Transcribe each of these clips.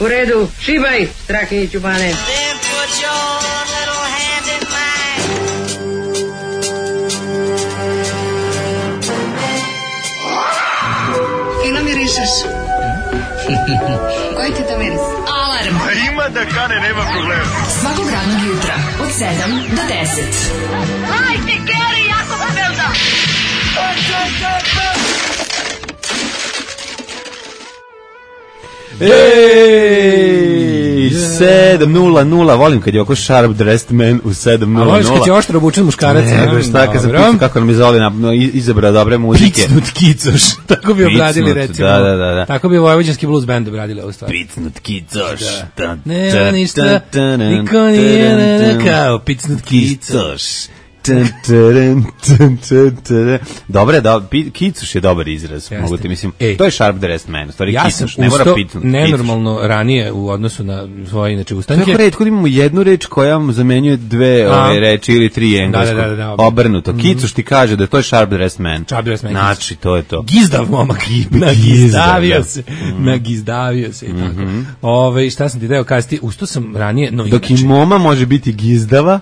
U redu, šibaj, Strahinji Ćubane. Fino mirišeš. Koji ti to miris? Alarm. Ima da kane, nema problema. Svakog radnog jutra od 7 do 10. Hajde, Geri, jako se velda. Ej, 7:00, volim kad je oko sharp dressed man u 7:00. A voliš kad je oštro obučen muškarac? Ne, šta kad sam pucao, kako nam je Zoli izabrao dobre muzike. Picnut kicoš, tako bi obradili recimo. Da. Tako bi vojvođanski blues band obradili ovu stvar. Picnut kicoš. Nema ništa, niko nije kao picnut kicoš. Dobre, kicuš je dobar izraz. Mogu ti mislim, to je sharp dressed man, stvari ja kicuš, ne mora pitnut. Nenormalno ranije u odnosu na svoje inače ustanke. Tako retko imamo jednu reč koja zamenjuje dve ove reči ili tri engleskog. Obrnuto. Kicuš ti kaže da to je sharp dressed man. Znači, to je to. Gizdav momak. Nagizdavio se i tako. Šta sam ti deo kazati, usto sam ranije... Dok i moma može biti gizdava,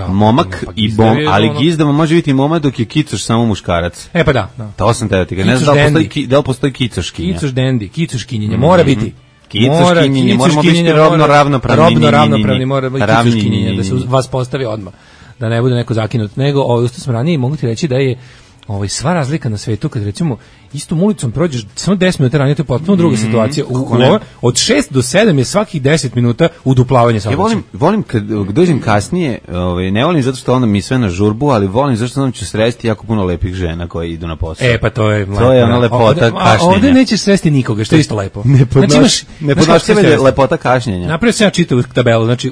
momak i bom, ali gizdava može biti moma dok je kicoš samo muškarac. Pa da. To sam te da ti ga. Ne znam da li postoji kicoškinja. Kicoš dendi, kicoškinjenja, mora biti. Kicoškinjenja, moramo biti robno ravnopravni. Mora biti kicoškinjenja, da se vas postavi odmah. Da ne bude neko zakinut. Nego, usto sam ranije, mogu ti reći da je sva razlika na svetu, kad recimo istom ulicom prođeš samo 10 minuta ranije, to je potpuno druga situacija. Od 6 do 7 je svakih 10 minuta uduplavanje saobraćaja. Volim kad dođem kasnije, ne volim zato što onda mi sve na žurbu, ali volim zato što onda ću sresti jako puno lepih žena koje idu na posao. Pa to je ona lepota kašnjenja. Ovdje nećeš sresti nikoga, što je isto lepo. Ne podnošćeve lepota kašnjenja. Napravio sam ja čitavu tabelu, znači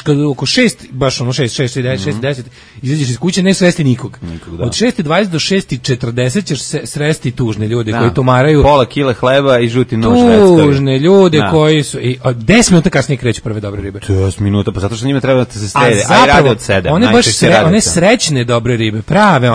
kad oko 6, baš 6:10 izađeš iz kuće, ne sresti nikog. Od 6:20 do 6:40 ćeš sresti tužne ljude koji tomaraju pola kile hleba i žuti nož reckovi. Tužne ljude koji su 10 minuta kasnije kreću prve dobre ribe. 10 minuta, pa zato što njima treba da se srede. Aj rade od 7. One srećne dobre ribe, prave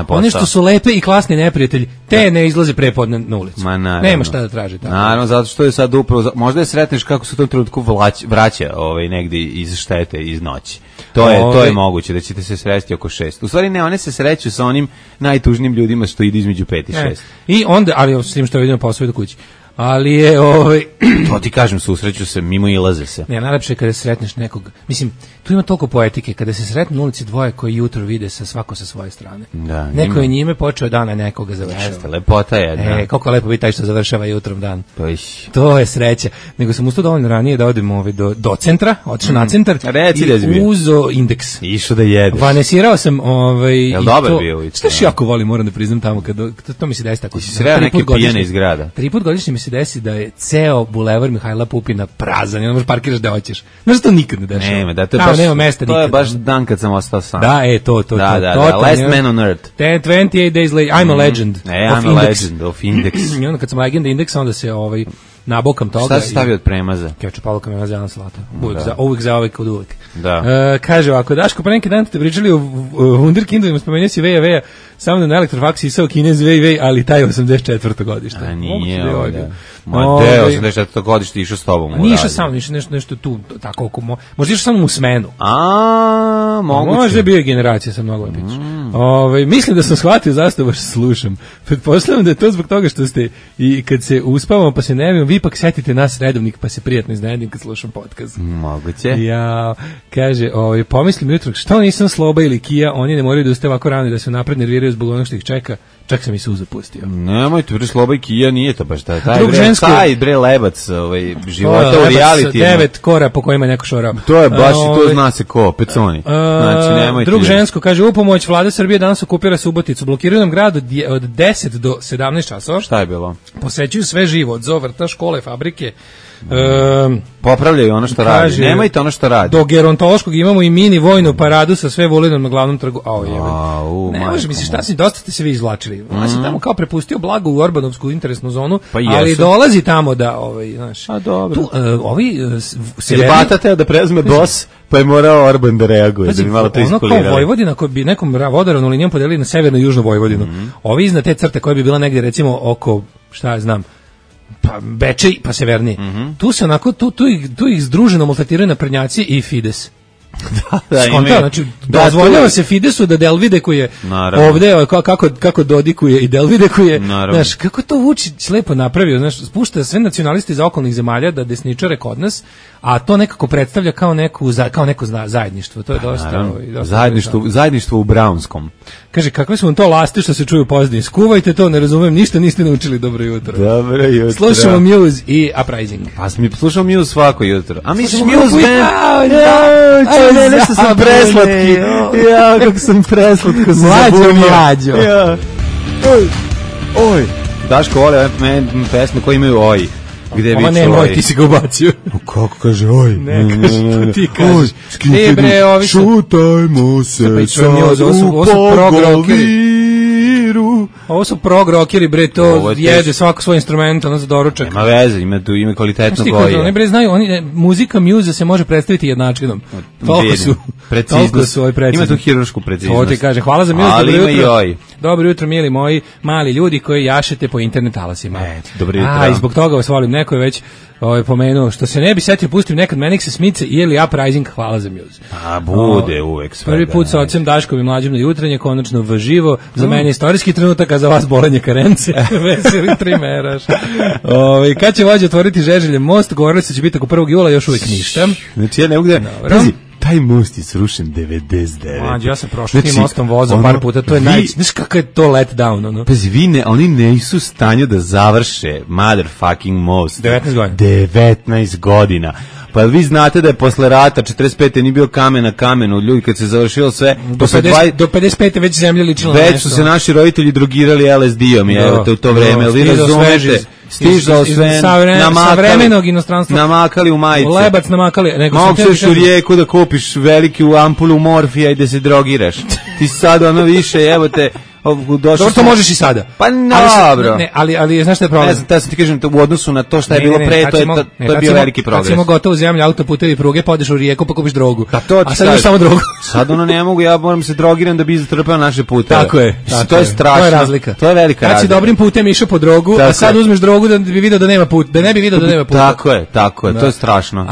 one što su lepe i klasni neprijatelji, te ne izlaze prepodne na ulicu. Nema šta da traži tamo. Naravno, zato što je sad upravo, možda je sretneš kako se u tom trenutku vraća negdje iz štete, iz noći. To je moguće, da ćete se sresti oko 6. U stvari ne, one se sreću sa onim najtužnijim ljudima što ide između 5 i 6. I onda, ali s tim što vidimo posao do kući. Ali je to ti kažem, susreću se, mimo ilaze se. Ne, najlepše je kada sretneš nekog. Mislim, tu ima toliko poetike, kada se sretnu na ulici dvoje koji jutro vide svako sa svoje strane. Da, neko je njime počeo dana, nekoga završava. Jeste, lepota jedna. Koliko lepo biti taj što završava jutrom dan. To je sreća. Nego sam ustao dovoljno ranije da odem do centra, otišao na centar i uzo indeks. Išao da jedeš. Vanesirao sam Jel dobar bio? Što jako volim, moram da priznam tamo, to mi se desi tako. Si sreo neke pijene iz grada? 3 puta godišnje mi se desi da je ceo bulevar Mihajla Pupina prazan, ne možeš parkiraš da hoćeš. Znaš, to nikad ne dešava. Nema mesta nikad. To je baš dan kad sam ostao sam. Da, to. Last man on earth. 28 days later, I'm a legend. I'm a legend of Index. I onda kad sam legenda indeksa, onda se nabokam toga. Šta se stavio od premaza? Kečup, paluka, mena, zelena salata. Uvijek za uvijek od uvijek. Da. Kaže ovako, Daško, pa neki dan te pričali o Wunderkindovima, spomenuo si Veja, samo da na elektrofaks isao Kinez Vej, ali taj 84. godište. A nije ovdje. Ma 84. godište išao s tobom. Nije išao sam, nešto tu, tako, možda išao samo u smenu. Moguće. Možda bio je generacija sa mnogo lepić. Mislim da sam shvatio zašto baš slušam. Pretpostavljam da je to zbog toga što ste i kad se uspavamo pa se nevimo, vi ipak setite nas redovnik pa se prijatno iznenadim kad slušam podcast. Moguće. Ja, kaže, pomislim jutro, što nisam Sloba ili Kija, oni ne moraju da ustaju ovako rano i da se napred nerviraju zbog onog što ih čeka. Čak sam i suza pustio. Nemojte, bre, Sloba i Kija nije to baš taj bre lebac života u reality. 9 kora po kojima neko šorao. To je baš i to zna se ko, Peconi. Znači, nemojte. Drug žensko, kaže, u pomoć Vlada Srbije danas okupira Suboticu. Blokiraju nam grad od 10 do 17 časova. Šta je bilo? Posećuju sve živo, od zovrta, škole, fabrike. Popravljaju ono što radi. Nemojte ono što radi. Do gerontološkog imamo i mini vojnu paradu sa sve Vulinom na glavnom trgu. Ne može, misliš, šta si, dosta ste se vi izvlačili. On si tamo kao prepustio blago u Orbanovsku interesnu zonu, ali dolazi tamo da, znaš. A dobro. Tu, batate da preuzme DOS, pa je morao Orban da reaguje. Ono kao Vojvodina, koji bi nekom vodoravnom linijom podelili na severno i južnu Vojvodinu. Ovi iznad te crte koje bi bila negdje, recimo, oko, šta ja znam, pa Bečej, pa severnije. Tu se onako, tu ih združeno maltretiraju naprednjaci i Fides. Skonta, znači dozvoljava se Fidesu da delvidekuje ovde kako dodikuje i delvidekuje, znaš, kako to Vučić lepo napravio, znaš, spušta sve nacionaliste iz okolnih zemalja da desničare kod nas, a to nekako predstavlja kao neko zajedništvo, to je dosta zajedništvo u Brownskom. Kaže, kakve su vam to lasti što se čuju pozadini, skuvajte to, ne razumem, ništa niste naučili, dobro jutro. Dobro jutro. Slušamo Muse i Uprising. Pa mi slušamo Muse svako jutro. A mi slušamo Muse band. Nešto sam preslatki. Ja, kako sam preslatko se zabunio. Mlađo. Ja. Oj. Daško vole pesme koje imaju oj. Gde Ova nema oj, ti si ga ubacio. Kako kaže oj? Ne, kaže, ti kažeš. Ne bre, ovi su... Šutajmo se sad u pogoviru. Ovo su prog rockeri, bre, to jede svako svoj instrument, ono za doručak. Nema veze, ima kvalitetno goje. Oni bre znaju, muzika Muse se može predstaviti jednačinom. Toliko su preciznost. Ima tu hiruršku preciznost. To ti kaže, hvala za Muse, dobro jutro. Dobro jutro, mili moji mali ljudi koji jašete po internet talasima. Dobro jutro. I zbog toga vas volim, neko je već pomenuo, što se ne bi setio, pustim nekad Menix Smice ili Uprising, hvala za Muse. A bude uvek sve. Prvi put sa ocem Daškom i mlađim na jutranje, konačno v živo, za mene istorijski trenutak, a za vas bolenje karence, veseli trimeraš. Kad će vođa otvoriti Žeželje most, govorili se će biti oko 1. jula, još uvijek ništa. Znači ja ne mogu taj most je srušen 99. Mađo, ja sam prošao tim mostom vozom par puta, to je znaš kakav je to let down, ono? Pazi, oni nisu u stanju da završe motherfucking most. 19 godina. 19 godina. Pa vi znate da je posle rata 45. nije bio kamen na kamenu, ljudi kad se završilo sve do 55. već zemlja ličila na nešto. Već su se naši roditelji drogirali LSD-om, evo te u to vreme, vi razumete. Stižao sve savremenog inostranstva. Namakali u majice. Lebac namakali. Mogu se u Rijeku da kupiš veliku ampulu morfija i da se drogiraš. Ti sad ono više, evo te... Dobro, to možeš i sada. Pa dobro. Ali znaš šta je problem? Ne znam, da sam ti kažem, u odnosu na to šta je bilo pre, to je bio veliki progres. Kad si imao gotovo zemlju, autoputevi, pruge, podeš u Rijeku pa kupiš drogu. A sad imaš samo drogu. Sad ono ne mogu, ja moram se drogiram da bi zatrpao naše puteve. Tako je. To je strašno. To je razlika. To je velika razlika. Kad si dobrim putem išao po drogu, a sad uzmeš drogu da bi video da nema put, da ne bi video da nema puta. Tako je. To je strašno.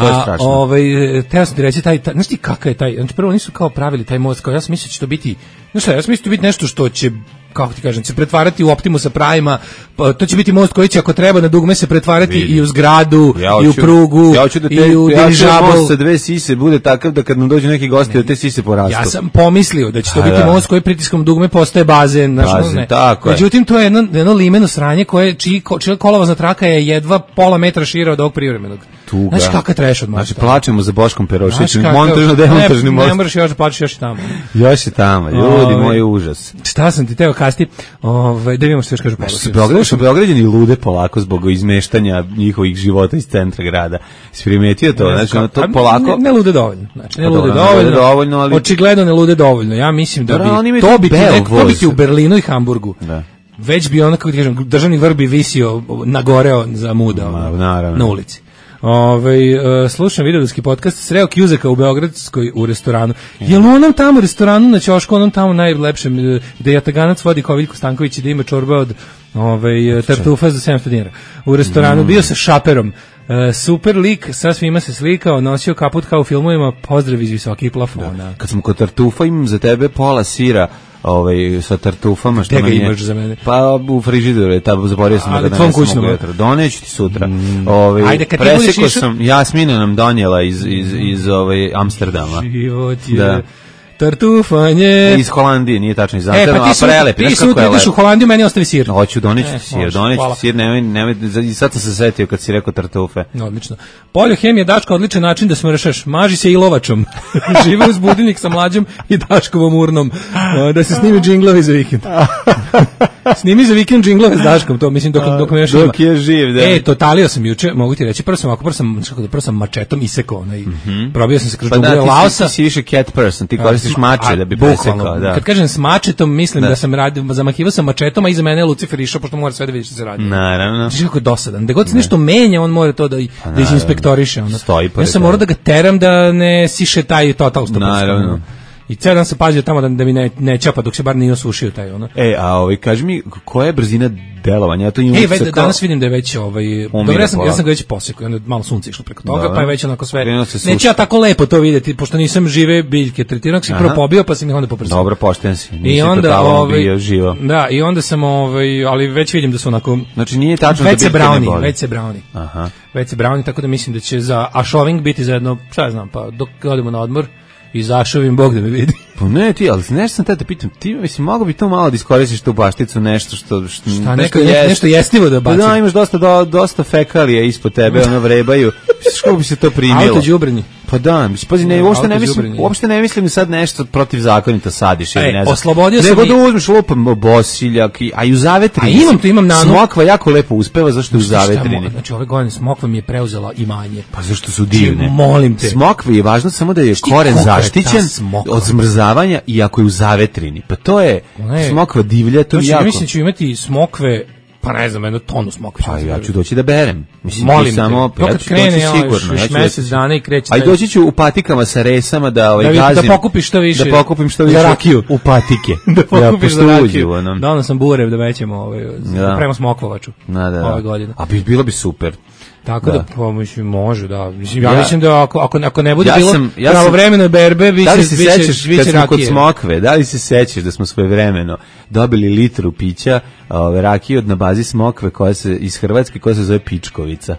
Teo sam ti reći, znaš ti kakav je taj, znači prvo nisu kao pravili taj most, kao ja sam mislio će to biti, znaš šta, ja sam mislio će biti nešto što će, kako ti kažem, se pretvarati u Optimusa Prima, to će biti most koji će ako treba na dugme se pretvarati i u zgradu, i u prugu, i u dirižabl. Most sa dve sise bude takav da kad nam dođu neki gosti da te sise porastu. Ja sam pomislio da će to biti most koji pritiskom dugme postaje bazen. Tako je. Međutim, to je jedno limeno sranje čija kolovozna traka je jedva pola metra šira od ovog privremenog. Znaš kakav treš od mosta. Znači, plačemo za Boškom Perošićem, montažno-demontažni most. Ne moraš još da plačeš, još i tamo. Još i tamo, ljudi, moj užas. Šta sam ti teo kasti, da vidimo što još kažu Beograd. Beograđani lude polako zbog izmeštanja njihovih života iz centra grada. Si primetio to? Znači, to polako... Ne lude dovoljno. Znači, ne lude dovoljno, ali... Očigledno ne lude dovoljno. Ja mislim da bi to biti u Berlinu i Hamburgu. Da. Već bi onako, kažem, državni vrb bi visio, nagoreo za muda na ulici. Slušam videoski podcast, sreo Kjuzeka u Beogradskoj u restoranu. Jel u onom tamo restoranu na ćošku, onom tamo najlepšem, gde Jataganac vodi Koviljko Stanković i da ima čorbe od tartufa za 700 dinara. U restoranu bio sa šaperom. Super lik, sa svima se slikao, nosio kaput kao u filmovima, pozdrav iz visokih plafona. Kad sam kod tartufa imam za tebe pola sira sa tartufama što meni imaš za mene. Pa u frižideru je zaboravio sam da danas mogu jutro. Doneću ti sutra. Ajde, kad ti budeš išao... Jasmina nam donijela iz Amsterdama. Život je... Tartufanje. Iz Holandije, nije tačno iz Amsterdama, a prelepi. Ti sutra ideš u Holandiju, meni ostavi sir. Hoću, doneću sir, nemoj, i sad sam se setio kad si rekao tartufe. Odlično. Poljohemija Daško, odličan način da smršaš. Maži se i lovačom. Žive uz budilnik sa mlađom i Daškovom urnom. Da se snimi džinglovi za vikend. Snimi za vikend džinglove s Daškom, to mislim dok me još ima. Dok je živ, da. Totalio sam juče, mogu ti reći, prvo sam mačetom isekao, probio sam se kroz džungle Laosa. Ti si više cat person, ti koristiš mače da bi presekao, da. Kad kažem s mačetom, mislim da sam zamahivao sam mačetom, a iza mene je Lucifer išao, pošto mora sve da vidi što se radi. Naravno. Znači kako je dosadan. Da god se nešto menja, on mora to da izinspektoriše. Ja sam morao da ga teram da ne siše taj total 100%. Naravno. I ceo dan sam pazio tamo da mi ne čapa dok se bar nije osušio taj ono. Kaži mi, koja je brzina delovanja? Ja to imam danas vidim da je već dobro, ja sam ga već posekao, onda malo sunce išlo preko toga, pa je već onako sve. Neću ja tako lepo to videti, pošto nisam žive biljke tretirao, sam prvo pobio, pa sam ih onda poprsao. Dobro, pošten si. I onda bio živo. Da, i onda sam ali već vidim da su onako. Znači nije tačno da biljke ne boli. Već se browni. Aha. Već se browni, tako da mislim da će za ašoving biti za jedno, šta ja znam, pa dok odemo na odmor i zašovim, Bog da me vidi. Pa ne ti, ali nešto sam te pitam, ti mislim, mogu bi to malo da iskoristiš tu bašticu, nešto što šta, nešto jestivo da bacim. Da, imaš dosta fekalija ispod tebe, ono vrebaju. Kako bi se to primilo? Auto đubrenje. Pa da, pazi, uopšte ne mislim sad nešto protivzakonito sadiš ili ne znam. Oslobodio sam nego da uzmeš lupam bosiljak, a i u zavetrini. A imam nanu. Smokva jako lepo uspeva, zašto je u zavetrini. Znači ove godine smokva mi je preuzela imanje. Pa zašto su divne? Molim te. Smokva je važno samo da je koren zaštićen od zmrzavanja i ako je u zavetrini. Pa to je smokva divlja, to je jako. Mislim da ću imati smokve, pa ne znam, jednu tonu smokve. Pa ja ću doći da berem. Mislim, molim samo, te, kad krene još mesec dana i kreće. A doći ću u patikama sa resama da gazim. Da pokupiš što više. Da pokupim što više. Za rakiju. U patike. Da pokupiš za rakiju. Da, sam burev da većemo prema smokvovaču. Ove godine. A bilo bi super. Tako da mislim može, da. Mislim ja mislim da ako ne bude bilo pravovremeno berbe, biće rakije. Kod smokve, da li se sećaš da smo svojevremeno dobili litru pića, rakije na bazi smokve koja se iz Hrvatske, koja se zove Pičkovica.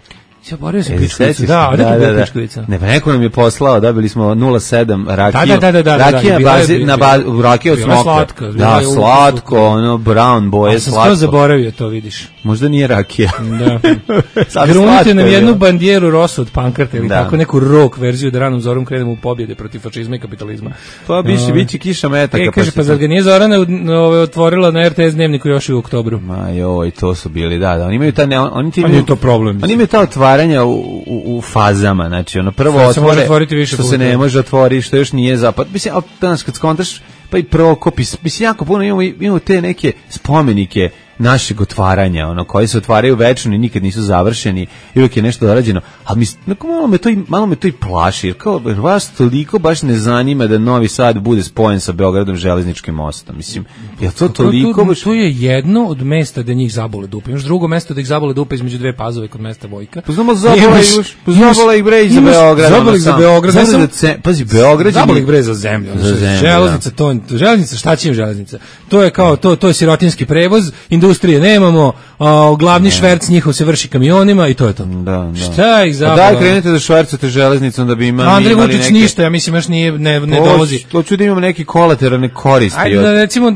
Ja borio se Pičkovica. Da. Pičkovica. Ne, pa neko nam je poslao, dobili smo 0,7 rakiju. Da. Rakija rakija od smokve. Da, slatko, ono brown boje, slatko. Sam zaboravio to, vidiš. Možda nije rakija. Da. Grunite nam jednu bandijeru rosu od pankarta ili tako neku rock verziju da ranom zorom krenemo u pobjede protiv fašizma i kapitalizma. Pa biće kiša metaka. Kaže, pa zar ga nije Zorana otvorila na RTS dnevniku još u oktobru? Ma joj, to su bili, da. Oni imaju to problem. Oni imaju ta otvaranja u fazama, znači ono prvo otvore što se ne može otvoriti, što još nije zapad. Mislim, danas kad skontaš, pa i Prokopis, mislim, jako puno imamo te neke spomenike našeg otvaranja, ono, koji se otvaraju večno i nikad nisu završeni i uvijek je nešto dorađeno, ali malo me to i plaši, jer kao vas toliko baš ne zanima da Novi Sad bude spojen sa Beogradom železničkim mostom, mislim, je to toliko baš... Tu je jedno od mesta da njih zabole dupe, imaš drugo mesto da ih zabole dupe između dve Pazove kod mesta Vojka. Poznamo zabole ih bre za Beograd. Zabole ih za Beograd. Pazi, Beograd... Zabole ih bre za zemlju. Železnica, šta će im železnica? To je kao, to je sirotinski prevoz, industrije nemamo, glavni šverc njihov se vrši kamionima i to je to. Da. Šta ih zapravo? Daj krenete da švercate železnicom da bi imali Andrej Vučić ništa, ja mislim još ne dovozi. To ću da imamo neki kolateralne koristi. Ajde da recimo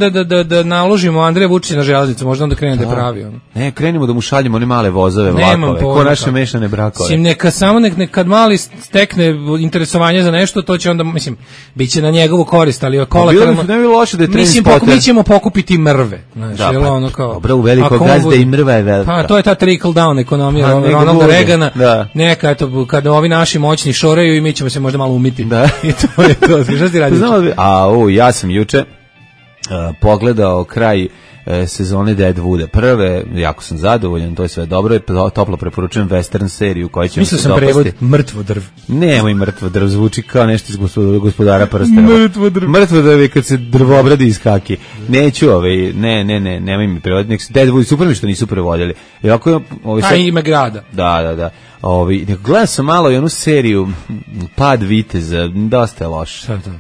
da naložimo Andreja Vučića na železnicu, možda onda krene da pravi on. Ne, krenimo da mu šaljemo one male vozove, vlakove, ko naše mešane brakove. Mislim, neka samo kad mali stekne interesovanje za nešto, to će onda, mislim, biće na njegovu korist, ali kolateralno. Ne bi loše da je transporter. Mi ćemo pokupiti mrve, znači, ono kao. Dobro, u veliko gazde i mrva je velika. Pa to je ta trickle down ekonomija Ronalda Reagana. Neka, eto, kada ovi naši moćni šoraju i mi ćemo se možda malo umiti. Da. I to je to. Šta ti radiš? Ja sam juče pogledao kraj sezone Deadwooda. Prve, jako sam zadovoljan, to je sve dobro, toplo preporučujem western seriju koja će mi se dopasti. Mislio sam prevod Mrtvo drv. Nemoj Mrtvo drv, zvuči kao nešto iz Gospodara prstenova. Mrtvo drv je kad se drvo obradi iz haki. Neću, nemoj mi prevoditi. Deadwood, super mi što nisu prevodili. Ime grada. Da. Gledam sam malo i onu seriju Pad viteza, dosta je loše. Šta je to?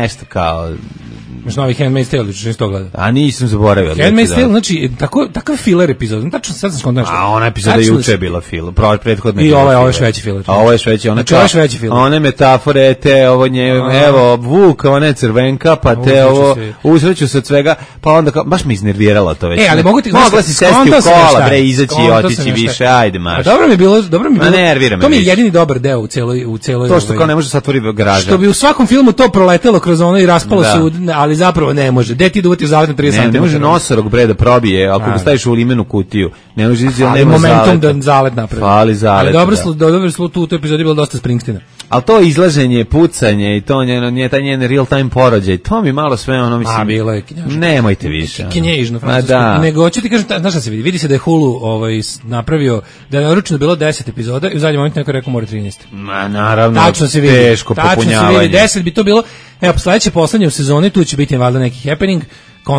Nešto kao... Imaš novi Handmaid's Tale, što nisi to gledao? A nisam zaboravio. Handmaid's Tale, znači, takav filler epizod. Tačno, sad sam skontao nešto. A ona epizoda juče je bila filler, prethodna i ovo je šveći filler. A ovo je šveći, znači, ovo je šveći filler. One metafore, te ovo evo, Vuk, ona je crvenka, pa te ovo, uzreću se od svega, pa onda kao, baš me iznerviralo to već. Ali mogu ti... Mogla si sesti u kola, bre, izaći i otići više, ajde, marš. Dobro mi je bilo. Nervira me. To mi je jedini dobar deo u celoj. To što kao ne može se otvori garaža. Što bi u svakom filmu to proletelo kroz ono i raspalo se, ali zapravo ne može. Gde ti duvati u zavet na 30 cm? Ne može nosorog bre da probije, ako ga staviš u limenu kutiju. Ne može ići, nema momentum da zalet napravi. Fali zalet. Ali dobro slu tu epizodi bilo dosta Springsteena. Ali to izlaženje, pucanje i to nije taj njen real time porođaj. To mi malo sve ono mislim. Bilo je kinjažno. Nemojte više. Kinježno francusko. Nego hoću ti kažem, znaš šta se vidi? Vidi se da je Hulu napravio da je naručeno bilo 10 epizoda i u zadnjem momentu neko rekao mora 13. Ma naravno. Tačno se vidi. Teško popunjavanje. Tačno se vidi 10 bi to bilo. Evo, sledeće poslednje u sezoni, tu će biti valjda neki happening,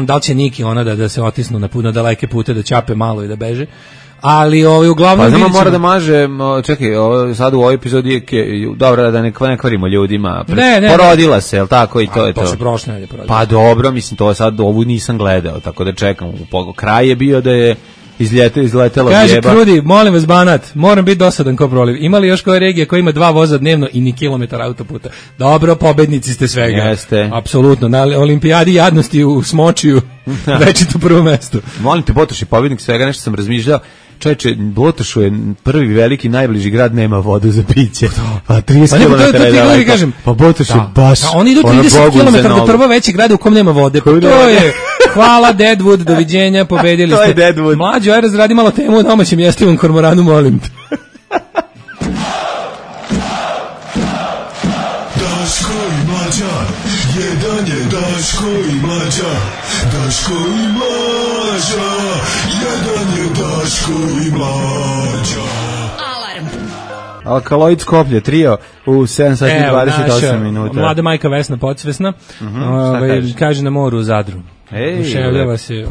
da li će Niki ona da se otisnu na daleke pute, da ćape malo i da beže. Ali uglavnom pa znamo mora da maže, čekaj, sad u ovoj epizodi je dobro da ne kvarimo ljudima. Porodila se, je l' tako, i to je to. To se prošle nedelje porodila. Pa dobro, mislim, to sad ovu nisam gledao, tako da čekam. Kraj je bio da je izletela kaže bjeba. Kaže Krudi, molim vas Banat, moram biti dosadan ko proliv. Imali još koja regija koja ima 2 voza dnevno i ni kilometar autoputa? Dobro, pobednici ste svega. Jeste. Apsolutno, na olimpijadi jadnosti u Smočiju večito prvo mesto. Molim te, Botoš je pobednik svega, nešto sam razmišljao. Čovječe, Botošu je prvi veliki, najbliži grad, nema vodu za piće. Pa 30 km je daleko. Pa Botoš je baš... Oni idu 30 km do prvo veći grada u kom nema vode. Pa to je... Hvala Deadwood, doviđenja, pobedili ste. To je Deadwood. Mlađo, aj razradi malo temu o domaćem jestivom kormoranu, molim te. Daško i Mlađa, jedan je Daško i Mlađa, Daško i Mlađa, jedan je Daško i Mlađa. Alarm. Alkaloid Skoplje, trio u 7 sati 28 minuta. Mlada majka Vesna Podsvesna, kaže na moru u Zadru. Uševljava se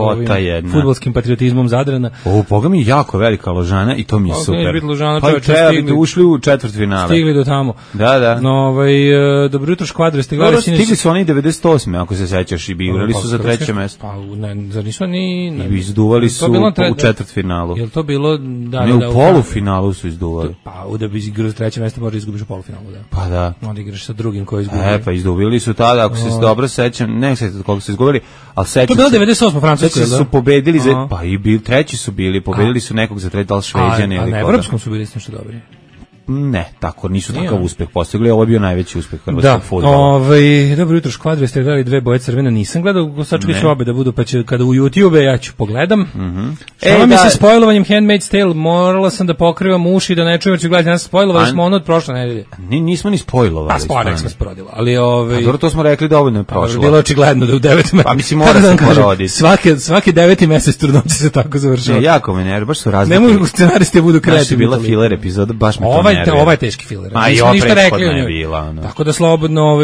fudbalskim patriotizmom Zadrana. Boga mi jako velika Ložana i to mi je super. Pa treba biti ušli u četvrtfinale. Stigli do tamo. Da. Dobro jutro škvadre. Stigli su oni 98. ako se sećaš i igrali su za treće mesto. Pa ne, zar nisu oni... I izduvali su u četvrtfinalu. Je li to bilo... Ne, u polufinalu su izduvali. Pa da bi igrao za treće mesto možda izgubiš u polufinalu, da. Pa da. Onda igraš sa drugim koji izgubili. Pa izduvili su tada, ako se dobro sećam, ne sećam koliko su izgubili, ali to je bilo 98. Francuskoj, su pobedili, pa i treći su bili, pobedili su nekog za treći, da li Šveđane ili koga. A na evropskom su bili nešto dobri. Ne, tako, nisu takav uspeh postigli, ovo je bio najveći uspeh hrvatskog fudbala. Dobro jutro škvadre, ste gledali 2 boje crvena, nisam gledao, sačekaj ću obe da budu, pa će kada u YouTube ja ću pogledam. Što mi se spojlovanjem Handmaid's Tale, morala sam da pokrivam uši da ne čujem, jer ću gledati, nas spojlovali smo ono od prošle nedelje. Nismo ni spojlovali. A spojenak smo sporodila, ali dobro, to smo rekli dovoljno je prošlo. Bilo očigledno da u 9 meseca. Pa mislim, mora se poroditi. Svaki 9. mesec trudnoće se tako završava. Jako me nervira, baš su razlike. Ne mogu scenaristi budu kreativni. Bila filler epizoda, baš me to nervira. Ovo je teški filler. Nismo ništa rekli o njoj. Tako da slobodno,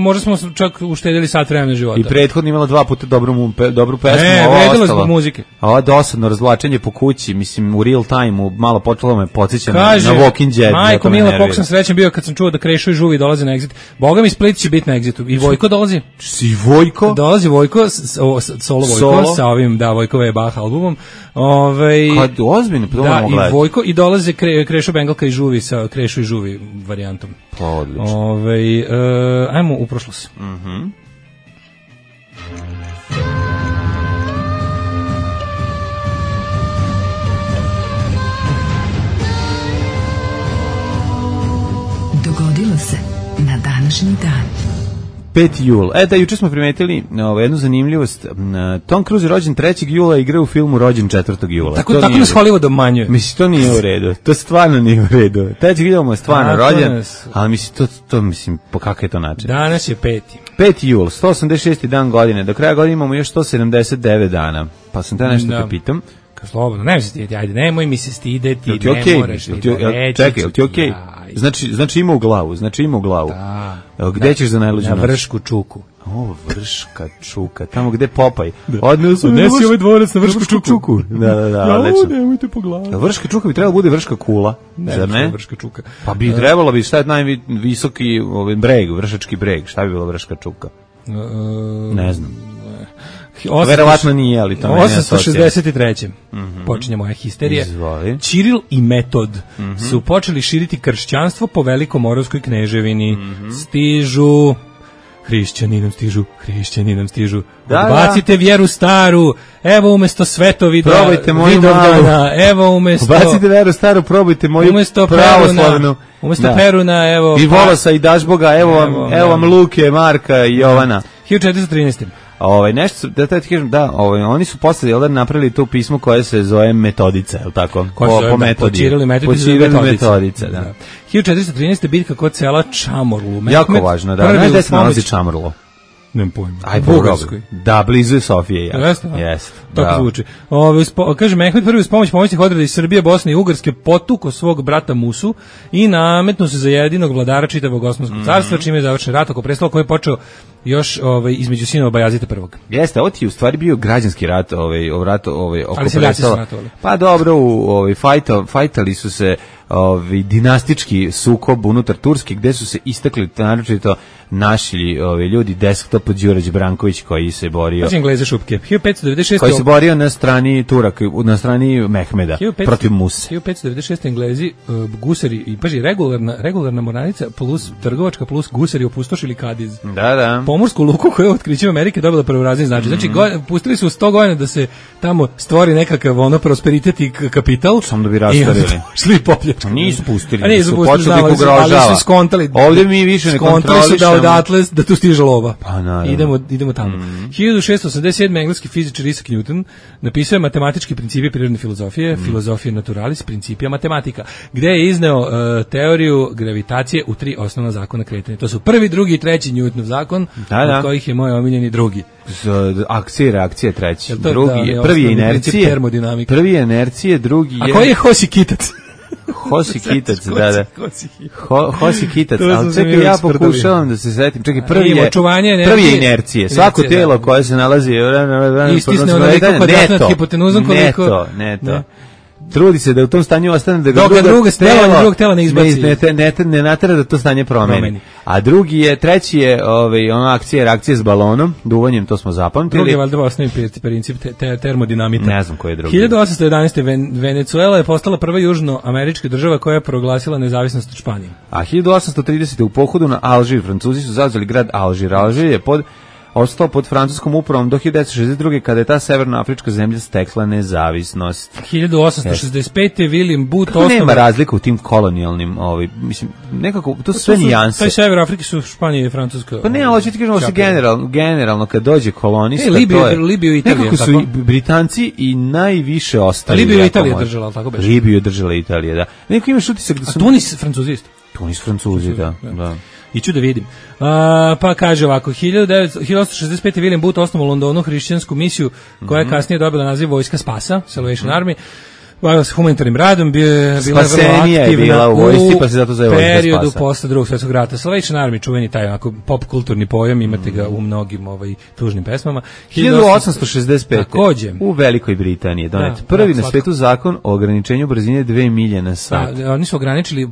možda smo čak uštedili sat vremena života. I prethodno imala 2 puta dobru pesmu. Vredilo zbog muzike. Ovo dosadno razvlačenje po kući, mislim, u real time, malo počelo me podsjeća na Walking Dead. Majko Mila, koliko sam srećan bio kad sam čuo da Krešo i Žuvi dolaze na Exit. Boga mi Split će biti na Exitu. I Vojko dolazi. Si Vojko? Dolazi Vojko, solo Vojko, sa ovim, Vojkove Bach albumom. Kad ozbiljno, to moramo gledati. I Vojko, i dolaze Krešo Bengalka i Žuvi sa Krešo i Žuvi varijantom. Pa odlično. Ajmo u prošlost. Dogodilo se na današnji dan. 5. jul. Da, juče smo primetili jednu zanimljivost. Tom Cruise je rođen 3. jula i igra u filmu rođen 4. jula. Tako nas Hollywood obmanjuje. Mislim, to nije u redu. To stvarno nije u redu. 3. jula mu je stvarno rođen, ali mislim, to mislim, po kakav je to način? Danas je 5. 5. jul, 186. dan godine. Do kraja godine imamo još 179 dana. Pa sam te nešto te pitam. Slobodno, nemoj se stideti, ajde, nemoj mi se stideti, ne moraš ni da reći. Čekaj, jel ti okej? Znači ima u glavu, Da. Gde ćeš za najluđu noć? Na Vršku čuku. Vrška čuka, tamo gde Popaj. Odnesi ovaj dvorac na Vršku čuku. Da, odlično. Nemojte po glavu. Vrška čuka bi trebalo bude Vrška kula, zar ne? Vrška čuka. Pa bi trebalo bi, šta je najvisoki breg, Vršački breg, šta bi bilo Vrška čuka? Ne znam. Verovatno nije, ali to meni je 863. Počinje moja histerija. Ćiril i Metod su počeli širiti kršćanstvo po Velikomoravskoj kneževini. Stižu, hrišćani nam stižu. Odbacite vjeru staru, evo umesto svetovida, probajte moju Vidovdana, evo umesto... Odbacite vjeru staru, probajte moju pravoslavnu. Umesto Peruna, evo... I Volosa i Dašboga, evo vam Luke, Marka i Jovana. 1413. Nešto, da ti kažem, oni su posle napravili to pismo koje se zove Metodica, je li tako? Po metodi. Počirili Metodica, da. 1413. bitka kod sela Čamorlu. Jako važno, da. Znaš gde se nalazi Čamorlo? Nemam pojma. Aj, Bugarskoj. Da, blizu je Sofije. Jeste? Jeste. Tako zvuči. Kaže, Mehmed prvi uz pomoć pomoćnih odreda iz Srbije, Bosne i Ugarske potuko svog brata Musu i nametnu se za jedinog vladara čitavog Osmanskog carstva, čime je završen rat oko prestola koji je počeo još između sinova Bajazita prvog. Jeste, ovo ti je u stvari bio građanski rat, oko ali se ratovali. Pa dobro, fajtali su se dinastički sukob unutar Turske, gde su se istakli naročito naši ljudi, desktop Đurađ Branković koji se borio. Znači Engleze šupke. 1596. Koji se borio na strani Turaka, na strani Mehmeda, protiv Muse. 1596. Englezi, gusari, i paži, regularna mornarica plus trgovačka plus gusari opustošili Kadiz. Da. Pomorsku luku koja je otkrićem Amerike dobila prvorazredni značaj. Znači, pustili su 100 godina da se tamo stvori nekakav prosperitet i kapital. Samo da bi rastavili. Šli popljačku. Nisu pustili. A nisu pustili, ali su skontali. Ovdje mi više ne kontrolišemo. Odatle da tu stiže lova. Pa naravno. Idemo tamo. 1687. engleski fizičar Isaac Newton napisao je matematički principi prirodne filozofije, filozofije naturalis, principia matematika, gde je izneo teoriju gravitacije u 3 osnovna zakona kretanja. To su prvi, drugi i treći Newtonov zakon, od kojih je moj omiljeni drugi. Akcije, reakcije, treći. Prvi je inercije. Prvi je inercije, drugi je... A koji je Hosi Kitac? Hosi Kitac, da. Hosi Kitac, ali čekaj, ja pokušavam da se setim. Čekaj, prvi je inercije. Svako telo koje se nalazi... Istisne onoliko kvadratno nad hipotenuzom koliko... Neto. Trudi se da u tom stanju ostane da ga drugog tela ne izbaci. Ne natera da to stanje promeni. A treći je akcija, reakcija s balonom, duvanjem, to smo zapamtili. Drugi je valjda osnovni princip termodinamita. Ne znam koji je drugi. 1811. Venezuela je postala prva južnoamerička država koja je proglasila nezavisnost od Španije. A 1830. u pohodu na Alžir Francuzi su zauzeli grad Alžir. Alžir je ostao pod francuskom upravom do 1962. kada je ta severnoafrička zemlja stekla nezavisnost. 1865. William Booth osnovan... Nema razlika u tim kolonijalnim, mislim, nekako, to su sve nijanse. Taj sever Afrike su Španija i Francuska. Pa ne, ali ću ti kažemo se generalno kad dođe kolonista, Libiju i Italija. Nekako su Britanci i najviše ostali. Libiju i Italija držala, ali tako beše? Libiju je držala Italija, da. Neko imaš utisak da su... A Tunis Francuzi isto? Tunis Francuzi, da. Iću da vidim. Pa kaže ovako, 1865. William Booth osnovao u Londonu hrišćansku misiju koja je kasnije dobila naziv Vojska spasa, Salvation Army. Bavila se humanitarnim radom, bila je vrlo aktivna u vojsci, pa se zato zove Vojska spasa. Periodu posle Drugog svjetskog rata. Salvation Army, čuveni taj onako pop kulturni pojam, imate ga u mnogim tužnim pesmama. 1865. Takođe. U Velikoj Britaniji donet prvi na svetu zakon o ograničenju brzine 2 milje na sat. Da, oni su ograničili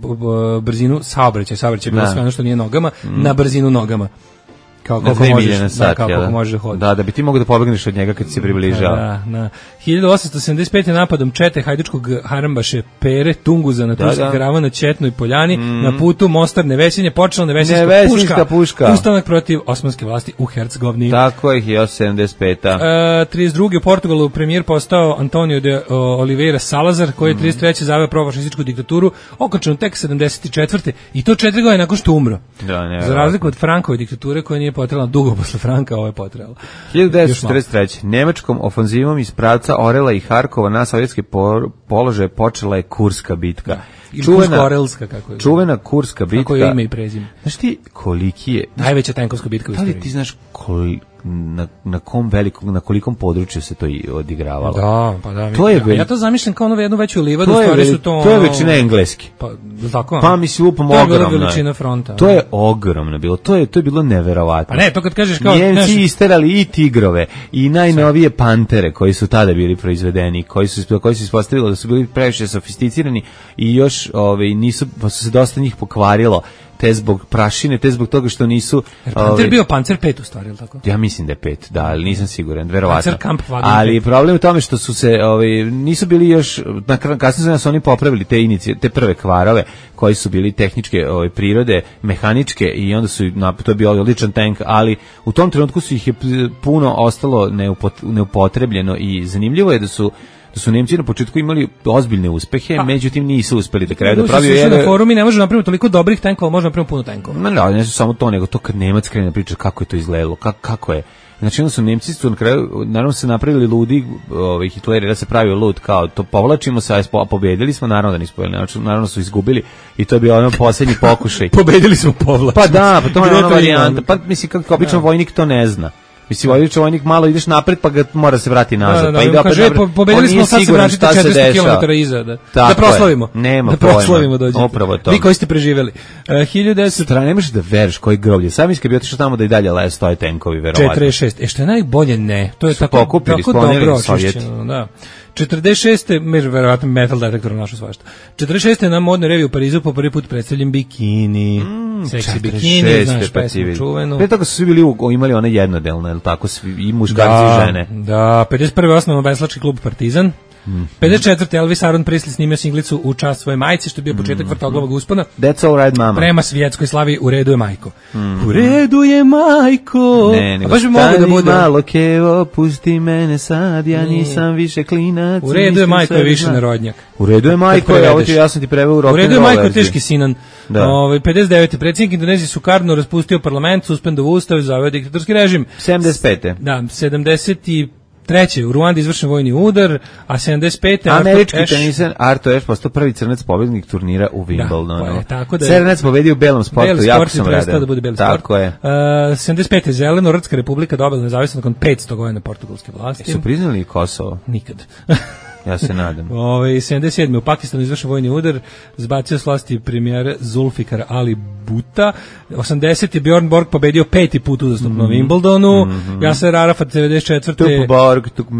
brzinu saobraćaja je bilo sve ono što nije nogama, na brzinu nogama. Na 2 milje na sat, kako možeš da hoditi. Da bi ti mogao da pobegneš od njega kad se približava. Da. 1875. napadom čete hajdučkog harambaše Pere Tunguza na turski karavan na Četnoj poljani, na putu Mostar Nevesinje, počela Nevesinjska puška. Ustanak protiv osmanske vlasti u Hercegovini. Tako je, 1875. 32. u Portugalu premijer postao Antonio de Oliveira Salazar, koji je 33. zaveo profašističku diktaturu, okačenu tek 74. I to 4 godine nakon što umro. Za razliku od Frankove diktature koja nije potrebala dugo posle Franka, ovo je potrebalo. 1943. Nemačkom ofanzivom iz pravca Orela i Harkova na sovjetske položaje počela je Kurska bitka. Kursko-Orelska, kako je. Čuvena Kurska bitka. Kako je ime i prezime. Znaš ti koliki je... Najveća tenkovska bitka u istoriji. Da li ti znaš na kolikom području se to odigravalo? Da, pa da. Ja to zamišljam kao jednu veću livadu, stvari su to... To je većina engleski. Pa mislim, lupom ogromno. To je bila veličina fronta. To je ogromno bilo. To je bilo neverovatno. Pa ne, to kad kažeš kao... Njemci isterali i tigrove i najnovije pantere koji su tada bili proizvedeni, koji su ispostavili da su bili previše sofisticirani i još nisu, pa su se dosta njih pokvarilo. Te zbog prašine, te zbog toga što nisu... Panter bio Panzer 5 u stvari, ili tako? Ja mislim da je 5, da, ali nisam siguran, verovatno. Panzer Kampfwagen. Ali problem je u tome što su se, nisu bili još, kasnije su oni popravili te prve kvarove koji su bili tehničke prirode, mehaničke i onda su, to je bio odličan tank, ali u tom trenutku su ih je puno ostalo neupotrebljeno i zanimljivo je da su Nemci na početku imali ozbiljne uspehe, međutim nisu uspeli da kraju da pravi. Na forumu ne može napraviti toliko dobrih tenkova, može napraviti puno tenkova. Ne su samo to, nego to kad Nemac krene da priča kako je to izgledalo, kako je Znači onda su Nemci na kraju, naravno se napravili ludi, Hitleri da se pravio lud, kao to povlačimo se, a pobedili smo, naravno da nismo pobedili, naravno su izgubili i to je bio ono posljednji pokušaj. Pobedili smo, povlačimo. Pa da, pa to je ona varijanta, pa mislim kako obično vojnik to ne zna. Mislim, vojnik malo ideš napred, pa ga mora se vrati nazad. Pa ide opet napred. Pobedili smo, sad se vratite 400 km iza. Da proslavimo. Nema da proslavimo, dođete. Upravo to. Vi koji ste preživeli. 1900... Ne možeš da veriš koji groblje. Sam iska bi otišao tamo da i dalje stoje tenkovi, verovatno. 46. Što je najbolje, ne. To je tako dobro očišćeno. Da. 46. verovatno metal detektor našo svašta. 46. na modnoj reviji u Parizu po prvi put predstavljen bikini. Seksi bikini, znaš, pesmu čuvenu. Pre toga su svi bili imali one jednodelne, ili tako, i muškarci i žene. Da, 51. osnovan veslački klub Partizan. 54. Elvis Aaron Presley snimio singlicu U čast svoje majci, što je bio početak Vrtoglavog uspona. That's all right, mama. Prema svjetskoj slavi U redu je majko. U redu je majko. Ne, nego stani malo kevo, pusti mene sad, ja nisam više klinac. U redu je majko je više narodnjak. U redu je majko, ja sam ti preveo u rock'n'roll. U redu je majko je teški sinan. 59. predsjednik Indonezije Sukarno raspustio parlament, suspendovao ustav, zaveo diktatorski režim. 75. Da, 70. Treće, u Ruandi izvršen vojni udar, a 75. Američki teniser Arthur Ashe postao prvi crnac pobednik turnira u Wimbledonu. Da, crnac pobedio u belom sportu, jako sam radan. Da bude beli tako sport. Je. 75. Zeleno-Rdska republika dobila nezavisnost nakon 500 godina portugalske vlasti. Su priznali Kosovo? Nikad. Ja se nadam. 77. u Pakistanu izvršen vojni udar, zbacio s vlasti premijera Zulfikar Ali Bhutta. 80. Bjorn Borg pobedio 5. put uzastopno na Wimbledonu. Yasser Arafat 94. Tup Borg, Tup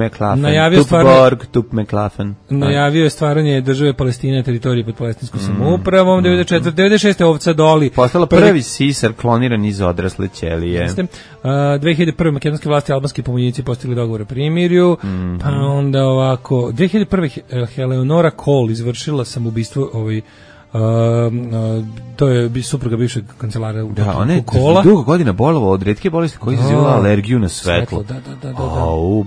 McLaughlin. Najavio je stvaranje države Palestine na teritoriji pod palestinskom samoupravom. 94. 96. ovca Doli. Postala prvi sisar kloniran iz odrasle ćelije. 2001. makedonske vlasti i albanski pomoćnici postigli dogovor o primirju. Pa onda ovako 2001. Eleonora Kohl izvršila samoubistvo to je supruga bivšeg kancelara Kohla. Dugo godina bolovao od retke bolesti koja izazivala alergiju na svetlo. Da.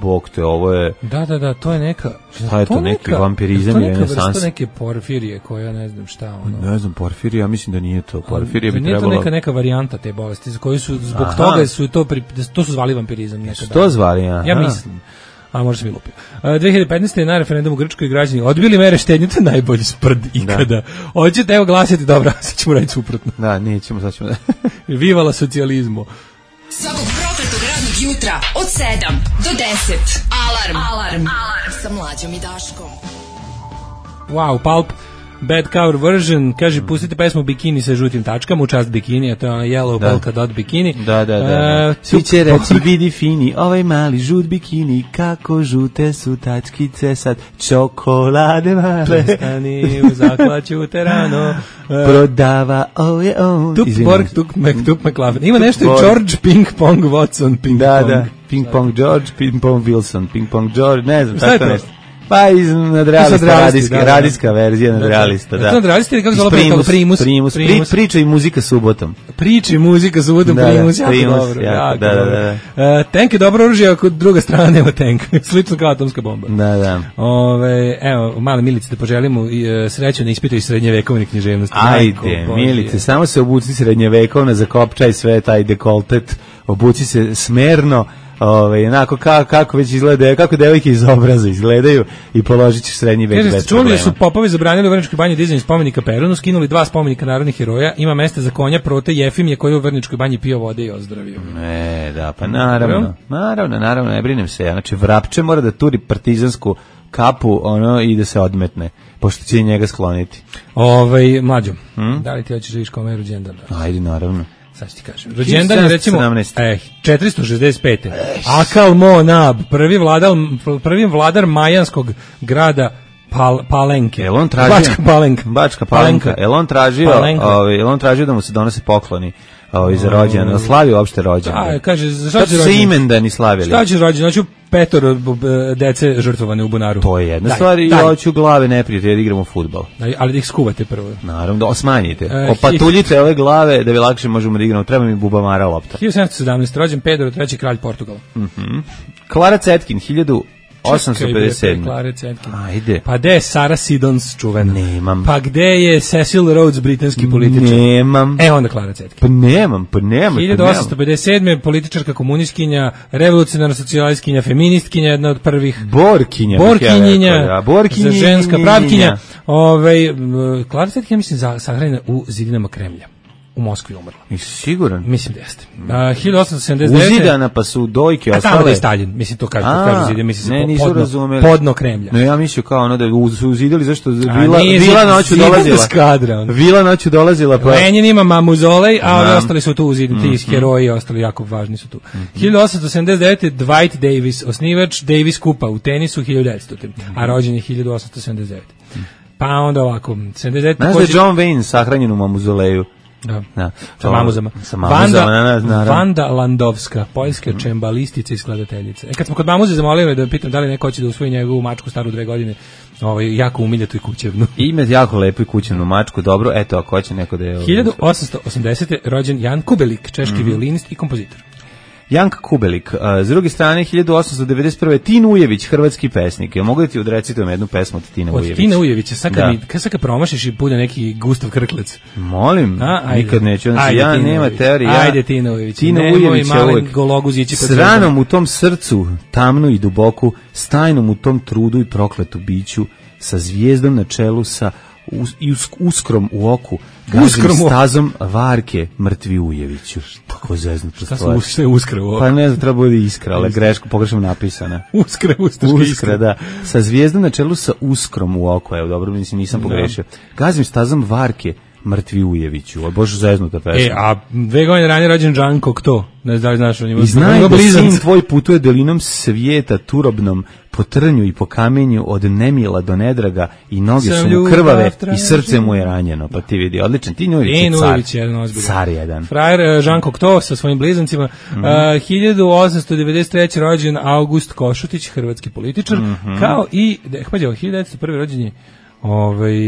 Bog te, ovo je... Da, to je neka... Šta je to, neki vampirizam i renesans? To je neka neke porfirije koja ne znam šta. Ne znam, porfirija, mislim da nije to. Porfirija bi trebalo... Nije to neka varijanta te bolesti, za koju su, zbog toga su to su zvali vampirizam. To zvali, ja mislim. A možda sam mi lupio. 2015. je na referendumu u Grčkoj građani odbili mere štednje, to je najbolji sprd ikada. Hoćete, evo glasiti, dobro, sad ćemo raditi suprotno. Da, nećemo, sad ćemo da... Vivala socijalizmu. Svakog prokletog radnog jutra od 7 do 10. Alarm. Sa Mlađom i Daškom. Wow, Pulp. Bad cover version, kaže, pustite pesmu Bikini sa žutim tačkama, u čast bikini, a to je ona yellow polka dot bikini. Da. Svi će reći, vidi fini, ovaj mali žut bikini, kako žute su tačkice sad, čokolade male. Prestani u zaklaću terano. Prodava, on. Tup Borg, Tup McLaughlin. Ima nešto i George Ping Pong Watson, Ping Pong. Da, Ping Pong George, Ping Pong Wilson, Ping Pong George, ne znam, tako nešto. Pa iz nadrealista, radijska verzija nadrealista, da. To nadrealista ili kako zvala Primus? Priča i muzika subotom. Priča i muzika subotom, Primus, jako dobro. Da. Tank je dobro oružje ako druga strana nema tank. Slično kao atomska bomba. Da. Evo, male Milice da poželimo sreću na ispitu iz srednjevekovne književnosti. Ajde, Milice, samo se obuci srednjevekovna, zakopčaj sve taj dekoltet, obuci se smerno, onako kako već izgleda, kako devojke iz obraza izgledaju i položit ćeš srednji vek bez problema. Čuli su popovi zabranili u Vrničkoj banji dizanje spomenika Perunu, skinuli 2 spomenika narodnih heroja, ima mesta za konja Prote Jefimije koji u Vrničkoj banji pio vode i ozdravio. Da, pa naravno, ne brinem se, znači Vrapče mora da turi partizansku kapu i da se odmetne, pošto će njega skloniti. Mlađo, da li ti hoćeš da vidiš kome je rođendan? Ajde, naravno. Sad ti kažem. Rođendan je recimo 465. Akal Mo Nab, prvi vladar majanskog grada Palenke. Bačka Palenka. Jel on tražio da mu se donose pokloni za rođendan, slavi uopšte rođendan. Kaže, šta će se imendani slavili? Šta će rođendan? Znači, 5 dece žrtvovane u bunaru. To je jedna stvar i hoću glave neprijatelja da igramo fudbal. Ali da ih skuvate prvo. Naravno, da osmanjite. Opatuljite ove glave da bi lakše možemo da igramo. Treba mi bubamara lopta. 1717. rođen Pedro III. kralj Portugala. Klara Cetkin, 857. Klare Cetkin. Ajde. Pa gde je Sara Sidons čuvena? Nemam. Pa gde je Cecil Rhodes, britanski političar? Nemam. Onda Klara Cetkin. Pa nemam. 1857. političarka, komunistkinja, revolucionarna socijalistkinja, feministkinja, jedna od prvih. Borkinja, ženska pravkinja. Klara Cetkin, mislim, sahranjena u zidinama Kremlja. U Moskvi umrla. Jesi siguran? Mislim da jeste. 1879. Uzidana pa su dojke ostale. Tamo da je Stalin, mislim to kažu zidje, mislim nisu razumeli. Podno Kremlja. No ja mislio kao ono da su uzidali zašto vila noću dolazila. Vila noću dolazila pa. Lenin ima mamuzolej, a ovi ostali su tu uzidani, ti heroji ostali jako važni su tu. 1879. Dwight Davis, osnivač Davis Kupa u tenisu 1900. A rođen je 1879. Pa onda ovako, 79. Znaš da je John Wayne sahranjen u mamuzoleju? Da. Sa mamuzama. Vanda Landowska, poljska čembalistica i skladateljica. Kad smo kod mamuze zamolili da pitam da li neko hoće da usvoji njegovu mačku staru 2 godine, jako umiljatu i kućevnu. Ima jako lepu i kućevnu mačku, dobro, eto, ako hoće neko da je... 1880. rođen Jan Kubelik, češki violinist i kompozitor. Janka Kubelik, s druge strane 1891. Tin Ujević, hrvatski pesnik. Ja mogu da ti odrecitujem jednu pesmu od Tina Ujevića? Od Tina Ujevića, sad kad promašiš i bude neki Gustav Krklec. Molim, nikad neću. Znači, ja nema teorije. Ajde Tina Ujević. Tina Ujević je uvijek s ranom u tom srcu, tamnu i duboku, s tajnom u tom trudu i prokletu biću, sa zvijezdom na čelu, sa uskrom u oku, gazim stazom varke mrtvi Ujeviću. Tako zeznuto stvar. Šta je uskra u oku? Pa ne znam, treba bude iskra, ali pogrešno napisana. Uskra, da. Sa zvijezdom na čelu, sa uskrom u oku, evo, dobro, mislim, nisam pogrešio. Gazim stazom varke mrtvi Ujeviću. O Bože, zeznuta pesma. A 2 godine ranije rođen Jean Cocteau. Ne znam da li znaš o njima. I znaj da sin tvoj putuje dolinom svijeta turobnom, po trnju i po kamenju, od nemila do nedraga, i noge su mu krvave i srce mu je ranjeno. Pa ti vidi, odličan. Ti Ujević je car jedan. Frajer Jean Cocteau sa svojim blizancima. 1893. rođen August Košutić, hrvatski političar, kao i 1901. rođen je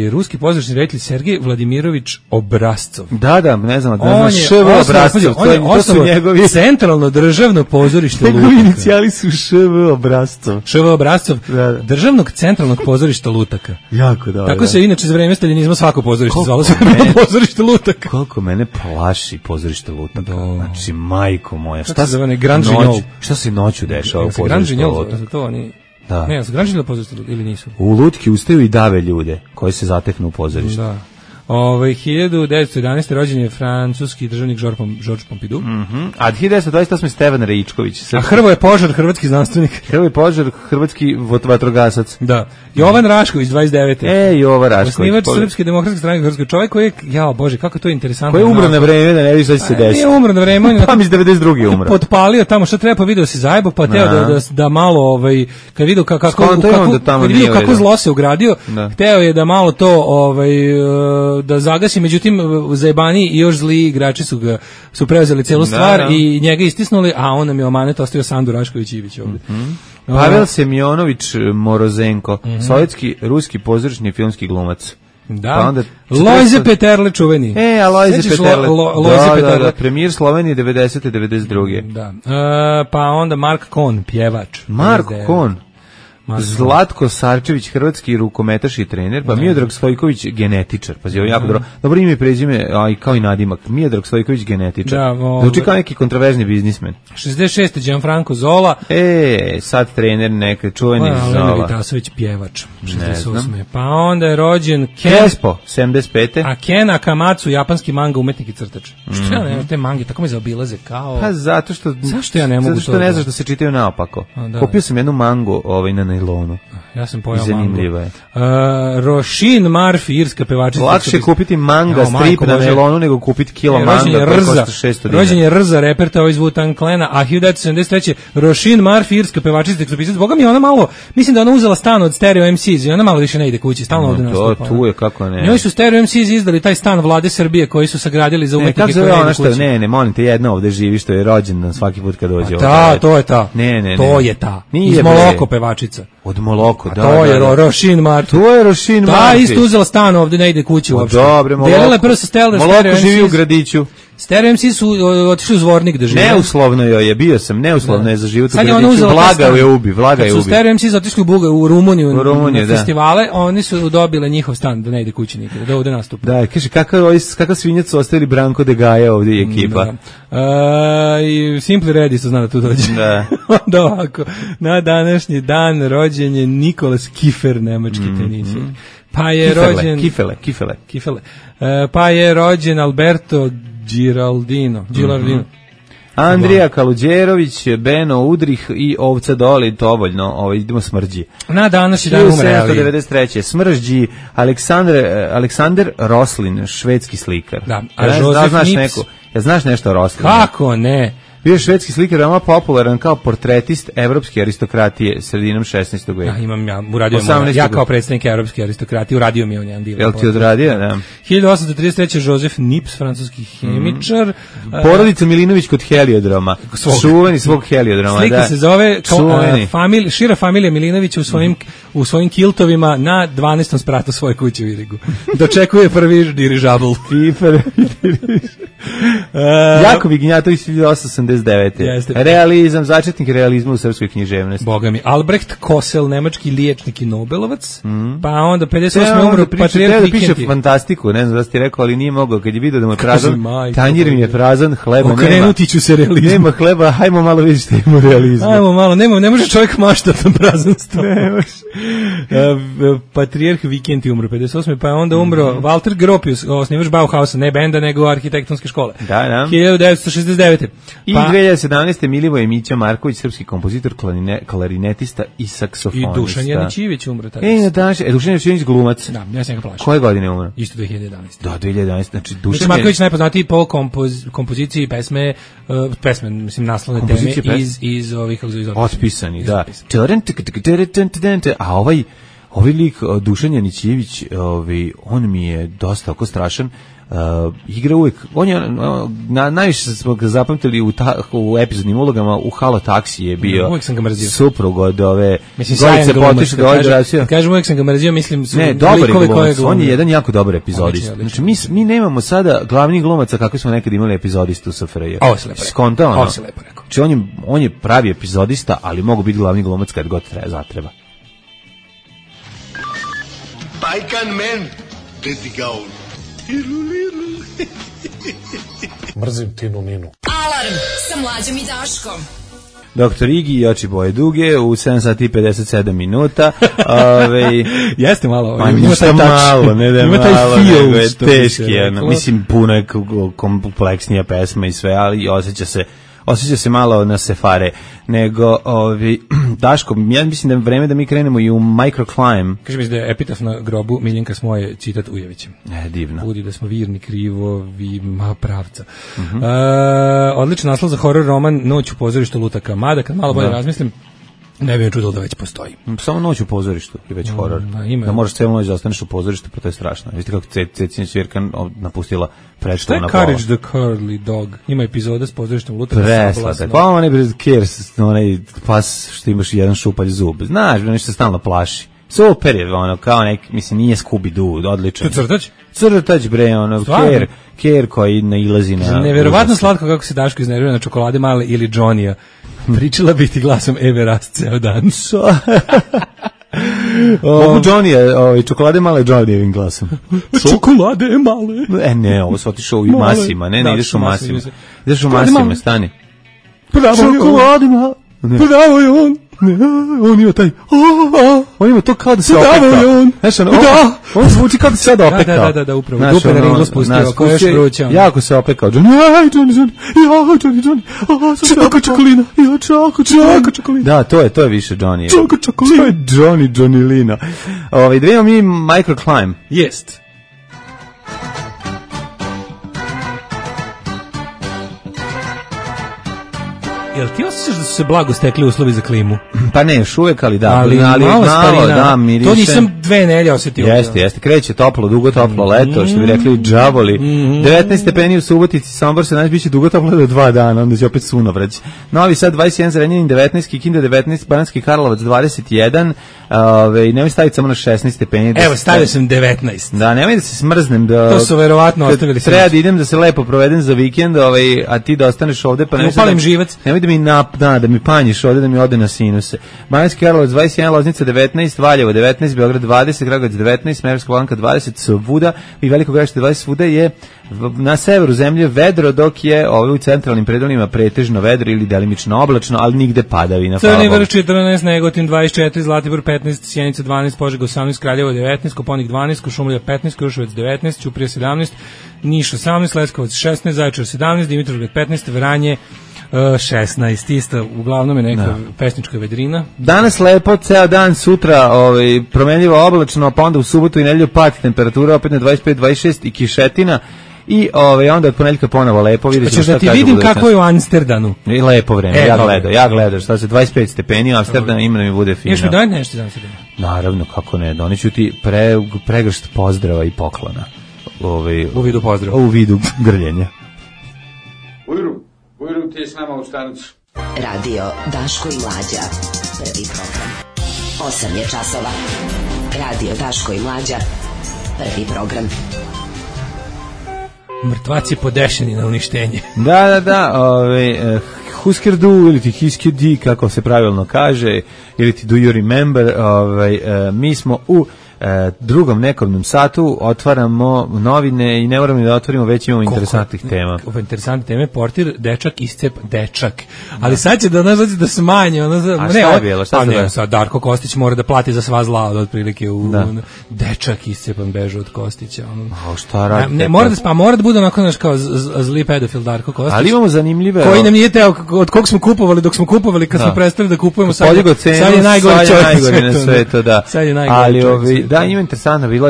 ruski pozdrašni reditelj Sergej Vladimirović Obrazcov. Da, ne znam ŠV Obrazcov. On je osnovao Centralno državno pozorište Lutaka. Njegovi inicijali su ŠV Obrazcov. ŠV Obrazcov, Državnog centralnog pozorišta Lutaka. Jako dobro. Tako se inače za vreme staljinizma svako pozorište zvalo se pozorište Lutaka. Koliko mene plaši pozorište Lutaka. Znači, majko moja. Šta se noću dešava u pozorištu Lutaka? Da. Ne, su građani pozorište ili nisu? U lutki ustaju i dave ljude koji se zateknu u pozorištu. Da. 1911. rođen je francuski državnik Georges Pompidou. A 1928. Stevan Reičković. A Hrvoje Požar, hrvatski znanstvenik. Hrvoje Požar, hrvatski vatrogasac. Da. Jovan Rašković, 29. Jovan Rašković. Osnivač Srpske demokratske stranke, hrvatski čovjek koji je, Bože, kako to je interesantno. Koji je umro na vreme, da ne vidiš šta će se desiti. Nije umro na vreme. Pa mi 92. je umro. Potpalio tamo, šta treba, pa video se zajebo, pa teo da malo, kad vidio kako zlo se ugradio, hteo je da malo to, da zagasi, međutim zajebani i još zli igrači su preuzeli celu stvar i njega istisnuli, a on nam je omanet ostavio Sandu Rašković-Ivić ovdje. Pavel Semjonović Morozenko, sovjetski, ruski pozorišni filmski glumac. Da. Lojze Peterle čuveni. A Lojze Peterle. Da, premijer Slovenije 90. 92. Da. Pa onda Mark Kohn, pjevač. Mark Kohn. Zlatko Sarčević, hrvatski rukometaš i trener, pa Miodrag Stojković, genetičar. Pazi, ovo je jako dobro ime i prezime, kao i nadimak. Miodrag Stojković, genetičar. Zvuči kao neki kontroverzni biznismen. 66. Gianfranco Zola. Sad trener neka čuveni Zola. Lena Vitasović, pjevač. 68. Pa onda je rođen Kespo, 75. A Ken Akamatsu, japanski manga umetnik i crtač. Što ja nemam te mange, tako me zaobilaze kao... Pa zato što... Zašto ja ne mogu to? Zato što ne znaš da se čitaju naopako. Kupio sam jednu mangu na nailonu. Ja sam pojao zanimljiva je. Roisin Murphy, irska pevačica. Lakše kupiti manga strip na nailonu nego kupiti kilo manga koji košta 600 dinara. Rođen je Rza, reperta iz Wu-Tang Clana, a 1973. Roisin Murphy, irska pevačica, tekstopisac. Boga mi ona malo, mislim da ona uzela stan od Stereo MCs i ona malo više ne ide kući, stalno ovde nastupa. Tu je, kako ne. Njoj su Stereo MCs izdali taj stan vlade Srbije koji su sagradili za umetnike koji ne idu kući. Ne, molim te, jedna ovde živi što je rođendan svaki put kad dođe ovde. To je ta. Ne. To je ta. Iz Moloko pevačica. Od Moloko, da. To je Roisin Murphy. To je Roisin Murphy. Da, isto uzela stan ovde, ne ide kući uopšte. Dobre, Moloko. Delila prvo sa Stereo. Moloko živi u gradiću. Stereo MC su otišli u Zvornik da žive. Neuslovno joj je, bio sam, neuslovno je za život u Gradiću. Vlaga je ubi, Vlaga je ubi. Kad su Stereo MC otišli u Rumuniju na da. festivale, oni su dobile njihov stan da ne ide kući nikada, da ovde nastupa. Da, kaže, kakav svinjac su ostavili Branko de Gaja ovdje i ekipa. I Simply Ready su zna da tu dođe. Da. Onda ovako, na današnji dan rođen je Nikolas Kiefer, nemački tenisir. Pa je Kifele. Pa je rođen Alberto Giraldino. Andrija Kaluđerović, Beno Udrih i Ovca Doli, dovoljno, idemo smrđi. Na današnji dan umre. 1793. Smrđi Aleksander Roslin, švedski slikar. Da, a Josef Nips. Znaš nešto o Roslinu? Kako ne? Bio je švedski slikar, veoma popularan kao portretist evropske aristokratije sredinom 16. veka. Ja kao predstavnik evropske aristokratije uradio mi je on jedan divan. Jel ti odradio, da? 1833. Josef Nips, francuski hemičar. Porodica Milinović kod heliodroma. Čuveni svog heliodroma. Slika se zove šira familija Milinovića u svojim kiltovima na 12. spratu svoje kuće u Irigu. Dočekuje prvi dirižabl. Jakov Ignjatović 1889. Realizam, začetnik realizma u srpskoj književnosti. Boga mi. Albrecht Kosel, nemački liječnik i Nobelovac. Pa onda 58. umro Patrijarh Vikentij. Piše fantastiku, ne znam da ste rekao, ali nije mogao. Kad je vidio da mu je prazan, tanjir mi je prazan, hleba nema. Okrenuti ću se realizmu. Nema hleba, hajmo malo vidjeti što ima realizmu. Hajmo malo, ne može čovjek maštati na prazan sto. Patrijarh Vikentij umro 58. Pa onda umro Walter Gropius, osnivač Bauhausa, ne benda, nego arhitektonske škole. Da. 1969. I 2017. Milivoje Mića Marković, srpski kompozitor, klarinetista i saksofonista. I Dušan Janićivić umro tada. Dušan Janićivić glumac. Da, ja sam ga plašao. Koje godine umro? Isto 2011. Da, 2011. Znači, Dušan Marković najpoznatiji po kompoziciji pesme, mislim, naslovne teme iz ovih... Otpisani, da. A ovaj lik, Dušan Janićivić, on mi je dosta oko strašan. Igra uvijek, on je najviše smo ga zapamtili u epizodnim ulogama. U Halo taksi je bio. Uvijek sam ga mrzio. Suprug od ove Gorice Potiš do Ođeracija. Kažem uvijek sam ga mrzio, mislim su likove koje glumio. On je jedan jako dobar epizodist. Znači mi nemamo sada glavnih glumaca kako smo nekad imali epizodistu u SFRJ. Ovo se lepo rekao. Ovo se lepo rekao. Znači on je pravi epizodista, ali mogu biti glavni glumac kad god zatreba. Bajkan men, gdje ga on. Mrzim Tinu Ninu. Alarm sa Mlađom i Daškom. Doktor Igi i oči boje duge u 7 sati i 57 minuta. Jeste malo. Ima taj malo, ne da je malo, nego je teški. Mislim, puno je kompleksnija pesma i sve, ali osjeća se malo na sefare, nego Daško, ja mislim da je vreme da mi krenemo i u Microclimb. Kaže mi da je epitaf na grobu Miljenka Smoje, citat Ujevićem. Divno. Budi da smo virni, krivovi, pravca. Odličan naslov za horror roman Noć u pozorištu Lutaka Mada, kad malo bolje razmislim, ne bi me čudilo da već postoji. Samo Noć u pozorištu je već horor. Da možeš cijelu noć da ostaneš u pozorištu, pa to je strašno. Vidite kako Cecina Ćvirka napustila predstavu na pola. Šta je Courage the Curly Dog? Ima epizoda s pozorištem Lutaka. Preslatak. Pa onaj onaj pas što imaš jedan šupalj zub. Znaš, nešto se stalno plaši. Super je, kao mislim, nije Scooby-Doo, odličan. To crtač? Crtač, bre, Ker koji nailazi na... Neverovatno slatko kako se Daško iznervira na čokolade male ili Johnny-a. Pričala biti glasom Eve Rast ceo dan. Mogu Johnny, čokolade male Johnny-evim glasom. Čokolade male. Ne, ovo se otišao u masima, ne ideš u masima. Ideš u masima, stani. Čokolade male. Pravo je on. On ima taj. On ima to kao da se opekao. On zvuči kao da se sada opekao. Da, upravo. Dupe na ringlo spustio, ko još vruća. Jako se opekao. Johnny. Čoko čokolina. Čoko. Da, to je više Johnny. Čoko čokolina. To je Johnny Lina. Da imamo mi Microclimb. Jest. Jel ti osjećaš da su se blago stekli uslovi za klimu? Pa ne, još uvijek, ali da. Ali malo da, miriše. To nisam 2 nedelje osetio. Jeste, kreće toplo, dugo toplo leto, što bi rekli džavoli. 19 stepeni u Subotici, Sombor se danas biće dugo toplo do 2 dana, onda će opet sunovrać. Novi Sad 21, Zrenjanin 19, Kikinda 19, Banatski Karlovac 21, nemoj staviti samo na 16 stepeni. Evo, stavio sam 19. Da, nemoj da se smrznem. To su verovatno ostavili. Treba da idem da se lepo provedem za vikend, a ti da ostaneš ovde, pa upalim živac. Nemoj da mi panjiš ovde, da mi ode na sinuse. Banatski Karlovac 21, Loznica 19, Valjevo 19, Beograd 20, Kragujevac 19, Smederevska Palanka 20, svuda i Veliko Gradište 20, svuda je na severu zemlje vedro, dok je u centralnim predelima pretežno vedro ili delimično oblačno, ali nigde padavina. Crni Vrh 14, Negotin 24, Zlatibor 15, Sjenica 12, Požega 18, Kraljevo 19, Koponik 12, Kuršumlija 15, Kruševac 19, Ćuprija 17, Niš 18, Leskovac 16, Zaječar 17, Dimitrovgrad 15, Vranje 16, isto, uglavnom je neka pesnička vedrina. Danas lepo, ceo dan, sutra promenljivo oblačno, pa onda u subotu i nedelju pad temperatura opet na 25, 26 i kišetina. I onda od ponedeljka ponovo lepo, vidiš šta ti vidim kako je u Amsterdanu. I lepo vreme, ja gledam, šta se 25 stepeni u Amsterdanu ima da mi bude fino. Još mi daj nešto za Amsterdanu? Naravno, kako ne, doneću ti pregršt pozdrava i poklona. U vidu pozdrava. U vidu grljenja. Ujru ti je s nama u stanicu. Radio Daško i Mlađa. Prvi program. 8 je časova. Radio Daško i Mlađa. Prvi program. Mrtvaci podešeni na uništenje. Da, Husker du, ili ti Hisker di, kako se pravilno kaže, ili ti do you remember, mi smo u drugom nekom satu, otvaramo novine i ne moramo da otvorimo, već imamo interesantnih tema. Interesantne teme, portir, dečak. Ali sad će da smanje. A šta je bilo? Sad Darko Kostić mora da plati za sva zla, otprilike dečak iscepan beže od Kostića. Šta radi? Mora da bude onako kao zli pedofil Darko Kostić. Ali imamo zanimljive... Koji nam nije teo, od kog smo kupovali, dok smo kupovali, kad smo prestali da kupujemo, sad je najgori čovjek na svetu. Sad je najgori čovjek. Da, ima interesantno, bilo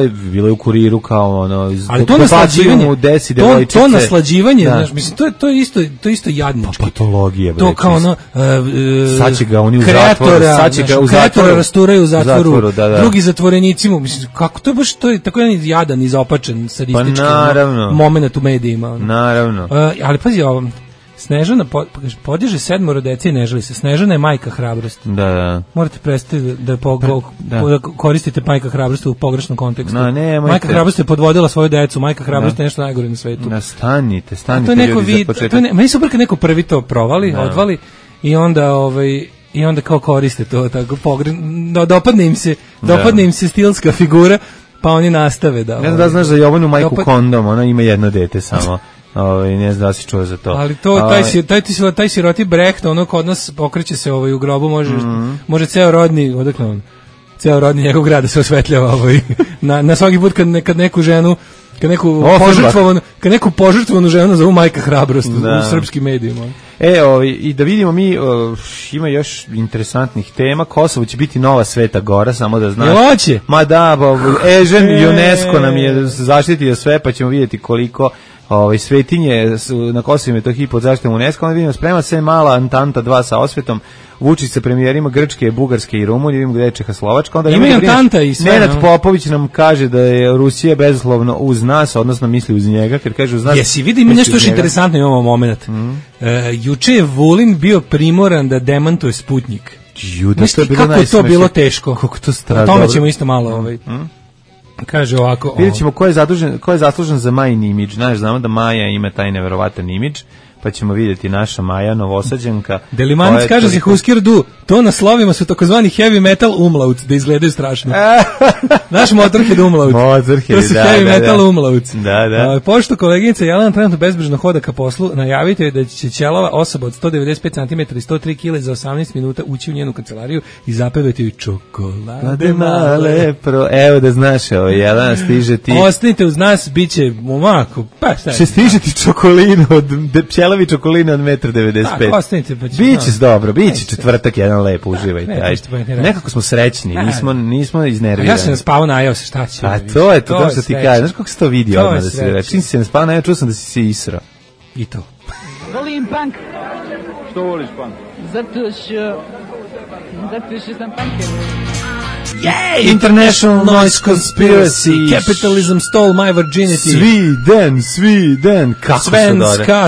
je u Kuriru kao ali to naslađivanje, znaš, mislim, to je isto jadnički. Patologija, to kao sad će ga oni u zatvoru, kreatora rasturaju u zatvoru, drugi zatvorenicima, mislim, kako to je baš, to je tako jedan jadan, izopačen, sadistički moment u medijima. Naravno. Ali pazi ovo, Snežana podiže 7 dece i ne žali se. Snežana je majka hrabrosti. Da. Morate prestati da koristite majka hrabrosti u pogrešnom kontekstu. Majka hrabrosti je podvodila svoju decu, majka hrabrosti je nešto najgore na svetu. Stanite ljudi za početak. Meni su super kad neko prvi to provali, odvali i onda kao koriste to tako dopadne im se stilska figura, pa oni nastave da... Ne znam da znaš za Jovanu majku kondom, ona ima jedno dete samo. Ne znam da si čuo za to. Ali taj siroti Brecht, ono kod nas pokreće se u grobu, može ceo rodni, odakle on? Ceo rodni njegov grad da se osvetljava na svaki put kad neku ženu, kad neku požrtvovanu ženu zovu majka hrabrost u srpskim medijima. I da vidimo mi, ima još interesantnih tema. Kosovo će biti nova Sveta Gora, samo da znaš. Hoće? Ma da, UNESCO nam je zaštitio sve, pa ćemo vidjeti koliko svetinje na Kosovu i Metohiji pod zaštitom UNESCO. Onda vidimo, sprema se mala Antanta 2 sa osvetom, Vučić sa premijerima Grčke, Bugarske i Rumunije, vidimo gde je Čehoslovačka. Onda ima i Antanta i sve. Nenad Popović nam kaže da je Rusija bezuslovno uz nas, odnosno misli uz njega, jer kaže uz nas. Jesi, vidi, ima nešto još interesantno i ovo moment. Juče je Vulin bio primoran da demantuje Sputnik. Kako je to bilo teško. Kako to strada. O tome ćemo isto malo kaže ovako. Vidjet ćemo ko je zaslužen za Majin imidž. Znaš, znamo da Maja ima taj neverovatan imidž, pa ćemo vidjeti naša Maja, Novosađanka. Delimanac kaže za Husker du, to na slovima su takozvani heavy metal umlauts, da izgledaju strašno. Naš Motorhead umlaut. To su heavy metal umlauts. Da. Pošto koleginica Jelena trenutno bezbrižno hoda ka poslu, najavite je da će ćelava osoba od 195 cm i 103 kg za 18 minuta ući u njenu kancelariju i zapevati joj čokolade male. Evo da znaš, Jelena, stiže ti. Ostanite uz nas, bit će momako. Pa šta će stiže ti čokolinu od pčelavi čokolina od 1,95 m. Tako, ostanite. Biće dobro, biće četvrtak jedan lepo, uživajte. Nekako smo srećni, nismo iznervirani. Ja sam spavao, najao se, šta će? Pa to je to što ti kažeš. Znaš kako se to vidi odmah da se reći? Čim si se ne spavao, najao, čuo sam da si se israo. I to. Volim punk. Što voliš punk? Zato što sam punker. International Noise Conspiracy, Capitalism Stole My Virginity, Sweden, kako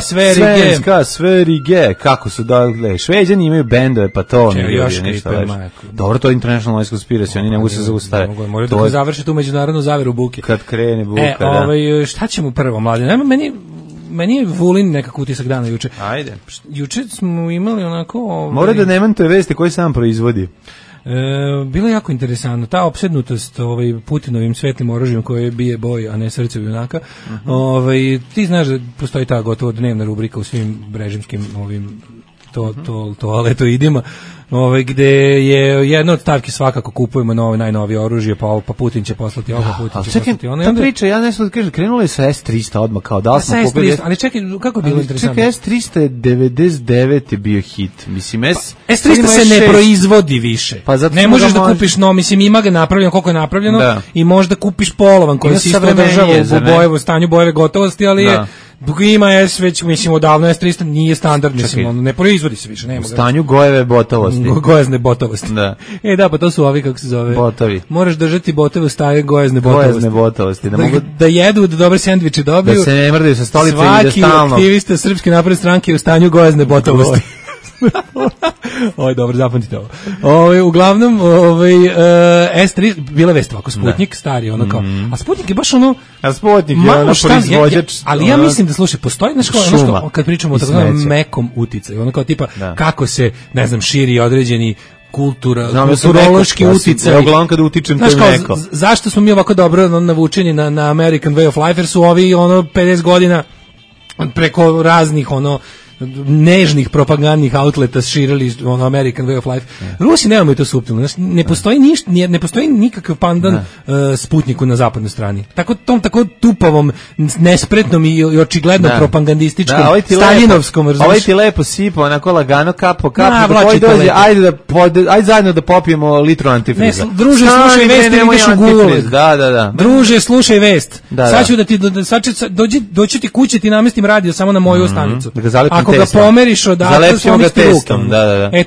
Svenska, Sverige, kako su dole, Šveđani imaju bendove, pa to ne još ništa kripe, više. majko. Dobro, to je International Noise Conspiracy, oni ne mogu se zaustaviti. Moraju da završe tu međunarodnu zaveru buke. Kad krene buka, da. Šta ćemo prvo, mladi? Meni je Vulin nekako utisak dana juče. Ajde. Juče smo imali onako... Mora da nemantuje vesti koje sam proizvodi. Bilo je jako interesantno ta opsednutost Putinovim svetlim oružjem koje bije boj, a ne srce junaka. Ti znaš da postoji ta gotovo dnevna rubrika u svim režimskim toaletoidima, gde je jedna od stavki svakako kupujemo najnovije oružje, pa Putin će poslati ovo, Putin će poslati ono. Ta priča, ja nešto da kažem, krenulo je sa S-300 odmah, kao da smo kupili... Ali čekaj, kako je bilo interesantno? Čekaj, S-300 je 99 je bio hit, mislim, S-300 se ne proizvodi više. Ne možeš da kupiš mislim, ima ga napravljeno koliko je napravljeno i možda kupiš polovan koji se isto održava u stanju bojeve gotovosti, ali je ima S već, mislim, odavno S-300 nije standard, mislim, ne proizvodi se više, nema ga. U stanju gojeve botovosti. Gojazne botovosti. Da. Da, pa to su ovi, kako se zove. Botovi. Moraš držati botove u stanju gojazne botovosti. Gojazne botovosti. Da jedu, da dobre sendviče dobiju. Da se ne mrdaju sa stolice i da stalno. Svaki aktivista Srpske napredne stranke je u stanju gojazne botovosti. Dobro, zapamtite ovo. Uglavnom, S3, bila vest ovako, Sputnik, stari, ono kao, a Sputnik je baš ono... A Sputnik je ono proizvođač... Ali ja mislim da, slušaj, postoji nešto, kad pričamo o tako mekom uticaju, ono kao tipa, kako se, ne znam, širi određeni kulturološki uticaj. Uglavnom kada utičem to je meko. Zašto smo mi ovako dobro navučeni na American Way of Life, jer su ovi 50 godina preko raznih nežnih propagandnih outleta širili American Way of Life. Rusi nemaju to suptilno. Ne postoji nikakav pandan Sputniku na zapadnoj strani. Tako tupavom, nespretnom i očigledno propagandističkom, staljinovskom. Ovaj ti lepo sipa, onako lagano, kapo, koji dođe, ajde zajedno da popijemo litru antifriza. Druže, slušaj vest, ideš u Google. Da. Druže, slušaj vest. Sad ću da ti, doći ti kuće, ti namestim radio samo na moju stanicu. Ako ga pomeriš odatle s onim strukom.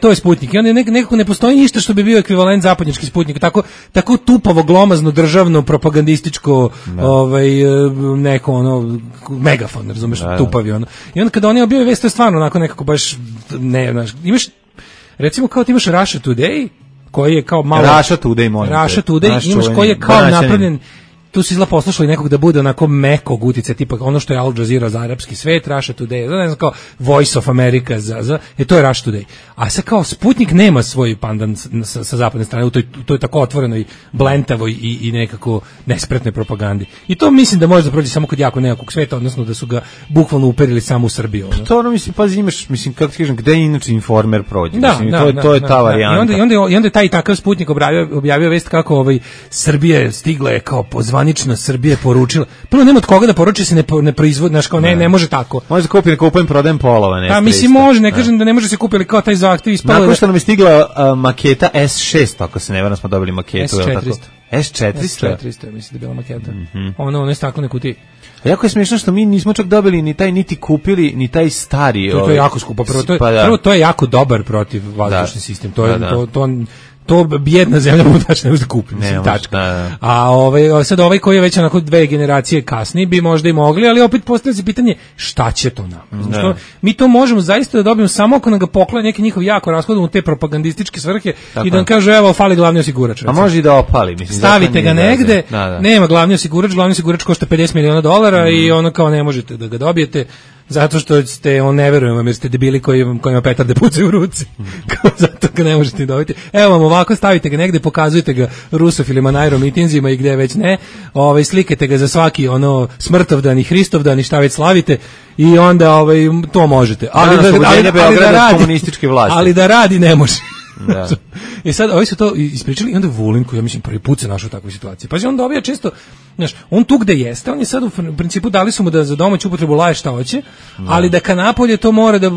To je Sputnik. I onda nekako ne postoji ništa što bi bio ekvivalent zapadnjački Sputnik. Tako tupavo, glomazno, državno, propagandističko, neko megafon, razumeš, tupavi ono. I onda kada oni objave vest, to je stvarno onako nekako baš, ne, znaš, imaš, recimo kao ti imaš Russia Today, koji je kao malo... Russia Today, imaš koji je kao napravljen... Tu su izla poslušali nekog da bude onako mekog utice, tipa ono što je Al Jazeera za arapski svet, Russia Today, ne znam, kao Voice of America, to je Russia Today. A sad kao Sputnik nema svoj pandan sa zapadne strane, to je tako otvoreno i blentavo i nekako nespretnoj propagandi. I to mislim da može da prođe samo kod jako nekog sveta, odnosno da su ga bukvalno uperili samo u Srbiju. To mislim, pazi, imaš, mislim, kako ti kažem, gde inače Informer prođe? To je ta varijanta. I onda je taj takav Sputnik objavio vest kako Srbija stigla je kao pozvanična Srbije poručila. Prvo nema od koga da poruči, se ne proizvodi, znaš, kao ne može tako. Može da kupi, ne kupujem, prodajem polova. Pa mislim može, ne kažem da ne može se kupiti, ali kao taj zahtev ispalo. Nakon što nam je stigla maketa S6, ako se ne varam, smo dobili maketu. S400. S400, mislim da je bila maketa. Ono je staklene kutije. A jako je smiješno što mi nismo čak dobili ni taj, niti kupili, ni taj stari. To je jako skupo. Prvo, to je jako dobar protiv vazdušni sistem. To bijedna zemlja mu ne može da kupi, mislim, tačka. A sad koji je već onako 2 generacije kasnije bi možda i mogli, ali opet postavlja se pitanje šta će to nam? Mi to možemo zaista da dobijemo samo ako nam ga poklone neki njihov jako rashodan u te propagandističke svrhe i da nam kažu evo fali glavni osigurač. A može i da opali, mislim. Stavite ga negde, nema glavni osigurač košta $50 miliona i ono kao ne možete da ga dobijete. Zato što ne verujem vam jer ste debili kojima petarde pucaju u ruci. Zato ga ne možete dobiti. Evo vam ovako, stavite ga negde, pokazujete ga rusofilima na aeromitinzima i gde već ne. Slikate ga za svaki smrtovdan i Hristovdan i šta već slavite i onda to možete. Ali da radi ne može. I sad ovi su to ispričali i onda Vulin koji ja mislim prvi put se našao u takvoj situaciji. Pa on dobija često, znaš, on tu gde jeste, on je sad u principu dali su mu da za domaću upotrebu laje šta hoće, ali da ka napolje to mora da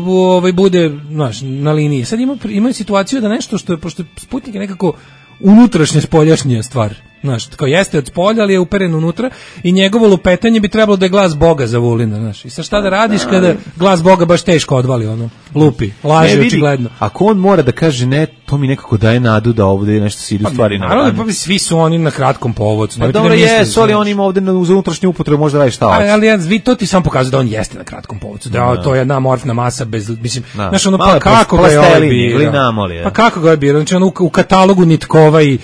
bude, znaš, na liniji. Sad imaju situaciju da nešto što je, pošto Sputnik je nekako unutrašnja spoljašnja stvar. Znaš, kao jeste od spolja, ali je uperen unutra i njegovo lupetanje bi trebalo da je glas Boga za Vulina, znaš. I sad šta da radiš kada glas Boga baš teško odvali, ono, lupi, laže očigledno. Ako on mora da kaže ne, to mi nekako daje nadu da ovde nešto se ide u stvari na. Naravno, pa svi su oni na kratkom povodcu. Pa dobro jesu, ali on ima ovde za unutrašnju upotrebu, možda radi šta hoće. Ali to ti sam pokazuje da on jeste na kratkom povodcu, da to je jedna amorfna masa bez, mislim, znaš, ono, pa kako ga je ovaj birao? Pa kako ga je birao? Znači, ono, u katalogu Nitkova i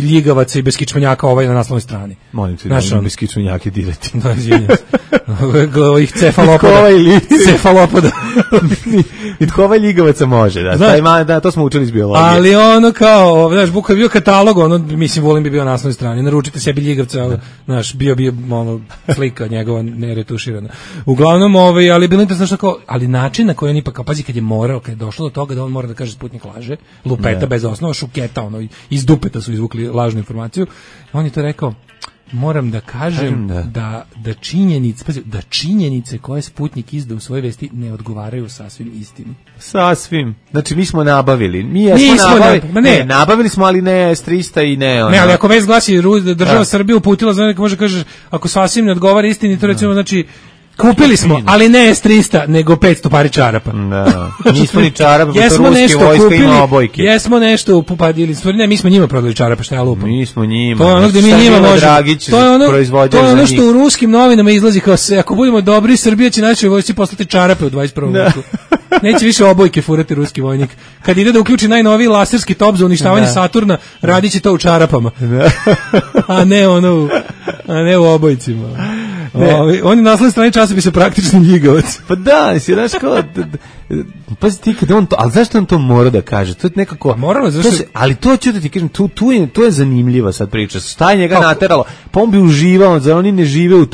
Ljigavaca i beskičmenjaka ovaj na naslovnoj strani. Molim te, da beskičmenjake dirati. Da, izvinjam se. Ovih cefalopoda. Nitkova i Ljigavaca može, da, to smo učili iz biologije. Ali ono kao, znaš, Buka je bio katalog, ono, mislim, Vulin bi bio na naslovnoj strani, naručite sebi Ljigavca, znaš, bio ono, slika njegova neretuširana. Uglavnom, ali bilo interesno što kao, ali način na koji on ipak, pazi, kad je morao, kad je došlo do toga da on mora da kaže Sputnik laže, lupeta bez osnova, šuketa, ono, iz dupeta su izvukli lažnu informaciju, on je to rekao, moram da kažem da činjenice, pazi, da činjenice koje Sputnik izda u svojoj vesti ne odgovaraju sasvim istini. Sasvim. Znači mi smo nabavili. Nabavili smo, ali ne S-300 i ne ono. Ne, ali ako već glasi država Srbije uputila, znači može kažeš ako sasvim ne odgovara istini, to recimo znači kupili smo, ali ne S-300, nego 500 pari čarapa. Da. Nismo ni čarapa, to ruske vojska ima obojke. Jesmo nešto upadili, ne, mi smo njima prodali čarapa, šta ja lupam. Mi smo njima. To je ono gde mi njima možemo. To je ono što u ruskim novinama izlazi kao se, ako budemo dobri, Srbija će našoj vojsci poslati čarape u 21. veku. Neće više obojke furati ruski vojnik. Kad ide da uključi najnoviji laserski top za uništavanje Saturna, radit će to u čarapama. A ne u obojcima. On je na naslovnoj strani časopisa praktični Ljigavac. Pa da, si znaš kao, pazi ti kada on to, ali zašto on to mora da kaže? To je nekako, moralo, ali to ću da ti kažem, to je zanimljiva sad priča. Šta je njega nateralo? Pa on bi uživao, zar oni ne žive u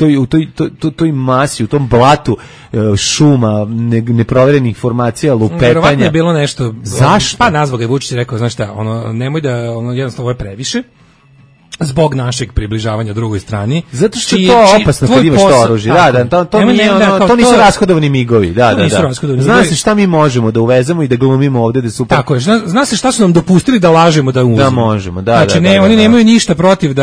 toj masi, u tom blatu šuma, neproverenih informacija, lupetanja. Verovatno je bilo nešto. Zašto? Pa nazvao ga je Vučić i rekao, znaš šta, nemoj da, jednostavno ovo je previše. Zbog našeg približavanja drugoj strani. Zato što je to opasno kad imaš to oružje. To nisu rashodovani migovi. Zna se šta mi možemo da uvezemo i da glumimo ovde da super. Tako je, zna se šta su nam dopustili da lažemo da uvezemo. Da možemo, Znači, oni nemaju ništa protiv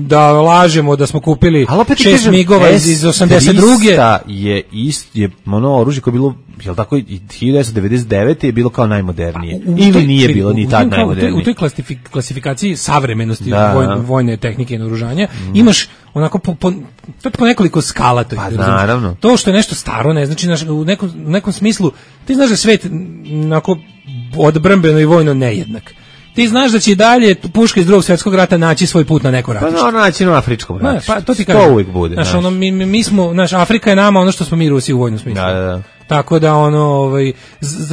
da lažemo da smo kupili 6 migova iz 82. je ono oružje koje je bilo, jel tako, 1999. je bilo kao najmodernije. Ili nije bilo ni tad najmodernije. U toj klasifikaciji savremenosti vojne tehnike i naoružanja imaš onako po nekoliko skala. Pa naravno. To što je nešto staro ne znači u nekom smislu ti znaš da svet onako odbrambeno i vojno nejednak. Ti znaš da će i dalje puška iz Drugog svjetskog rata naći svoj put na neko ratište. Pa naći na afričkom ratištu. Pa to ti kažem. To uvijek bude. Znaš, mi smo, Afrika je nama ono što smo mi Rusi u vojnom smislu. Da. Tako da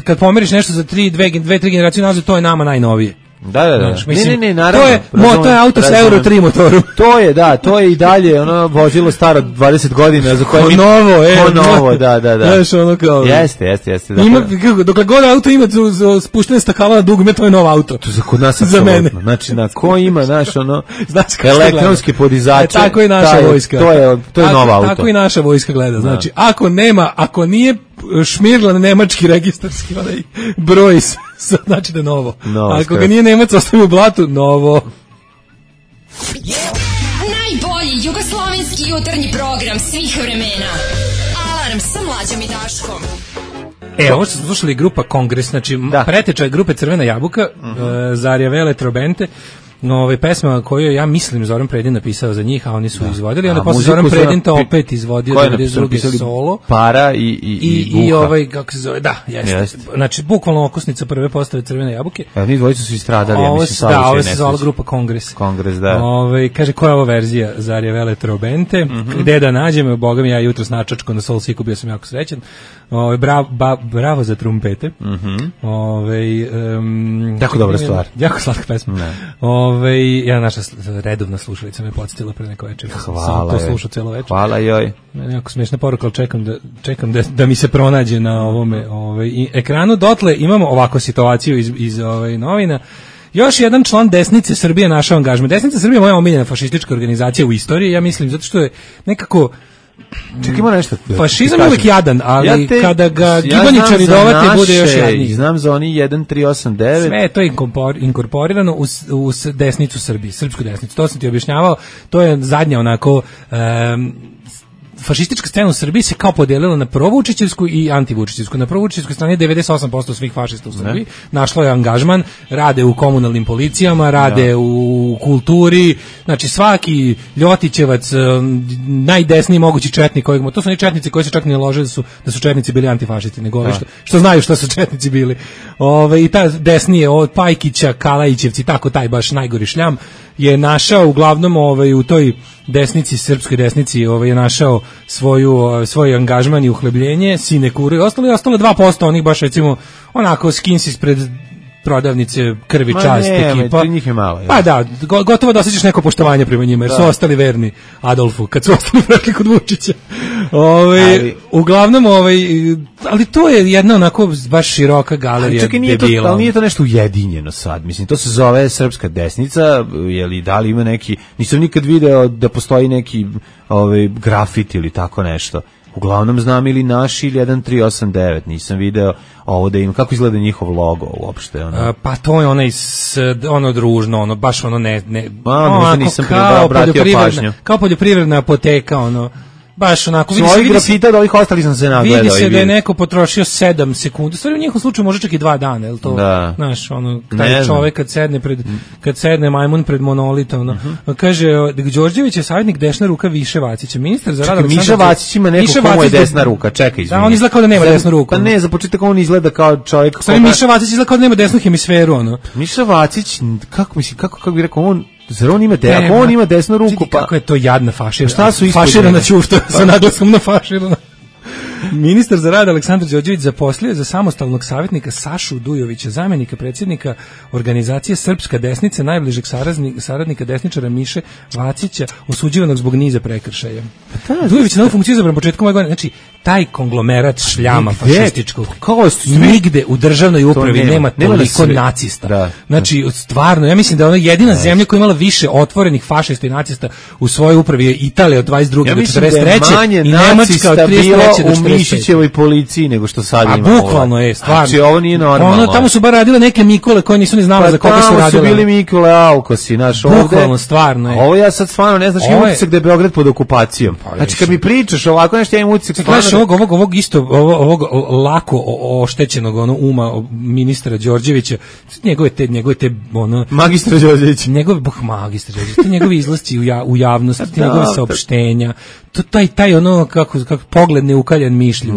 kad pomeriš nešto za 2-3 generacije nazad, to je nama najnovije. Da. Znaš, Ne, naravno. To je auto sa Euro 3 motorom. To je i dalje ono vozilo staro 20 godina za koje novo, da. Znaš, ono kao. Jeste. Dokle god auto ima spuštene stakala na dugo, to je novo auto. To za kod nas za mene. Znači, ko ima, elektronski podizač. Tako i naša vojska. To je novo auto. Tako i naša vojska gleda. Znači, ako nije šmirlan nemački registarski broj, znači da je novo. Ako ga nije Nemac, ostaje u blatu, novo. Najbolji jugoslovenski jutarnji program svih vremena. Alarm sa Mlađom i Daškom. Ovo što smo slušali grupa Kongres, znači preteča grupe Crvena jabuka, Zarja Vele Trobente, pesma koju ja mislim Zoran Predin napisao za njih, a oni su izvodili, onda posle Zoran Predin to opet izvodio 92. solo. Para i Buha. Kako se zove, jeste. Znači, bukvalno okosnica prve postave Crvene jabuke. Oni dvojica su istradali, ja mislim, ovo se zvala grupa Kongres. Kongres, da. Kaže, koja je ovo verzija Zarja Vele Trobente? Gde da nađemo? Boga mi, ja jutros na Čačku na Soul Siku bio sam jako srećan. Bravo za trumpete. Jako dobra stvar. Jako slatka pesma. Ja naša redovna slušalica me podsjetila pre neko večer. Hvala. Sam to slušao celo večer. Hvala joj. Jako smiješna poruka, ali čekam da mi se pronađe na ovome ekranu. Dotle imamo ovakvu situaciju iz novina. Još jedan član Desnice Srbije našao angažman. Desnica Srbije je moja omiljena fašistička organizacija u istoriji, ja mislim, zato što je nekako Čekaj, ima nešto. Fašizam je uvijek jadan, ali kada ga gibaničari dovate, bude još jadniji. Znam za oni 1389. Sve je to inkorporirano u desnicu Srbije, srpsku desnicu. To sam ti objašnjavao, to je zadnja onako... fašistička scena u Srbiji se kao podelila na provučićevsku i antivučićevsku. Na provučićevskoj strani je 98% svih fašista u Srbiji. Našlo je angažman, rade u komunalnim policijama, rade u kulturi, znači svaki Ljotićevac, najdesniji mogući četnik, to su oni četnici koji se čak ne lože da su četnici bili antifašisti, nego ovi što znaju što su četnici bili. I ta desnije od Pajkića, Kalajićevci, tako taj baš najgori šljam je uglavnom u toj desnici, srpskoj desnici, je našao svoj angažman i uhlebljenje, sinekuru i ostalo 2% onih baš recimo onako skins ispred prodavnice krvi čast ekipa. Njih je malo. Pa da, gotovo da osjećaš neko poštovanje prema njima, jer su ostali verni Adolfu, kad su ostali prešli kod Vučića. Uglavnom, ali to je jedna onako baš široka galerija debila. Ali nije to nešto ujedinjeno sad, mislim, to se zove srpska desnica, da li ima neki, nisam nikad video da postoji neki grafit ili tako nešto. Uglavnom znam ili naš ili 1389, nisam video ovo da im, kako izgleda njihov logo uopšte. Pa to je ono družno, baš nisam obratio pažnju. Kao poljoprivredna apoteka, baš onako svojih grafita od ovih ostali sam se nagledao. Vidi se da je neko potrošio 7 sekundi. Stvari u njihovom slučaju može čak i 2 dana, je to? Znaš, taj čovek kad sedne majmun pred monolitom, kaže Đorđević je savjetnik desna ruka Više Vacića, ministar za rad Aleksandar. Miša Vacić ima neko komu je desna ruka, čekaj, izvini. Da, on izgleda kao da nema desnu ruku. Pa ne, za početak on izgleda kao čovjek. Miša Vacić izgleda kao da nema desnu hemisferu, Miša Vacić, kako bi rekao, zar on ima on ima desnu ruku, pa kako je to jadna faširana. Šta su faširana ćufta sa naglasom na faširana. Ministar za rad Aleksandar Đorđević zaposlio za samostalnog savjetnika Sašu Dujovića, zamjenika predsjednika organizacije Srpska desnica, najbližeg saradnika desničara Miše Vacića, osuđivanog zbog niza prekršaja. Dujović je na ovu funkciju izabran početkom ove godine. Znači, taj konglomerat šljama fašističkog. Nigde u državnoj upravi nema toliko nacista. Znači, stvarno, ja mislim da ona jedina zemlja koja je imala više otvorenih fašista i nacista u svojoj upravi je Italija od 22. do 43. i Nemačka od 33. do 45. Mišićevoj policiji nego što sad ima. A bukvalno je, stvarno. Znači ovo nije normalno. Tamo su bar radile neke Mikole koje nisu ni znale za koga su radile. Tamo su bili Mikole Aukosi, naš ovde. Bukvalno, stvarno je. Ovo ja sad stvarno ne znaš, imam utisak da je Beograd pod okupacijom. Znači kad mi pričaš ovako nešto, ja imam utisak stvarno. Ovog lako oštećenog uma ministra Đorđevića, njegove te magistra Đorđević. Magistra Đorđević, te njegovi izlasci u javnost, te njegove saopštenja. Taj kako pogled neukaljan mišlju,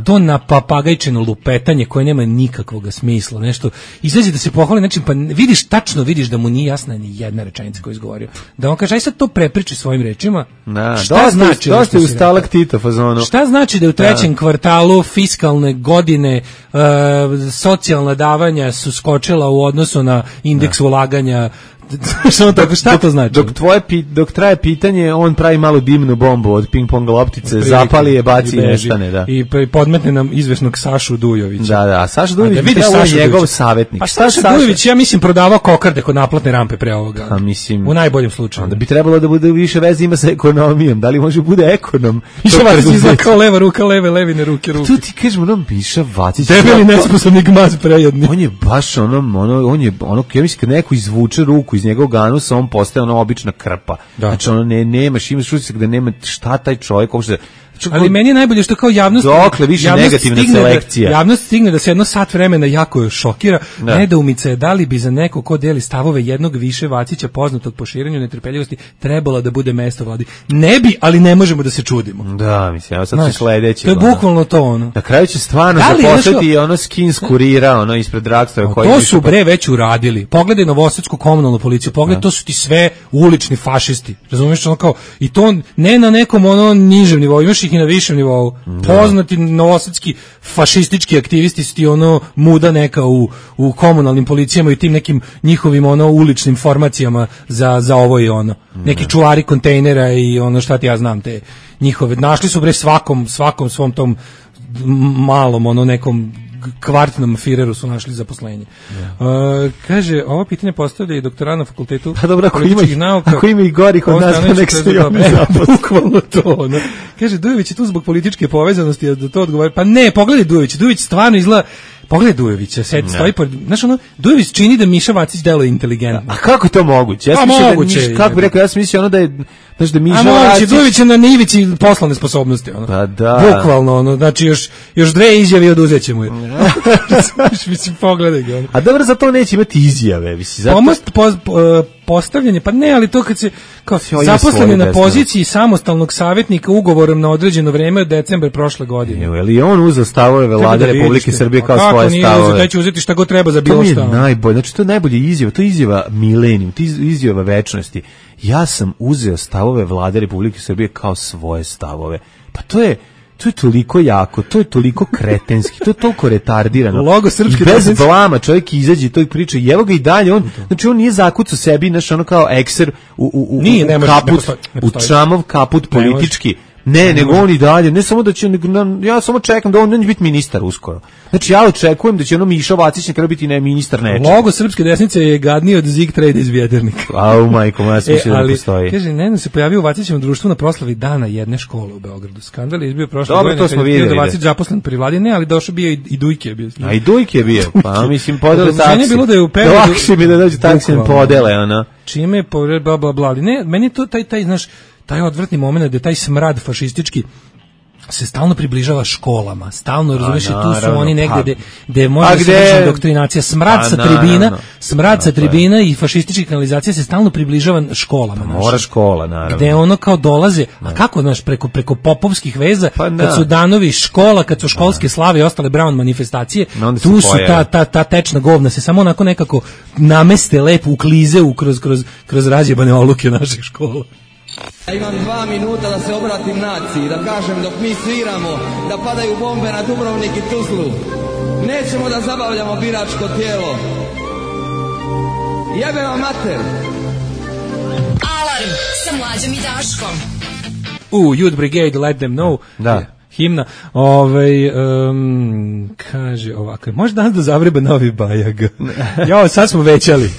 to na papagajčino lupetanje koje nema nikakvog smisla, nešto izađe da se pohvali, znači pa tačno vidiš da mu nije jasna ni jedna rečenica koju je izgovorio. Da on kaže aj sad to prepriči svojim rečima. Šta znači? Dosta je u stalaktita fazonu. Šta znači da u trećem kvartalu fiskalne godine socijalna davanja su skočila u odnosu na indeks ulaganja? Šta to znači? Dok traje pitanje, on pravi malu dimnu bombu od ping-pong loptice, zapali je, baci i nestane. I podmetne nam izvesnog Sašu Dujovića. Da, Saša Dujović je njegov savjetnik. Pa Saša Dujović, ja mislim, prodavao kokarde kod naplatne rampe pre ovoga. U najboljem slučaju. Onda bi trebalo da bude više veze ima sa ekonomijom. Da li može bude ekonom? Miša Vacić izgleda kao leva ruka, levine ruke. Tu ti kažemo, Miša Vacić. Debeli nesposobni gmaz prejedni. On je baš ja mislim kad neko izvuče ruku iz njegovog anusa, on postaje obična krpa. Znači imaš utisak da nema šta taj čovjek uopšte. Ali meni je najbolje što kao javnost negativna selekcija. Javnost stigne da se jedno sat vremena jako šokira. Nedoumica je da li bi za neko ko deli stavove jednog Više Vacića poznatog po širenju netrpeljivosti trebalo da bude mesto vladi. Ne bi, ali ne možemo da se čudimo. Da, mislim, evo sad će sledeći. To je bukvalno to Na kraju će stvarno zaposliti skins kurira ispred Dragstora. To su već uradili. Pogledaj novosadsku komunalnu policiju, pogledaj, to su ti sve ulični fašisti. Razumiješ, i to ne na nekom nižem nivou, imaš ih i na višem nivou. Poznati novosadski fašistički aktivisti su ti muda neka u komunalnim policijama i tim nekim njihovim uličnim formacijama za ovo i ono. Neki čuvari kontejnera i šta ti ja znam, te njihove. Našli su svakom svom tom malom nekom kvartnom Fireru su našli zaposlenje. Kaže, ovo pitanje postavlja i doktora na fakultetu političkih nauka. Ako ima i gorih od nas, pa nek se i oni zaposle. Bukvalno to. No. Kaže, Dujović je tu zbog političke povezanosti, da to odgovori. Pa ne, pogledaj Dujović stvarno izgleda. Pogledaj Dujovića, stoji pored, znaš ono, Dujović čini da Miša Vacić deluje inteligentno. A kako je to moguće? Ja moguće. Kako bi rekao, ja sam mislio ono da je, znaš da Miša Vacić... Dujović je na nivici poslovne sposobnosti, ono. Pa da. Bukvalno, ono, znači još dve izjave oduzet ćemo je. Mislim, pogledaj ga, ono. A dobro, za to neće imati izjave, mislim, zato... Postavljanje, pa ne, ali to kad se kao zaposlen je na poziciji samostalnog savjetnika ugovorom na određeno vreme od decembra prošle godine. Je li on uzeo stavove Vlade Republike Srbije kao svoje stavove? Kako nije uzeti šta god treba za bilo šta. To je najbolje, znači to je najbolje izjava, to je izjava milenijum, to je izjava večnosti. Ja sam uzeo stavove Vlade Republike Srbije kao svoje stavove. Pa to je toliko jako, to je toliko kretenski, to je toliko retardirano. Logo srpske bez blama čovjek izađe i to priča. I evo ga i dalje, znači on nije zakucao sebi, znači ono kao ekser u kaput, u čamov kaput politički. Ne, nego on i dalje, ne samo da će, ja samo čekam da on neće biti ministar uskoro. Znači ja očekujem da će ono Miša Vacić nekada biti ministar nečega. Logo srpske desnice je gadniji od Zig Trade iz Vjeternika. Au majko, ja sam mislio da postoji. Kaže, Nenad se pojavio u Vacićevom društvu na proslavi dana jedne škole u Beogradu. Skandal je izbio prošle godine. Dobro, to smo vidjeli. Da Vacić zaposlen pri Vladi, ne, ali došao bio i Dujke je bio. A i Dujke je bio, pa mislim podele taksi. Bilo da je u periodu... Lakše mi da dođe taksijem podele, ona. Čime je bla, bla, bla. Ne, meni je to taj, znaš, taj odvrtni moment da taj smrad fašistički se stalno približava školama, stalno, razumiješ, tu su oni negde gde može se vršiti doktrinacija, smrad sa tribina i fašistička kanalizacija se stalno približava školama. Mora škola, naravno. Gde ono kao dolaze, a kako, znaš, preko popovskih veza, kad su danovi škola, kad su školske slave i ostale Brown manifestacije, tu su ta tečna govna se samo onako nekako nameste lepo, uklize kroz razjebane oluke naših škola. Ja imam 2 minuta da se obratim naciji, da kažem dok mi sviramo, da padaju bombe na Dubrovnik i Tuzlu. Nećemo da zabavljamo biračko tijelo. Jebe vam mater. Alarm sa Mlađom i Daškom. Youth Brigade, let them know. Da. Himna, kaže ovako, može danas da zavreba novi Bajag. Jo, sad smo većali.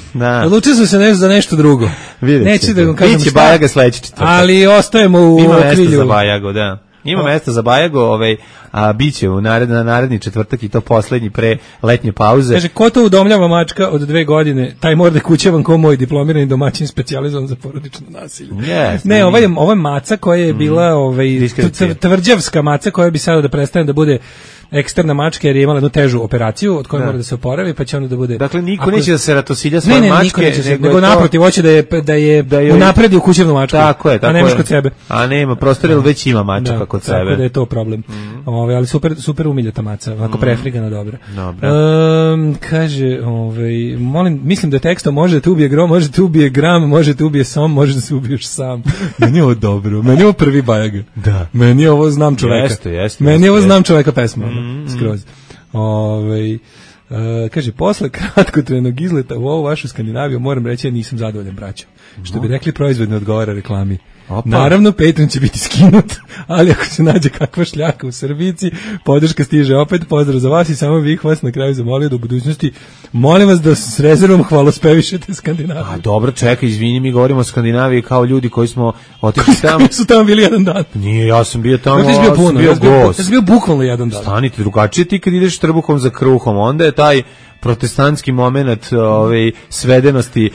Odlučili smo se za nešto drugo. Neću da vam kažem šta. Bajaga sledeći četvrtak. Ali ostajemo u okrilju. Ima mesta za Bajago, da. Ima mesta za Bajago, a biće u naredni četvrtak i to poslednji pre letnje pauze. Kaže, ko to udomljava mačka od 2 godine, taj mora da kućevan ko moj diplomirani domaćin specijalizovan za porodično nasilje. Yes, ne, ovo je maca koja je bila tvrđavska maca koja bi sada da prestane da bude eksterna mačka jer je imala jednu težu operaciju od koje mora da se oporavi, pa će onda da bude... Dakle, niko neće da se ratosilja svoje mačke, nego naprotiv, hoće da je unapredi u kućevnu mačku, a nemaš kod sebe. A nema prostora, ili već ima mačaka kod sebe. Tako da je to problem. Ali super umiljata maca, ovako prefrigana, dobra. Kaže, mislim da tekstom možete ubije grom, možete ubije gram, možete ubije som, možete se ubiješ sam. Meni je ovo dobro, meni je ovo prvi Bajag. Meni je ovo znam čoveka. Meni je ovo znam čoveka pesma. Skroz. Kaže, posle kratkotrenog izleta u ovu vašu Skandinaviju moram reći da nisam zadovoljan, braćo. Što bi rekli, proizvod ne odgovara reklami. Naravno, Patreon će biti skinut, ali ako se nađe kakva šljaka u Srbici, podrška stiže opet. Pozdrav za vas i samo bih vas na kraju zamolio da u budućnosti molim vas da s rezervom hvalospevišete Skandinaviju. A dobro, čekaj, izvini, mi govorimo o Skandinaviji kao ljudi koji smo otišli tamo. Su tamo bili jedan dan. Nije, ja sam bio tamo, bio gost. Ja sam bio bukvalno jedan dan. Stanite, drugačije ti kad ideš trbuhom za kruhom, onda je taj protestantski moment svedenosti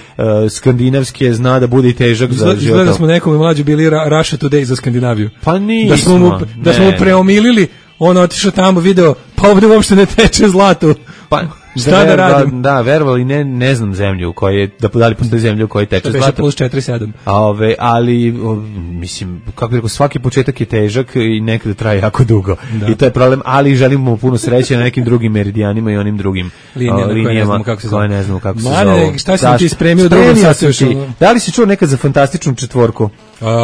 skandinavske zna da bude i težak za život. Izgleda da smo nekom mlađu bili Russia Today za Skandinaviju. Pa nismo. Da smo mu preomilili, on otišao tamo, video, pa ovdje uopšte ne teče zlato. Pa šta da radim? Da, verovali, ne znam zemlju u kojoj, da li postoji zemlju u kojoj teče zlato. Plus 4,7. Ali, mislim, kako bih rekao, svaki početak je težak i nekada traje jako dugo. I to je problem, ali želimo mu puno sreće na nekim drugim meridijanima i onim drugim linijama koje ne znamo kako se zovu. Mane, šta si ti spremio u drugom sasvješću? Da li si čuo nekad za fantastičnu četvorku?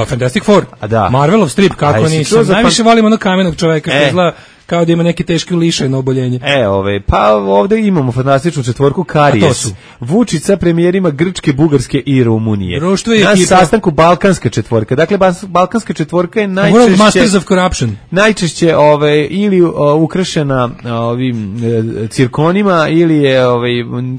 Fantastic Four. Marvelov strip, kako nisam. Najviše volim onog kamenog čoveka, kao da ima neke teške lišajno oboljenje. Pa ovde imamo fantastičnu četvorku Karijes. Vučić sa premijerima Grčke, Bugarske i Rumunije. Na sastanku Balkanska četvorka. Dakle, Balkanska četvorka je najčešće Masters of Corruption. Najčešće ili ukrašena ovim cirkonima ili je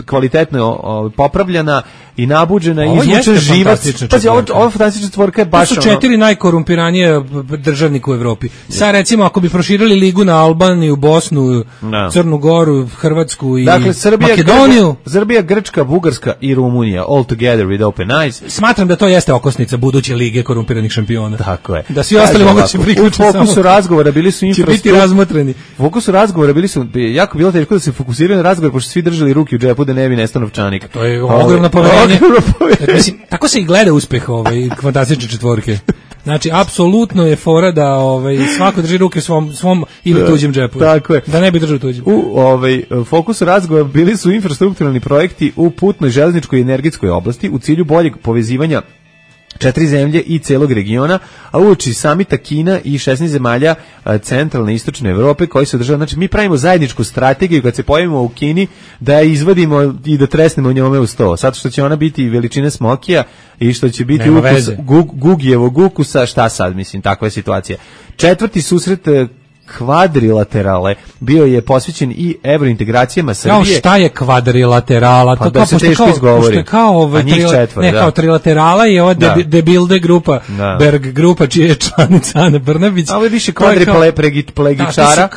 kvalitetno popravljena i nabuđena i izvučen živac. Pazi, ova fantastična četvorka je baš to su 4 najkorumpiranije državnika u Evropi. Sad recimo ako bi proširili ligu na Albaniju, Bosnu, Crnu Goru, Hrvatsku i Makedoniju. Srbija, Grčka, Bugarska i Rumunija all together with open eyes. Smatram da to jeste okosnica buduće lige korumpiranih šampiona. Tako je. Da svi ostali mogu se priključiti. U fokusu razgovora bili su biti razmotreni. U fokusu razgovora bili su jako bilo teško da se fokusiraju na razgovor pošto svi držali ruke u džepu da ne bi nestao novčanik. To je ogromno poverenje. Mislim, tako se i gleda uspeh fantastične četvorke. Znači, apsolutno je fora da svako drži ruke u svom ili tuđem džepu. Tako je. Da ne bi držao tuđem. U fokusu razgovora bili su infrastrukturalni projekti u putnoj, železničkoj i energetskoj oblasti u cilju boljeg povezivanja 4 zemlje i celog regiona, a uoči samita Kina i 16 zemalja centralne i istočne Evrope koji se održava. Znači, mi pravimo zajedničku strategiju kad se pojavimo u Kini da je izvadimo i da tresnemo njome u sto. Sad što će ona biti veličine smokija i što će biti Gugijevog ukusa, šta sad, mislim, takva je situacija. Četvrti susret kvadrilaterale bio je posvećen i evrointegracijama Srbije. Kao šta je kvadrilaterala? Pa da se teško izgovori. Kao trilaterala je ova debilde grupa, Berg grupa, čija je članica Ana Brnabić. A ovo je više kvadriplegičara.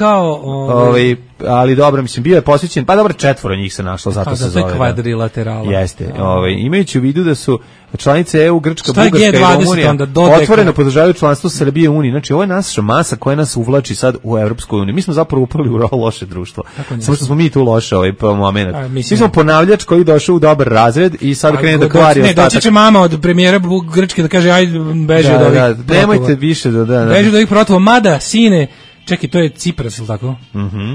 Ali dobro, mislim, bio je posvećen, pa dobro, 4 njih se našlo, zato se zove. To je kvadrilaterala. Jeste, imajući u vidu da su članice EU, Grčka, Bugarska i Rumunija otvoreno podržavaju članstvo Srbije u Uniji. Znači, ovo je naša masa koja nas uvlači sad u Evropsku uniju. Mi smo zapravo upali u loše društvo. Samo što smo mi tu loše moment. Mi smo ponavljač koji došao u dobar razred i sad krene da kvari ostatak. Doći će mama od premijera Grčke da kaže, ajde, beži od ovih protova. Nemojte više beži od ovih protova, mada, sine. Čekaj, to je Cipras, ili tako?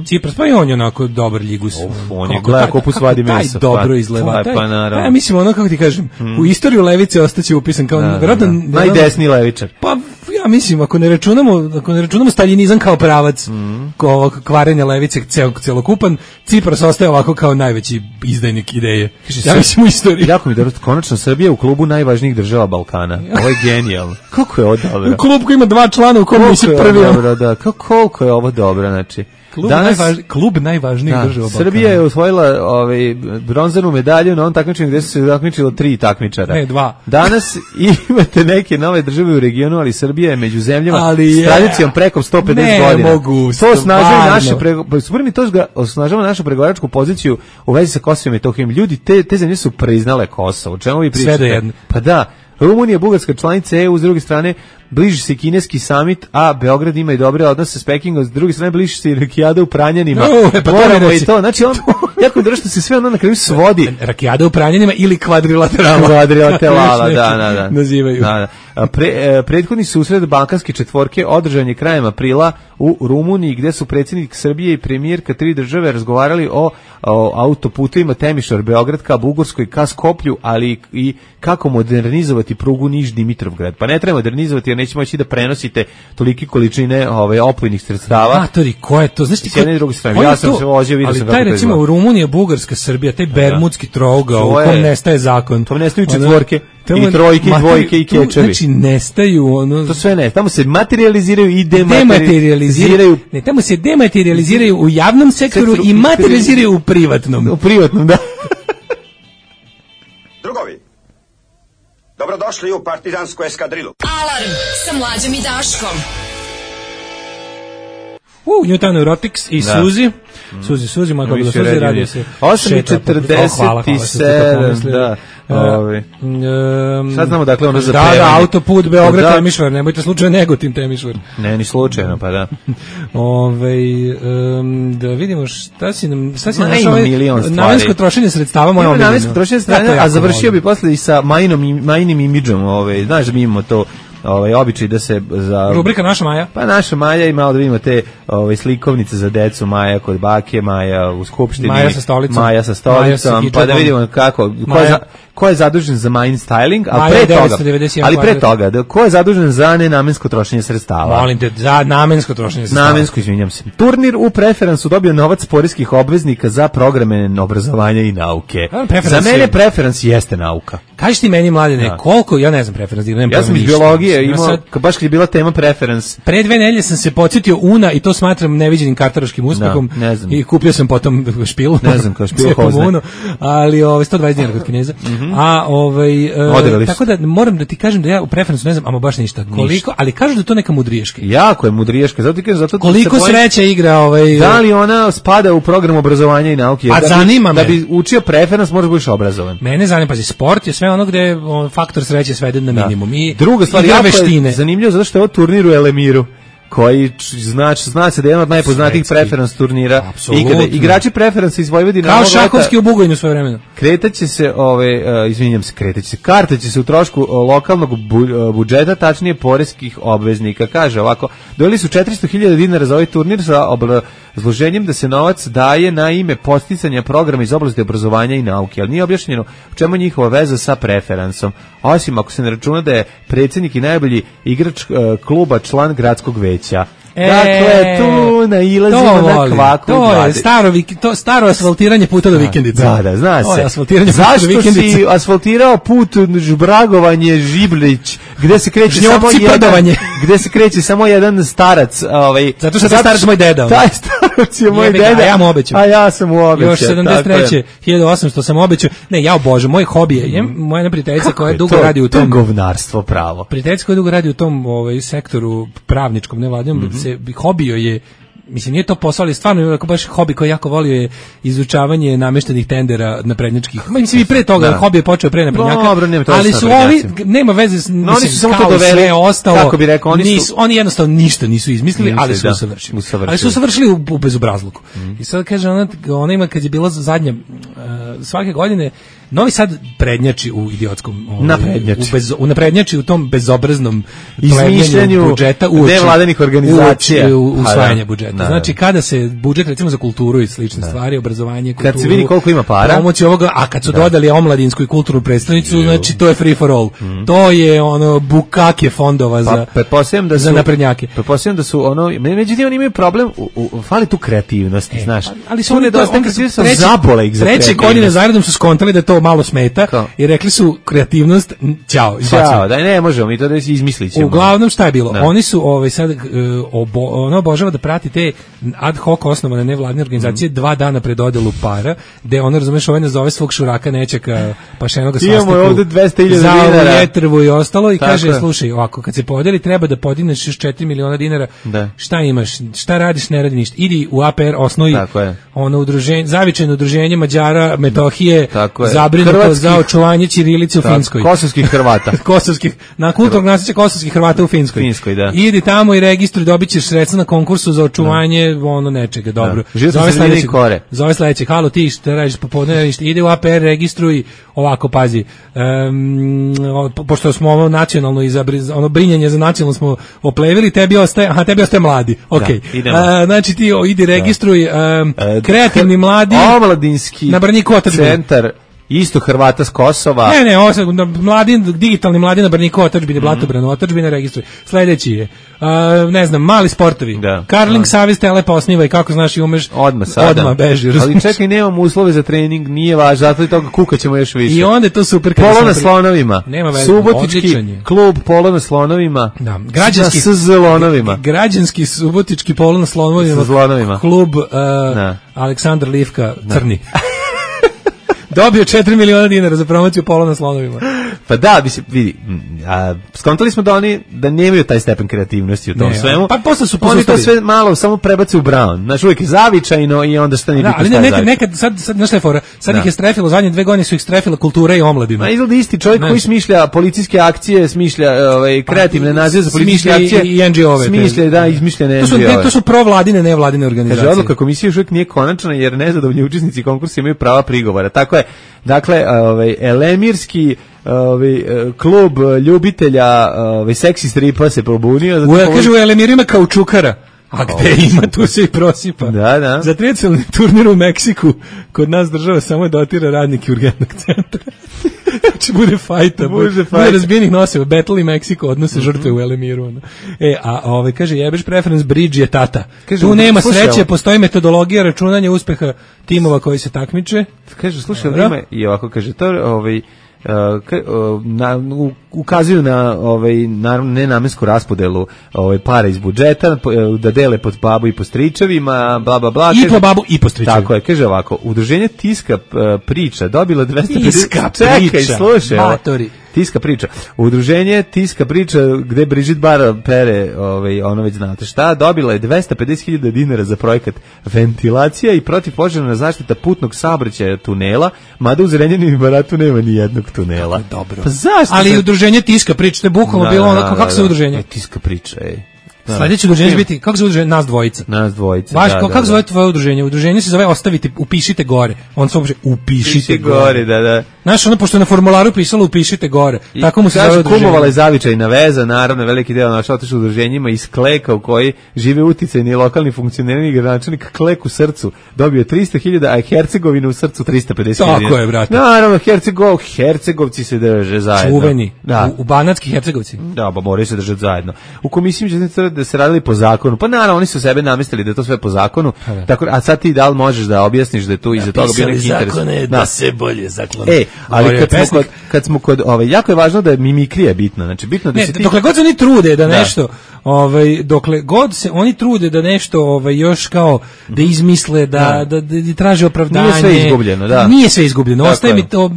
Cipras, pa i on je onako dobar ljigus. On je gleda ko pusvadi mesa. Taj dobro izgleda. Pa naravno. Mislim, ono, kako ti kažem, u istoriju levice ostaće upisan kao najdesniji levičar. Pa ja mislim, ako ne računamo staljinizam kao pravac kvarenja levice celokupan, Cipras ostaje ovako kao najveći izdajnik ideje. Ja mislim u istoriji. Jako mi dobro, konačno Srbija u klubu najvažnijih država Balkana. Ovo je genijalno. Kako je ovo dobro? U klubu koji ima 2 člana u kom nisi prvi. Da, koliko je ovo dobro, znači. Klub najvažnijih država Balkana. Srbija je osvojila bronzanu medalju na onom takmičenju gde su se takmičilo 3 takmičara. 2. Danas imate neke nove države u regionu, ali Srbija je među zemljama s tradicijom preko 150 godina. To osnažava našu pregovaračku poziciju u vezi sa Kosovom i Metohijom. Ljudi, te zemlje su priznale Kosovo. O čemu vi pričate? Sve do jedne. Pa da. Rumunija, Bugarska članica EU, s druge strane bliži se kineski summit, a Beograd ima i dobre odnose s Pekingom, s druge strane bliži se i rakijada u Pranjanima. Moramo i to. Znači, jako mi dobro što se sve ono na kraju svodi. Rakijada u Pranjanima ili kvadrilaterala. Kvadrilaterala, da. Nazivaju. Prethodni susret balkanske četvorke održan je krajem aprila u Rumuniji, gde su predsjednik Srbije i premijerka 3 države razgovarali o autoputovima Temišvar-Beograd ka Bugarskoj, ka Skoplju, ali i kako modernizovati prugu Niš-Dimitrovgrad. Pa ne treba modernizovati jer nećemo moći da prenosite tolike količine opojnih sredstava. Matori, ko je to? Znaš ti, s jedne i druge strane. Ja sam se vozio, vidio sam kako to izgleda. Ali taj recimo u Rumuniji, Bugarska, Srbija, taj bermudski trougao u kom nestaje zakon. To nestaju četvorke. I trojke, i dvojke, i kečevi. Znači, nestaju ono... To sve ne, tamo se materializiraju i dematerializiraju. Ne, tamo se dematerializiraju u javnom sektoru i materializiraju u privatnom. U privatnom, da. Drugovi, dobrodošli u partizansku eskadrilu. Alarm sa Mlađom i Daškom. Newton Neurotics i Suzi. Suzi, mako bi da Suzi radi se. 8:47, da. Sad znamo dakle ono za prevanje. Da, autoput Beograd Temišvar, nemojte slučajno Negotin Temišvar. Ne, ni slučajno, pa da. Da vidimo šta si nam našao. Namensko trošenje sredstava moja omiljena. Namensko trošenje sredstava, a završio bi posle i sa Majinim imidžom, znaš da mi imamo to običaj da se za rubrika Naša Maja. Pa Naša Maja i malo da vidimo te slikovnice za decu, Maja kod bake, Maja u skupštini, Maja sa stolicom, pa da vidimo kako ko je zadužen za Majin styling, ali pre toga ko je zadužen za nenamensko trošenje sredstava. Molim te, za namensko trošenje sredstava. Namensko, izvinjam se. Turnir u Preferansu dobio novac poreskih obveznika za programe obrazovanja i nauke. Za mene Preferans jeste nauka. Kaži ti meni, Mladene, koliko, ja ne znam Preferans, ja sam iz biologije imao, baš kad je bila tema Preferans. Pre 2 nedelje sam se podsjetio Una i to smatram neviđenim kartaroškim uspehom i kupio sam potom špilu. Ne znam, kao špilu hozne. Ali 120 dinara kod Kineza. A tako da moram da ti kažem da ja u Preferansu ne znam ama baš ništa. Koliko, ali kažu da to neka mudriješka. Jako je mudriješka, zato koliko sreća igra da li ona spada u program obrazovanja i nauke? A zanima me. Da bi učio Preferans možeš biti obrazovan. Mene zanima, pazi, sport je sve ono gde je faktor sreće sveden na minimum. I druga stvar, jako je zanimljivo zato što je ovo turnir u Elemiru, koji zna se da je jedan od najpoznatijih Preferans turnira ikada. Igrači Preferansa iz Vojvodine kao šahovski u Bugojnu svoje vremena. Kretaće se, karta će se u trošku lokalnog budžeta, tačnije poreskih obveznika. Kaže ovako, dojeli su 400.000 dinara za ovaj turnir sa obrazloženjem da se novac daje na ime podsticanja programa iz oblasti obrazovanja i nauke, ali nije objašnjeno u čemu je njihova veza sa Preferansom, osim ako se ne računa da je predsjednik i najbolji igrač kluba član gradskog veća. Dakle, tu nailazimo na kvaku. To je staro asfaltiranje puta do vikendice. Da, zna se. Zašto si asfaltirao put Žbragovanje Žiblić, gde se kreće samo jedan starac. Zato što je starac moj deda. Taj starac je moj deda. A ja mu obećam. A ja sam mu obećao. Još 73. 1800 sam obećao. Ne, ja obožavam. Moj hobi je, moja jedna prijateljica koja dugo radi u tom. To je govnarstvo pravo. Prijateljica koja dugo radi u tom sektoru pravničkom, nevladinom, hobio je, mislim nije to posao, ali stvarno baš hobi koji jako volio je izučavanje nameštenih tendera naprednjačkih. Mislim i pre toga hobi je počeo pre naprednjaka. Ali su ovi nema veze, mislim, oni su samo to doveli, sve ostalo. Kako bi rekao, oni jednostavno ništa nisu izmislili, ali su usavršili. Ali su usavršili u bezobrazluku. I sad kaže ona ima kad je bila zadnja svake godine Novi Sad prednjači u idiotskom naprednjači u tom bezobraznom izmišljanju budžeta nevladinih organizacija usvajanja budžeta. Znači kada se budžet recimo za kulturu i slične stvari, obrazovanje, kulturu, kad se vidi koliko ima para, promociju ovoga, a kad su dodali omladinsku i kulturnu predstavnicu, znači to je free for all. To je ono bukake fondova za naprednjake. Pretpostavljam da su međutim oni imaju problem, fali tu kreativnosti, znaš. Ali su oni treće godine zaredom su skontali da to malo smeta i rekli su kreativnost, ćao, da ne možemo mi to da izmislit ćemo. Uglavnom šta je bilo? Oni su sad obožava da prati te ad hoc osnovane nevladine organizacije 2 dana pred dodelu para, gde ono, razumeš, nazove svog šuraka nečeka pašenoga svastiku. Imamo ovde 200.000 dinara. Za jetrvu i ostalo i kaže, slušaj, ovako, kad se podeli treba da podigneš još 4 miliona dinara. Šta imaš? Šta radiš? Ne radi ništa. Idi u APR, osnovi udruženje, zavičajno udruženje Mađara, Metohije, zabrinuto za očuvanje ćirilice u Finskoj. Kosovskih Hrvata. Na kulturnog nasleđa kosovskih Hrvata u Finskoj. Idi tamo i registruj, dobit ćeš sredstva na konkursu za očuvanje nečega, dobro. Zove sledeće, halo ti šta radiš popodne, ide u APR, registruj, ovako, pazi, pošto smo ovo nacionalno brinjanje za nacionalno smo oplevili, tebi ostaje mladi, okej. Znači ti idi registruj kreativni mladi omladinski centar isto Hrvata s Kosova. Digitalni mladi na Brniku otadžbine, Blatobranu otadžbine, registruj. Sledeći je, ne znam, mali sportovi. Karling savez telepa osniva i kako znaš i umeš, odmah beži. Ali čekaj, nemamo uslove za trening, nije važno, zato i toga kukaćemo još više. I onda je to super. Polo na slonovima. Subotički klub Polo na slonovima. Građanski slonovima. Građanski subotički Polo na slonovima. Klub Aleksandar Livka Crni. Dobio 4 miliona dinara za promociju Polo na slonovima. Pa da, vidi, skontali smo da nemaju taj stepen kreativnosti u tom svemu. Pa posle su oni to sve malo samo prebace u Brown. Znaš, uvijek je zavičajno i onda šta nije bitno šta je zavičajno. Nekad, znaš šta je fora, sad ih je strefilo, zadnje 2 godine su ih strefila kultura i omladina. Izgleda isti čovjek koji smišlja policijske akcije, smišlja kreativne nazive za policijske akcije. I NGO-ove. Izmišljene NGO-ove. To su provladine, nevladine organizacije. Kaže, odluka komisije još uvijek nije konačna jer nezadovoljni učesnici konkursa imaju prava prigovora. Tako je, Dakle, Elemirski klub ljubitelja seksi stripa se probunio. Kaže, u Elemir ima kaučukara. A gde ima, tu se i prosipa. Da. Za trijacelni turnir u Meksiku kod nas država samo dotira radnike urgentnog centra. Znači bude fajta, bude razbijenih noseva, Battle i Meksiko odnose žrtve u Elemiru. Kaže, jebeš preference bridge je tata. Kaže, tu nema sreće, postoji metodologija računanja uspeha timova koji se takmiče. Kaže, slušaj, ima i ovako, kaže, to ukazuju na naravno nenamensku raspodelu para iz budžeta, da dele pod babu i po stričevima, bla bla bla. I po babu i po stričevima. Tako je, kaže ovako, udruženje Tiska priča dobilo 250... Tiska priča, slušaj, matori. Tiska priča. Udruženje Tiska priča gde Brigitte Bar pere, ono već znate šta, dobila je 250.000 dinara za projekat ventilacija i protivpožarna zaštita putnog saobraćaja tunela, mada u Zrenjaninu i Baratu nema ni jednog tunela. Dobro. Pa zašto? Ali udruženje Tiska priča, to je bukvalno bilo ono, kako se udruženje? Tiska priča, Sledeće udruženje će biti, kako se udruženje? Nas dvojica. Baš, kako zove tvoje udruženje? Udruženje se zove Ostavite, upišite gore. On se uopće upišite gore. Da. Znaš, ono, pošto je na formularu pisalo upišite gore. Tako mu se zove udruženje. Kumovala je zavičajna veza, naravno, veliki deo našao otišao udruženjima iz Kleka u koji žive uticajni lokalni funkcioneri i gradonačelnik Klek u srcu dobio 300.000, a Hercegovina u srcu 350.000. Tako je, brate. Naravno, Hercegovci se drže zajedno. Čuveni. U Banatski Hercegovci. Da, pa moraju se držati zajedno. U komisiji da se radili po zakonu. Pa naravno, oni su sebe namestili da je to sve po zakonu. Tako, a sad ti da li možeš da objasniš da je tu iza toga bio neki interes? Zakone da se bolje zaklone. Ali kad smo kod jako je važno da je mimikrija bitna. Znači bitno da se ti... Dokle god se oni trude da nešto, dokle god se oni trude da nešto još kao da izmisle, da traže opravdanje. Nije sve izgubljeno, da. Nije sve izgubljeno. Ostaje mi to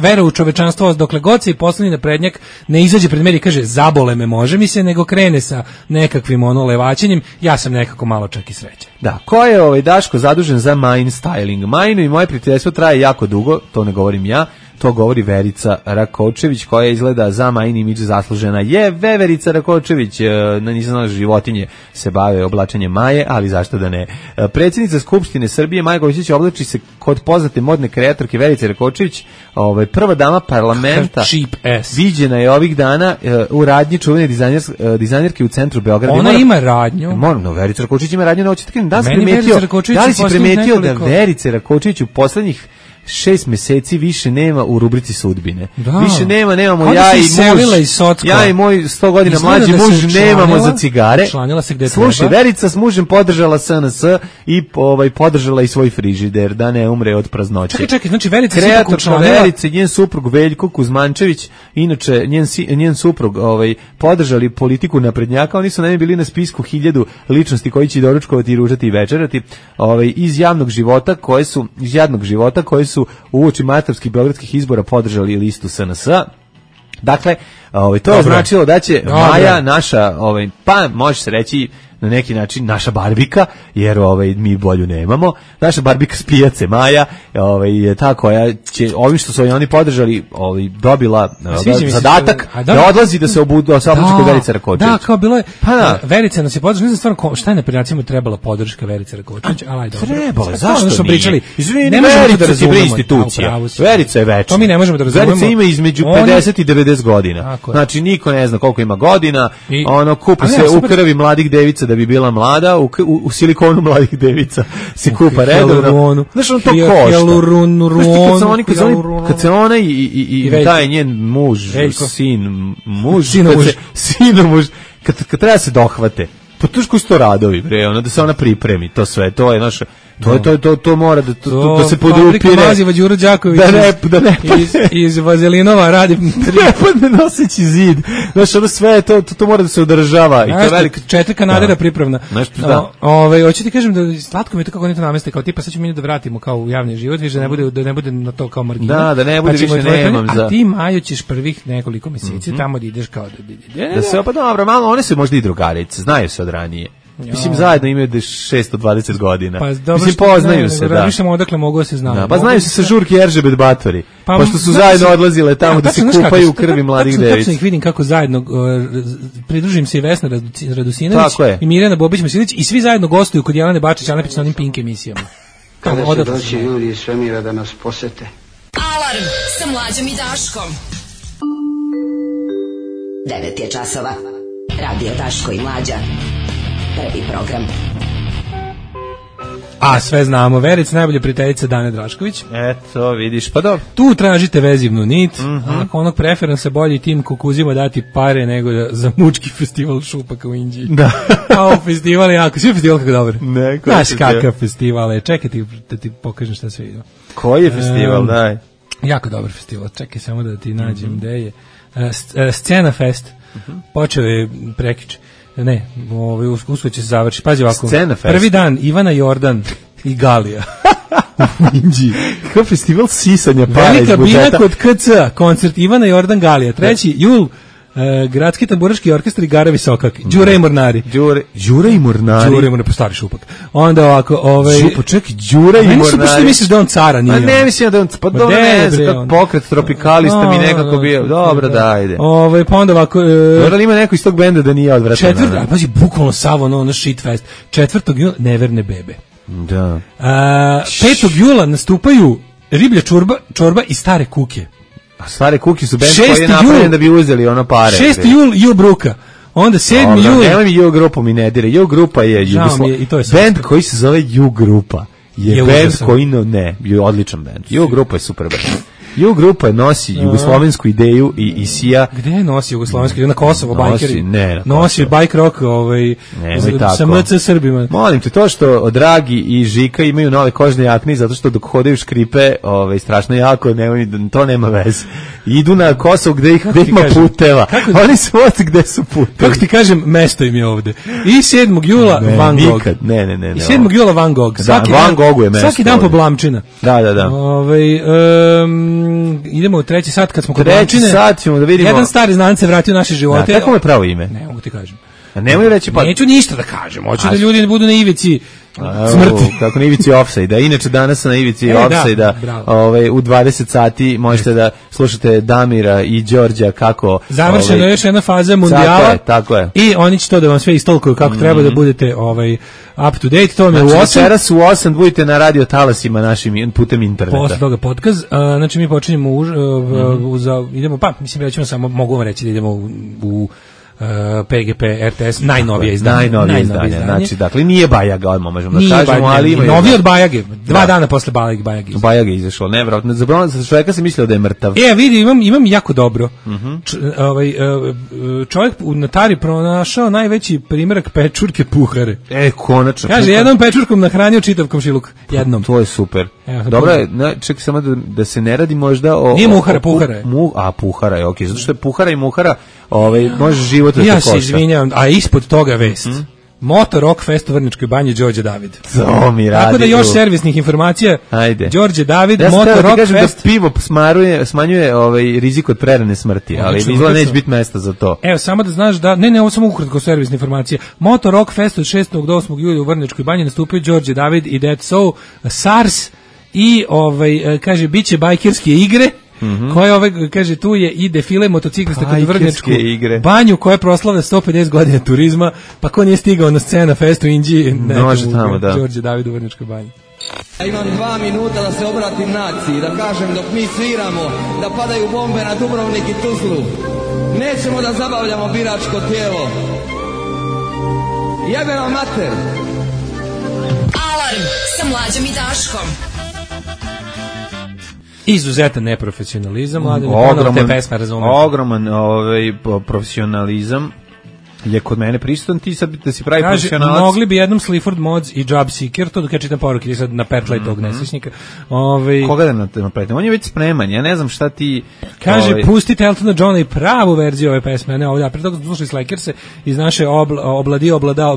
vera u čovečanstvo, dokle god se i poslednji naprednjak ne izađe pred mene i kaže zabole me, može mi se, nego krene sa nekakvim levaćenjem, ja sam nekako malo čak i srećan. Da, ko je Daško zadužen za Mine styling? Mine i moje prijateljstvo traje jako dugo, to ne govorim ja, to govori Verica Rakočević, koja izgleda za Mine imidž zaslužena. Verica Rakočević, nisam znala, životinje se bave oblačenjem Maje, ali zašto da ne. Predsjednica Skupštine Srbije Maja Gojković oblači se kod poznate modne kreatorke Verice Rakočević, prva dama parlamenta. Viđena je ovih dana u radnji čuvene dizajnerke u centru Beograda. Ona ima radnju. Verica Rakočević ima radnju, da li si primetio da Verice Rakočević u poslednjih 6 meseci više nema u rubrici sudbine. Da. Više nemamo ja i moj 100 godina mlađi muž nemamo za cigare. Slušaj, Verica s mužem podržala SNS i podržala i svoj frižider da ne umre od praznoće. Čekaj, znači Verica kreatorka Verice, njen suprug Veljko Kuzmančević, inače njen suprug podržali politiku naprednjaka, oni su naime bili na spisku 1000 ličnosti koji će doručkovati i ružati i večerati iz javnog života koje su uoči martovskih beogradskih izbora podržali listu SNS-a. Dakle, to je značilo da će Maja naša, pa može se reći na neki način naša Barbika, jer mi bolju nemamo. Naša Barbika s pijace Maja je ta koja će ovim što su oni podržali dobila zadatak da odlazi da se obuči kod Verice Rakočević. Da, kao bilo je Verica nas je podržala, ne znam stvarno šta je naprednjacima trebala podrška Verice Rakočević, ali dobro. Trebalo, zašto smo pričali? Izvini, Verica je institucija. Verica je večna. To mi ne možemo da razumemo. Verica ima između 50 i 90 godina. Znači niko ne zna koliko ima godina, kupi se u krvi mladih devica da bi bila mlada, u silikonu mladih devica se kupa redovno. Znaš, on to košta. Kad se ona i taj njen muž, sinomuž, kad treba se dohvate, pa to koji su to radovi, bre, da se ona pripremi, to sve, to je naša... To mora da se podupire. Maziva Đuro Đaković iz Vazelinova radi ne noseći zid. Znaš, ono sve, to mora da se održava. I to velika 4 kanadera pripravna. Hoću ti kažem da slatko mi je to kako oni to nameste, kao tipa sad ćemo mi da vratimo kao u javni život, više da ne bude na to kao margina. Da ne bude više nemam za... A ti, Majo, ćeš prvih nekoliko mjeseci tamo da ideš kao da se, pa dobro, malo, one su možda i drugarice, znaju se od ranije. Mislim, zajedno imaju 620 godina. Mislim, poznaju se, da. Razmišljamo odakle mogu da se znaju. Pa znaju se sa žurke Eržebet Batori. Pošto su zajedno odlazile tamo da se kupaju u krvi mladih devica. Tačno ih vidim kako zajedno, pridružim se i Vesna Radosinović i Mirjana Bobić-Masilić i svi zajedno gostuju kod Jelene Bačić-Anapić na onim Pink emisijama. Kada će doći ljudi iz svemira da nas posete, Alarm sa Mlađom i Daškom. 9 je časova. Radio Daško i Mlađa. Prvi program. A sve znamo, Verica, najbolja prijateljica Dane Drašković. Eto, vidiš, pa dobro. Tu tražite vezivnu nit, ako onog preferansa bolji tim kukuzima dati pare nego za mučki festival šupaka u Inđiji. Da. Kao festival je jako, svi festival kako dobar. Ne, znaš kakav festival je, čekaj da ti pokažem šta sve ide. Koji je festival, daj? Jako dobar festival, čekaj samo da ti nađem gde je. Scena Fest, počeo je prekiče. Ne, uskoro će se završiti. Pazi ovako. Prvi dan Ivana Jordan i Galija. U Inđiji. Kako festival sisanja para iz budžeta. Velika bina kod KC, koncert Ivana Jordan Galija. 3. jul, Gradski tamburaški orkestar i Gara Visokak. Đure i Mornari. Đure i Mornari. Đure i Mornari, po stari Šupak. Onda ovako, Šupak, čekaj, Đure i Mornari. Meni su baš misliš da on cara nije. A ne mislim da on, pa dobro ne znam, kako pokret tropikalista mi nekako bio. Dobro, da, ajde. Pa onda ovako... Dobro li ima neko iz tog benda da nije odvratan? 4. pazi, bukvalno sav ono shit fest. 4. jula, Neverne bebe. Da. 5. jula nastupaju Riblja čorba i Stare kuke. A Stare kuke su bend koji je napravljen da bi uzeli ono pare. 6. jul, Ju Bruka. Onda 7. jul... Nemoj mi Ju grupu mi ne dire. Ju grupa je bend koji se zove Ju grupa. Je bend koji je odličan bend. Ju grupa je super bend. Ju grupa nosi jugoslovensku ideju i sija. Gde je nosi jugoslovensku ideju? Na Kosovo, bajkeri? Ne, nosi bike rock sa MC Srbima. Molim te, to što Dragi i Žika imaju nove kožne jakne zato što dok hodaju škripe strašno jako, to nema veze. Idu na Kosovo gde ima puteva. Oni su ovdje gde su putevi. Kako ti kažem, mesto im je ovde. I 7. jula Van Gogh. Ne. I 7. jula Van Gogh. Van Goghu je mesto. Svaki dan po Blamčina. Da. Idemo u 3. sat kad smo kod Blamčine. 3. sat ćemo da vidimo. Jedan stari znanac se vratio u naše živote. Kako je pravo ime? Ne mogu ti kažem. Nemoj reći pa. Neću ništa da kažem. Hoću da ljudi ne budu na ivici smrti. Kako na ivici ofsajda. Inače danas na ivici ofsajda u 20 sati možete da slušate Damira i Đorđa kako završena je još jedna faza mundijala. Tako je. I oni će to da vam sve istolkuju kako treba da budete up to date. To me u 8. Večeras u 8 budete na radio talasima našim putem interneta. Posle toga podcast. Znači mi počinjemo idemo mislim da ćemo samo mogu vam reći da idemo u PGP RTS najnovije izdanje. Znači, dakle, nije Bajaga, odmah možemo da kažemo, ali ima... Novi od Bajage, 2 dana posle Bajage. Bajage izašlo, nevjerojatno. Za čovjeka se mislio da je mrtav. Vidi, imam jako dobro. Čovjek u Natari pronašao najveći primjerak pečurke puhare. Konačno. Kaže, jednom pečurkom nahranio čitav komšiluk. Jednom. To je super. Dobro je, čekaj samo da se ne radi možda o... Nije muhara, puhara je. Puhara je, okej. Zato što je puhara i muhara, može život da te košta. Ja se izvinjavam, a ispod toga vest. Motor Rock Fest u Vrnjačkoj banji, Đorđe David. To mi radi. Tako da još servisnih informacija. Ajde. Đorđe David, Motor Rock Fest. Da pivo smanjuje rizik od prerane smrti, ali izgleda neće biti mesta za to. Evo, samo da znaš da, ne, ovo samo ukratko servisne informacije. Motor Rock Fest od 6. do 8. julija u Vrnjačkoj banji nastupaju Đorđe David i Dead Soul, SARS i, kaže, bit će bajkerske igre. Koje kaže tu je i defile motociklista kod Vrnjačku banju koja proslavlja 150 godina turizma, pa ko nije stigao na Scena Fest u Inđiji, može tamo, da. Đorđe David u Vrnjačkoj banji. Ja imam 2 minuta da se obratim naciji, da kažem dok mi sviramo, da padaju bombe na Dubrovnik i Tuzlu. Nećemo da zabavljamo biračko tijelo. Jebe vam mater. Alarm sa Mlađom i Daškom. Izuzetan neprofesionalizam, ogroman profesionalizam je kod mene prisutan, ti sad da si pravi profesionalac. Mogli bi jednom Sleaford Mods i Job Seeker, to dok ja čitam poruke, ti sad napetlaj tog nesrećnika. Koga da napetlaj? On je već spreman, ja ne znam šta ti... Kaže, pustite Eltona Johna i pravu verziju ove pesme, ne ovdje, a pre toga smo slušali Slakerse iz naše obrada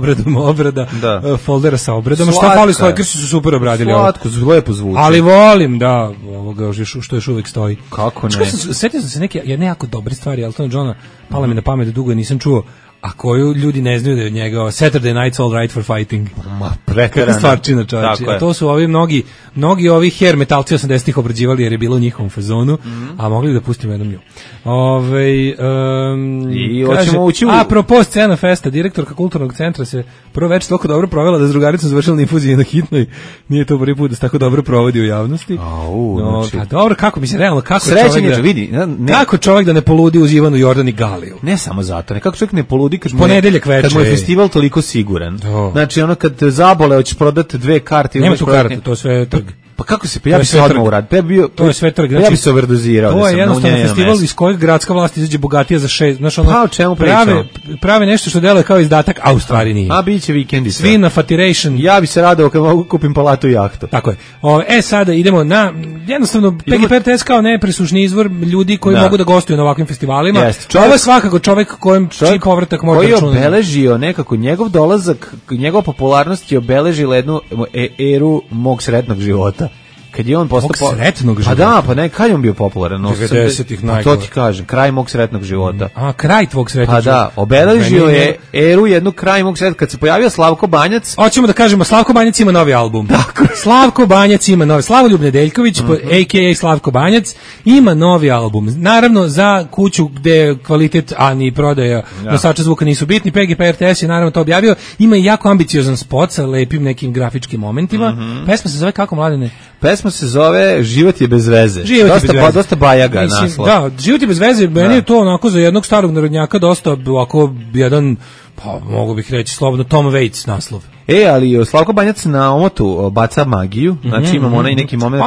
foldera sa obradom. Šta fali, Slakersi su super obradili ovo. Slatko, lepo zvuči. Ali volim, da, ovoga što još uvijek stoji. Kako ne? Sjetio sam se neke jako dobre stvari Eltona Johna, pala mi na pamet, dugo nisam čuo. a koju ljudi ne znaju da je od njega Saturday Night's All Right for Fighting. Ma, preterano. Stvarčina, čovječe. A to su ovi mnogi ovi hair metalci 80-ih obrađivali jer je bilo u njihovom fazonu, a mogli da pustimo jednom nju. I hoćemo ući u... Apropo Scena Festa, direktorka kulturnog centra se prvo večer toliko dobro provela da s drugaricom završila na infuziji na hitnoj. Nije to prvi put da se tako dobro provodi u javnosti. Znači... dobro, kako mi se realno, kako čovjek da ne poludi uz Ivanu Jordan i Galiju? Ne samo zato, kako čovjek ne poludi kad mu je festival toliko siguran. Znači ono kad zabole hoćeš prodati 2 karte. Nema tu karte, to sve trg. Pa kako se, ja bi se odmah uradio. To je sve trg. Znači, ja bi se overdozirao. To je jednostavno festival iz kojeg gradska vlast izađe bogatija za 6. Znaš, ono, o čemu pričamo? Prave nešto što deluje kao izdatak, a u stvari nije. A biće vikendi. Svi na fatiration. Ja bi se radao kad mogu kupim palatu i jahtu. Tako je. Sada idemo na, jednostavno, PGP RTS kao nepresušni izvor ljudi koji mogu da gostuju na ovakvim festivalima. Ovo je svakako čovjek čiji povratak može računati. Koji je obeležio nekako njegov dolazak, njegova popularnost je obeležila jednu eru mog sretnog života. Kad je on postao sretnog života. Pa da, pa ne, kad je on bio popularan? 90-ih najgore. To ti kažem, kraj mog sretnog života. A, kraj tvog sretnog života. Pa da, obeležio je eru jednu kraj mog sretnog. Kad se pojavio Slavko Banjac... Hoćemo da kažemo, Slavko Banjac ima novi album. Tako. Slavko Banjac ima novi. Slavoljub Nedeljković, a.k.a. Slavko Banjac, ima novi album. Naravno, za kuću gde kvalitet, a ni prodaja nosača zvuka nisu bitni, PGP RTS je naravno to objavio. Ima i jako ambiciozan spot sa lepim nekim grafičkim momentima. Pesma se zove kako, Mladene? Pesma se zove Život je bez veze. Dosta bajaga naslov. Da, Život je bez veze, meni je to onako za jednog starog narodnjaka dosta ovako jedan, pa mogu bih reći slobodno Tom Waits naslov. Ali Slavko Banjac na omotu baca magiju, znači imamo onaj neki moment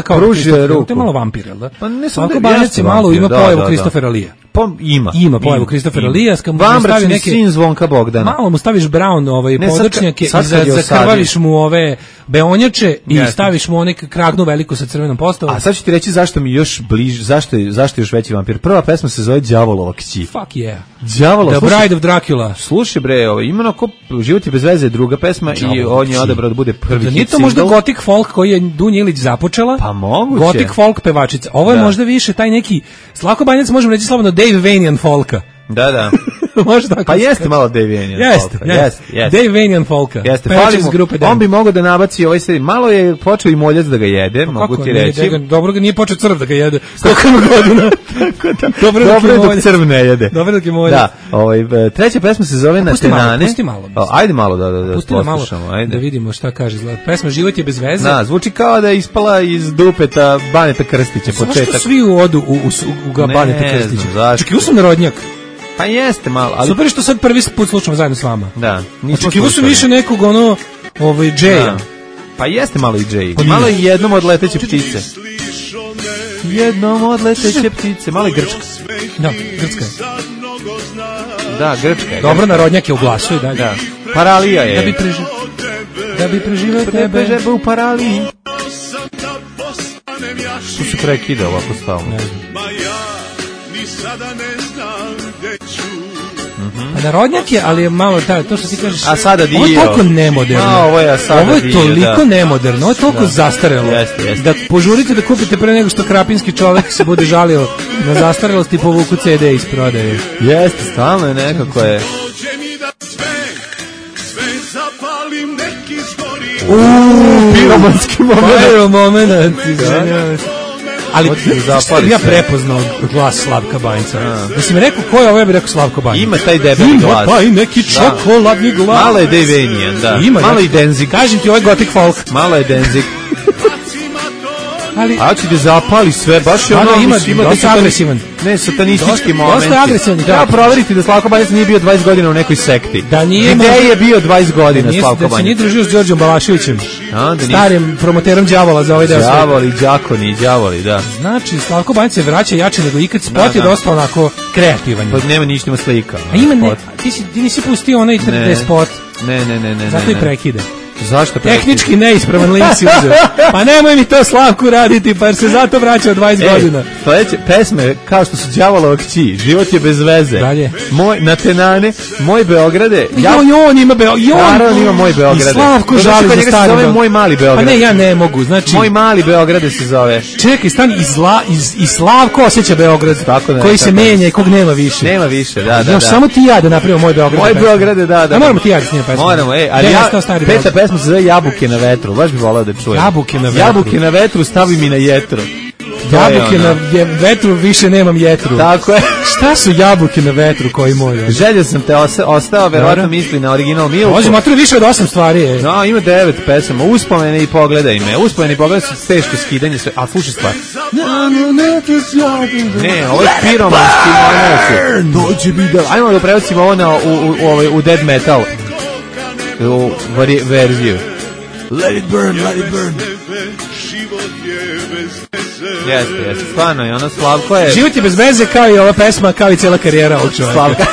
kao pruži ruku. To je malo vampir, jel da? Pa ne Slavko Banjac je malo ima pojavu Kristofera Lija. Pa ima pojavu Kristofera Lija, Vambračni sin Zvonka Bogdana. Malo mu staviš brown podočnjake i zakrvaviš mu ove beonjače i staviš mu onek kragnu veliku sa crvenom postavom. A sad ću ti reći zašto mi još bliže, zašto je još veći vampir. Prva pesma se zove Đavolova kći. Fuck yeah. Đavolova. The Bride of Dracula. Slušaj bre, ima onako Život je bez veze druga pesma i on je odabrao da bude prvi hit single. Nije to možda gothic folk koji je Dunja Ilić započela? Pa moguće. Gothic folk pevačica. Ovo je možda više taj neki, Slavko Banjac možemo reći slobodno Dave Vanian folka. Da. Možda pa jeste malo Dave Vanian folka. Jeste. Dave Vanian folka. Jeste. On bi mogao da nabaci ovaj serijal. Malo je počeo i moljac da ga jede, mogu ti reći. Dobro ga nije počeo crv da ga jede. Koliko ima godina? Dobro je dok crv ne jede. Dobro dok je moljac. Da. Treća pesma se zove Na Tenane. Pusti malo. Ajde malo da poslušamo. Da vidimo šta kaže. Pesma Život je bez veze. Da, zvuči kao da je ispala iz dupeta Baneta Krstića početak. Zašto svi odu u Baneta Krstića? Čekaj, usam narodnjak. Pa jeste malo, ali super što sad prvi put slušamo zajedno s vama. Da, očekivao sam više nekog Jay-a. Pa jeste malo i Jay. Malo i jednom od leteće ptice. Jednom od leteće ptice, malo i Grčka. Da, Grčka je. Da, Grčka je. Dobro, narodnjak je u glasu i dalje. Da. Paralija je. Da bi preživeo tebe. Žeba u paraliji. Tu se prekida ovako stavno. Narodnjak je, ali je malo to što ti kažeš. A sada dio. Ovo je toliko nemoderno. Ovo je toliko nemoderno, ovo je toliko zastarelo. Da požurite da kupite pre nego što krapinski čovek se bude žalio na zastarelost i povuku CD iz prodaje. Jeste, stalno je nekako je. Piromanski moment. Ali ja prepoznao glas Slavka Banjca. Da si mi rekao ko je ovo, ja bih rekao Slavko Banjac. Ima taj debeli glas. Ima taj neki čokoladni glas. Malo je Dave Vanian, da. Malo i Danzig. Kažem ti, ovo je gothic folk. Malo je Danzig. A će da zapali sve, baš je ono... Ima dosta agresivan. Ne, satanistički momenti. Dosta agresivan. Treba proveriti da Slavko Banjac nije bio 20 godina u nekoj sekti. Gde je bio 20 godina Slavko Banjac? Da se nije družio s Đorđom Balaševićem, starim promoterom đavola za ovaj deo. Đavoli, da. Znači, Slavko Banjac se vraća jače nego ikad, spot je dosta onako kreativan. Pa nema ništa, ima slika. A ima, ti nisi pustio onaj 3D spot. Ne. Zato i prekida. Zašto? Tehnički neispravan link si uzeo. Pa nemoj mi to Slavku raditi, pa jer se zato vraća od 20 godina. Sledeće pesme, kao što su Đavolova kći, Život je bez veze. Dalje. Moj Natenane, Moj Beograde. On ima Beograde. Naravno ima Moj Beograde. I Slavko žali za stari. Se zove Moj mali Beograd. Pa ne, ja ne mogu, znači... Moj mali Beograde se zove. Čekaj, stani, i Slavko osjeća Beograd, tako koji se menja i kog nema više. Nema više, da. Samo ti ja da napravimo Moj Beograd. Moj Beograde, da. A moramo ti ja da snimamo pesmu. Moramo, ali peta pesma se zove Jabuke na vetru, baš bi volao da čujem. Jabuke na vetru, stavi mi na jetru. Jabuke na vetru, više nemam jetru. Tako je. Šta su jabuke na vetru koji moj? Želio sam te ostao, verovatno misli na original Milku. Može, matru više od 8 stvari. No, ima 9 pesama, uspomene i pogledaj me. Uspomene i pogledaj su teško skidanje sve, a slušaj stvar. Ne, ovo je piromanski dođi mi da... Ajmo da prebacimo ovo u dead metal u verziju. Let it burn, let it burn. Jeste, stvarno je ono Slavko je... Život je bez veze kao i ova pesma, kao i cijela karijera ovog čovjeka. Slavka.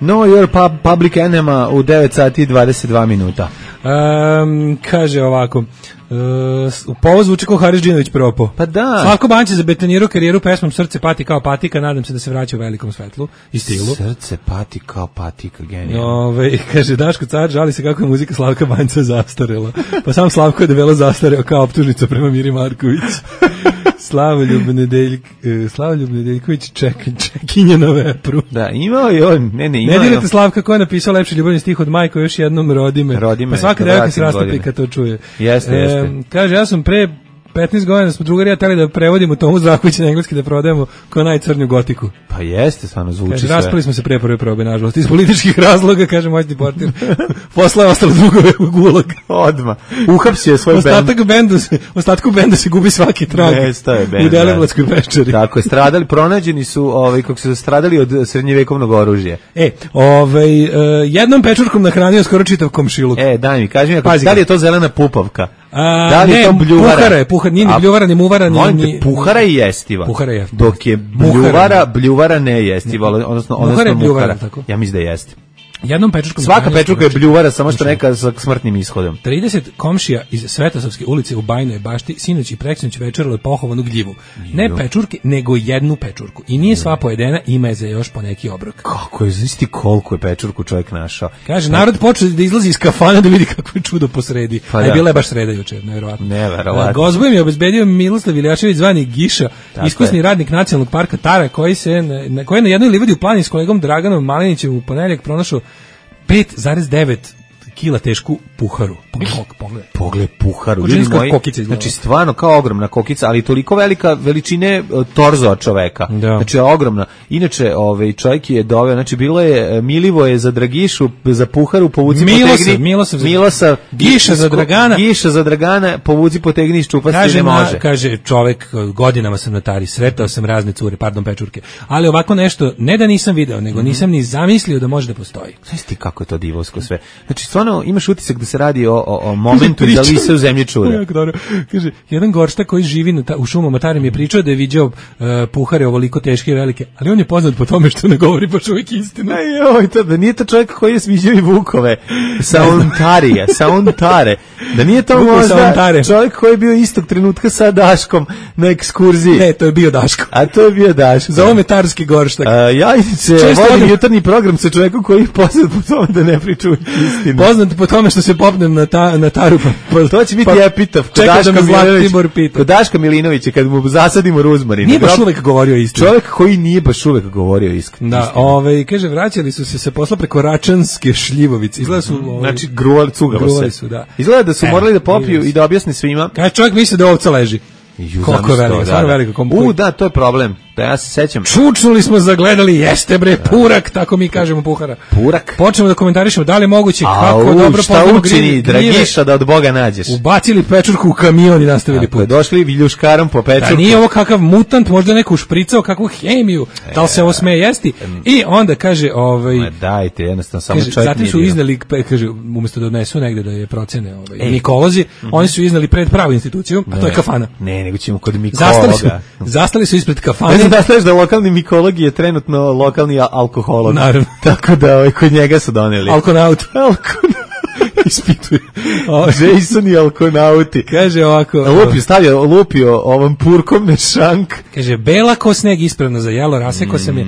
Know your public enema u 9 sati i 22 minuta. Kaže ovako, u povoz zvuči kao Haris Džinović propo. Pa da. Slavko Banć je zabetonirao karijeru pesmom Srce pati kao patika, nadam se da se vraća u velikom svetlu i stilu. Srce pati kao patika, genijalno. Kaže Daško Car žali se kako je muzika Slavka Banjca zastarela. Pa sam Slavko je debelo zastareo kao optužnica prema Miri Marković. Slavoljub Nedeljković čekinje na vepru. Da, imao je on. Ne dirate Slavka ko je napisao lepši ljubavni stih od Majko, još jednom rodi me. Pa svaka devojka se rastopi kad to čuje. Jeste. Kaže, ja sam pre 15 godina smo drugari ja teli da prevodimo Tomu Zdravkovića na engleski da prodajemo kao najcrnju gotiku. Pa jeste, stvarno zvuči sve. Raspali smo se pre prve probe, nažalost. Iz političkih razloga, kaže moćni portir. Posle je ostalo dugove u gulag. Odmah. Uhapsio je svoj bend. Ostatku benda se gubi svaki trag. U Deleblatskoj peščari. Tako je, pronađeni su, kako su stradali od srednjevekovnog oružja. Jednom pečurkom nahranio skoro čitav komšiluk. Daj mi, kaži mi, da li je to zelena pupavka? Da li je to bljuvara? Nije ni bljuvara, ni muvara, ni... Puhara je jestiva. Dok je bljuvara ne jestiva, odnosno muhara. Ja mislim da je jestiva. Svaka pečurka je bljuvara, samo što neka sa smrtnim ishodom. 30 komšija iz Svetosavske ulice u Bajnoj Bašti sinoć i preksinoć večeralo je pohovanu gljivu. Ne pečurke, nego jednu pečurku. I nije sva pojedena, ima je za još po neki obrok. Kako je, znaš koliko je pečurku čovjek našao? Kaže, narod počeo da izlazi iz kafana da vidi kako je čudo posredi. A je bila je baš sreda jučer, nevjerovatno. Gozbu im je obezbedio Miloslav Iljašević zvani Giša, iskusni radnik Nacionalnog parka Tara, koji je na jednoj livadi u Plani s kolegom Draganom Malinićem u ponedeljak pronašao 5,9 kila tešku puharu. Pogledaj puharu. Ljudi moji, znači stvarno kao ogromna kokica, ali toliko velika veličine torzo čoveka. Znači ogromna. Inače, čovjek je doveo, znači bilo je Milivoje za Dragišu, za puharu, povuci potegni. Milosav, Giša za Dragana, povuci potegni iz čupa se ne može. Kaže čovjek, godinama sam na Tari, sretao sam razne cure, pečurke, ali ovako nešto, ne da nisam video, nego nisam ni zamislio da može da postoji. Znaš ti kako je to divovsko sve. Znači stvarno imaš utisak da se radi o momentu da li se u zemlji čuda. Kaže, jedan goršta koji živi u šumama Tari mi je pričao da je viđao puhare ovoliko teške i velike, ali on je poznat po tome što ne govori baš uvijek istinu. Da nije to čovjek koji je sviđao i vukove sa Ontare. Da nije to možda čovjek koji je bio istog trenutka sa Daškom na ekskurziji. Ne, to je bio Daško. A to je bio Daško. Za ome tarski gorštak. Ja se vodim jutarnji program sa čovjekom koji je poznat po tome da ne priča istinu. Poznat po tome što se popnem na Taru. To će biti epitaf kod Daška Milinovića kad mu zasadimo ruzmarin. Nije baš uvek govorio istinu. Čovjek koji nije baš uvek govorio istinu. Da, kaže, vraćali su se posla preko Račanske šljivovice. Izgleda su... Znači, gruvali su, da. Izgleda da su morali da popiju i da objasne svima. Kaže, čovjek misli da ovca leži. Koliko je veliko, stvarno veliko. Da, to je problem. Da, ja se sećam. Čučnuli smo, zagledali, jeste bre, purak, tako mi kažemo puhara. Purak. Počnemo da komentarišemo da li je moguće, kako dobro šta učini Dragiša da od Boga nađeš. Ubacili pečurku u kamion i nastavili put. Došli viljuškarom po pečurku. Da nije ovo kakav mutant, možda neko špricao, kakvu hemiju, da li se ovo sme jesti. I onda kaže, dajte, jednostavno samo čovjek nije. Zatim su iznali, kaže, umjesto da odnesu negde da je procene mikolozi, oni su iznali pred pravu instituciju, a to je kafana. Ne, nego ćemo kod mikologa. Zastali su ispred kafane da znaš da lokalni mikolog je trenutno lokalni alkoholog. Naravno. Tako da kod njega su doneli. Alkonaut. Ispituje. Jason i alkonauti. Kaže ovako. Lupio ovom purkom na šank. Kaže, bela ko sneg ispravno za jelo, rasekao sam je,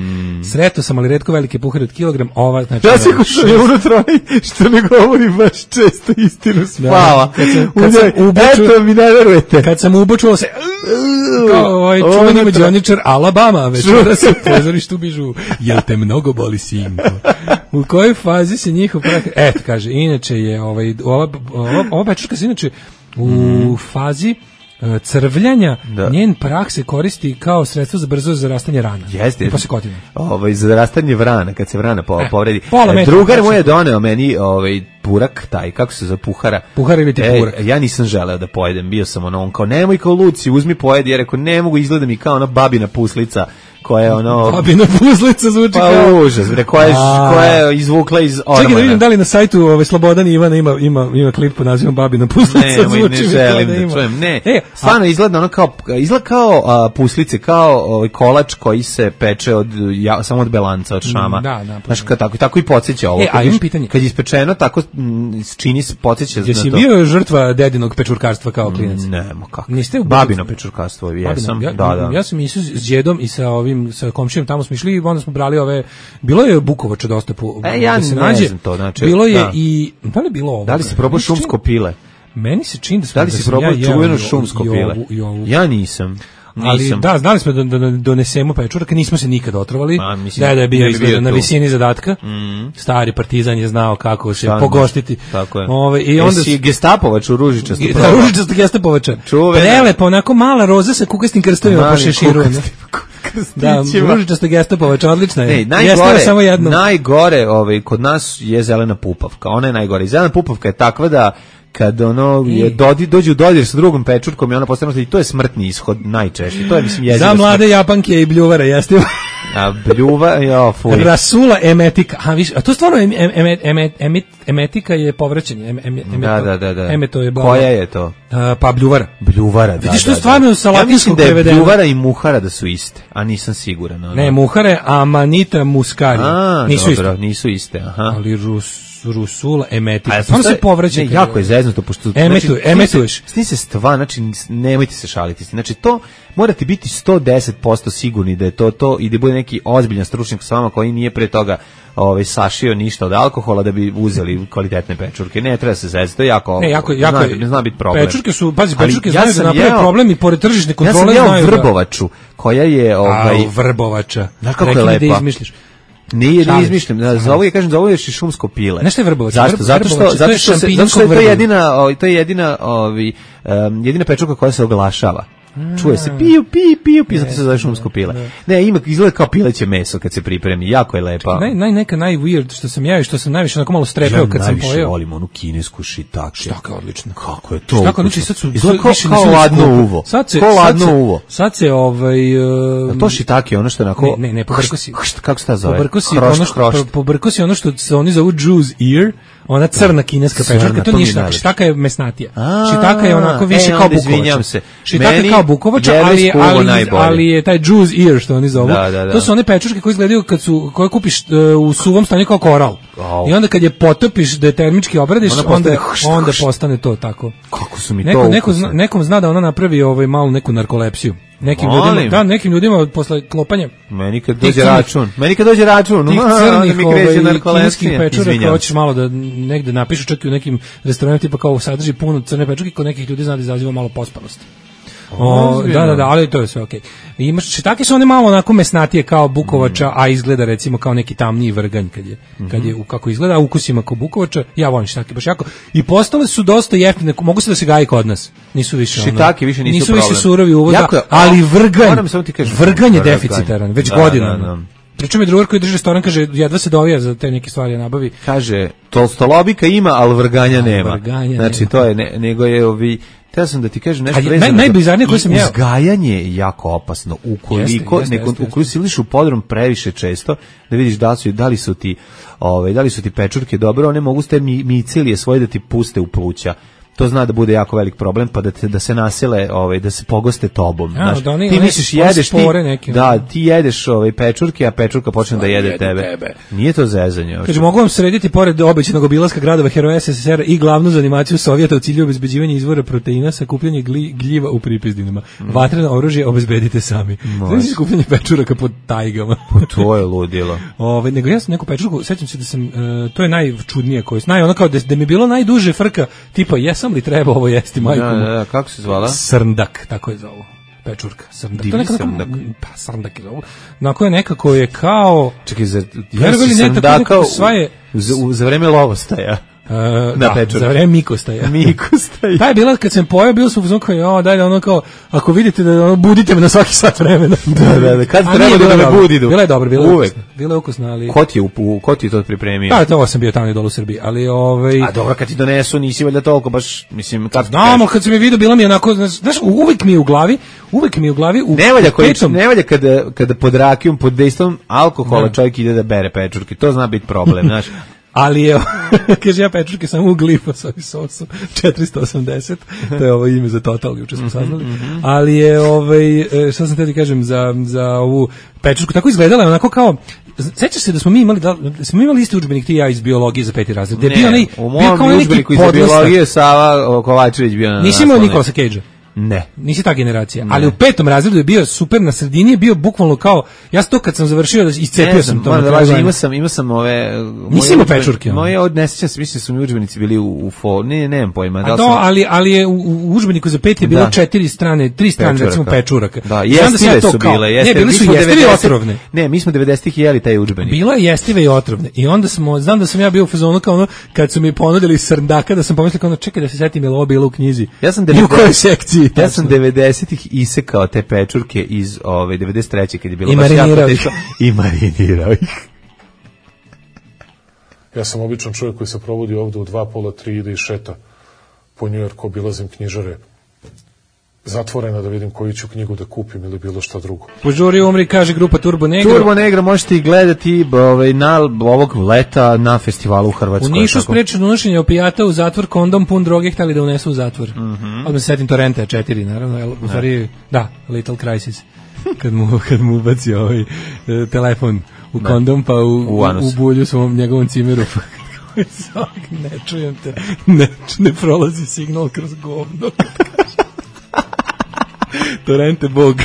sreto sam, ali retko velike puhare od kilogram, ova, znači... Rasekao sam je unutra, što ne govori baš često istinu spava. Kad sam ubočuo... Eto, mi ne verujete. Kad sam ubočuo se... Kao ovaj čuveni mađioničar Alabama, večera se u pozorištu bižu, jel te mnogo boli sinko? U kojoj fazi se njihov prah... Eto, kaže, inače je ova pečurka se inače u fazi crvljanja, njen prah se koristi kao sredstvo za brzo zarastanje rana. Jeste. Pa se kotina. Za zarastanje vrana, kad se vrana povredi. Drugar Drugar mu je doneo meni purak, taj, kako se za puhara. Puhar ili ti purak? Ja nisam želeo da pojedem, bio sam on kao, nemoj kao Luci, uzmi pojedi, jer rekao, ne mogu, izgleda mi kao ona babina puslica, koja je babina puslica zvuči kao... Pa užas, koja je izvukla iz ormana. Čekaj da vidim da li na sajtu Slobodan Ivana ima klip pod nazivom babina puslica. Ne želim da čujem, ne. Stvarno izgleda ono kao puslice, kao kolač koji se peče samo od belanca, od šama. Da. Znaš, tako i podsjeća ovo. A imam pitanje. Kad je ispečeno, tako čini se, podsjeća na to. Jesi bio žrtva dedinog pečurkarstva kao klinac? Nemo, kako. Niste u babino pečurkarstvo, jesam. Ja sam išao s djedom i sa komšijom, tamo smo išli i onda smo brali bilo je bukovača dosta ja ne znam to, znači. Bilo je i, da li je bilo ovo? Da li si probao šumsko pile? Meni se čini da li si probao čuveno šumsko pile? Ja nisam. Ali da, znali smo da donesemo pečurak, nismo se nikad otrovali. Da je bio izgleda na visini zadatka. Stari partizan je znao kako se pogostiti. Tako je. I onda si gestapovač u ružičastu. Ružičasto gestapovača. Prelepo, onako mala roza sa kukastim krstovima po šeširu. Da, ružičasto gestapovač, odlična je. Najgore kod nas je zelena pupavka. Ona je najgore. Zelena pupavka je takva da kad dođe u dodir sa drugom pečurkom i ona postane, i to je smrtni ishod najčešće. To je, mislim, jezivo. Za mlade Japanke i bljuvara, jeste. A bljuva, fuj. Rasula emetika. A to stvarno emetika je povraćanje. Da. Emeto je koja je to? Pa bljuvara. Bljuvara, da. Vidiš, to je stvarno sa latinskog prevedeno. Ja mislim da je bljuvara i muhara da su iste, a nisam siguran. Ne, muhare, amanita muscari. Nisu iste. Ali Rusula emetika. Samo se povraća. Ne, jako je zeznuto, pošto... Emetuješ. Sni se znači, nemojte se šaliti. Znači, to morate biti 110% sigurni da je to i da bude neki ozbiljan stručnjak s vama koji nije pre toga sašio ništa od alkohola da bi uzeli kvalitetne pečurke. Ne, treba se zezati, to je jako... Ne zna biti problem. Pečurke su, pečurke znaju da naprave problem i pored tržišne kontrole znaju da... Ja sam jeo vrbovaču, koja je... vrbovača. Znaš kako je lepa? Nije izmišljam. Za ovo je kažem, za ovo je i šumsko pile. Nešto je vrbovac. Zašto? Zato što je to jedina pečurka koja se oglašava. Čuje se piju, zato se zove šumsko pile. Ne, izgleda kao pileće meso kad se pripremi, jako je lepa. Neka najweird što sam ja i što sam najviše onako malo strepeo kad sam pojeo. Ja najviše volim onu kinesku šitake. Štaka je odlično. Kako je to? Štaka odlično, sad su kao ladno uvo. Sad se to šitake, ono što je onako... Ne, pobrko si. Kako se ta zove? Pobrko si ono što se oni zovu Jew's ear, ona crna kineska pečurka, to nije šitaka. Šitaka je mesnatija. Šitaka je onako više kao bukovača. Šitaka kao bukovača, ali je taj Jew's ear što oni zovu. To su one pečurke koje izgledaju koje kupiš u suvom stanju kao koral. I onda kad je potopiš da je termički obradiš, onda postane to tako. Kako su mi to nekom zna da ona napravi malu neku narkolepsiju. Nekim ljudima posle klopanja. Meni kad dođe račun. Tih crnih kineskih pečuraka, hoćeš malo da negde napišu, čak i u nekim restoranima tipa kao sadrži puno crne pečurke, kod nekih ljudi zna da izaziva malo pospanost. Da, ali to je sve okej. Imaš šitake su one malo onako mesnatije kao bukovača, a izgleda recimo kao neki tamniji vrganj kad je kako izgleda, a ukusima kao bukovača. Ja volim šitake baš jako. I postale su dosta jeftine, mogu se da se gaji kod nas. Nisu više šitake više nisu problem. Nisu više surovi uvoz, ali vrganj je deficitaran već godinama. Pričao mi drugar koji drži restoran, kaže, jedva se dovija za te neke stvari nabavi. Kaže, tolstolobika ima, ali vrganja nema. Znači, to je, nego je Teo sam da ti kažem nešto vezano. Najbizarnije koje sam jeo. Uzgajanje je jako opasno. Ukoliko si iliš u podrum previše često, da vidiš da li su ti pečurke dobro, one mogu ste micilije svoje da ti puste u pluća. to zna da bude jako velik problem, pa da se nasele, da se pogoste tobom. Znaš, ti misliš jedeš ti jedeš pečurke, a pečurka počne da jede tebe. Nije to zezanje. Kaže, mogu vam srediti pored obećanog obilaska gradova heroja SSSR i glavnu za animaciju Sovjeta u cilju obezbeđivanja izvora proteina, sakupljanje gljiva u pripizdinama. Vatreno oružje obezbedite sami. Znači sakupljanje pečuraka pod tajgama. To je ludilo. Nego ja sam neku pečurku, sećam se da sam, to je najčudnije koje, ono kao da mi je bilo najduže frka, tipa jesam li treba ovo jesti, majku? Da, kako se zvala? Srndak, tako je zovu. Pečurka, srndak. Divni srndak. Pa, srndak je zovu. Onako je nekako je kao... Čekaj, jesi srndaka za vreme lovostaja? Za vreme Mikostaja. Ta je bila, kad sam pojao, bilo sam uzmano kao, dalje, ono kao, ako vidite da budite me na svaki sat vremena. Da, kad treba da me budidu. Bila je dobra, bila je ukusna, ali... Ko ti je to pripremio? Da, to sam bio tamo i dolu u Srbiji, ali A dobro, kad ti donesu, nisi valjda toliko, baš, mislim... Znamo, kad sam je vidio, bila mi je onako, znaš, uvijek mi je u glavi... Ne valja kada pod rakijom, pod dejstvom alkohola čovjek ide da bere pečurke, to zna biti problem, znaš. Ali je, kaže, ja pečurke samo u glifosavi sosu, 480, to je ovo ime za Total, juče smo saznali, ali je, šta sam te ti kažem, za ovu pečurku, tako izgledala je onako kao, sećaš se da smo mi imali isti udžbenik ti i ja iz biologije za 5. razred, gde je bio onaj, u mom udžbeniku iz biologije Sava Kovačević bio na nisi imao Nikolasa Cage-a? Ne. Nisi ta generacija, ali u 5. razredu je bio super, na sredini je bio bukvalno kao, ja sam to kad sam završio, iscepio sam to. Imao sam ove... Nisi imao pečurke? Moje ne sećam se, mislim su mi udžbenici bili u nemam pojma. Ali je u udžbeniku za 5 je bilo 3 strane recimo pečuraka. Da, jestive su bile. Ne, bile su jestive i otrovne. Ne, mi smo 90-ih jeli taj udžbenik. Bila je jestive i otrovne. I onda znam da sam ja bio u fazonu kao ono, kad su mi ponudili srndaka, da sam pomislio kao ono, čekaj da se setim, je li ovo bilo u knjizi. U kojoj sekciji? Ja sam 90-ih isekao te pečurke iz 93. kad je bilo baš jako teško. I marinirao ih. Ja sam običan čovjek koji se provodi ovdje u 2, pola, 3 ide i šeta po New Yorku, obilazim knjižare zatvorena da vidim koju ću knjigu da kupim ili bilo šta drugo. Požuri umri, kaže grupa Turbo Negro. Turbo Negro možete i gledati na ovog leta na festivalu u Hrvatskoj. U Nišu sprečeno unošenje opijata u zatvor, kondom pun droge hteli da unesu u zatvor. Odmah se setim Torrenta 4, naravno. U stvari, da, Little Crisis. Kad mu ubaci telefon u kondom, pa u bulju svom njegovom cimeru. Ne čujem te, ne prolazi signal kroz govno. Torrente Bog.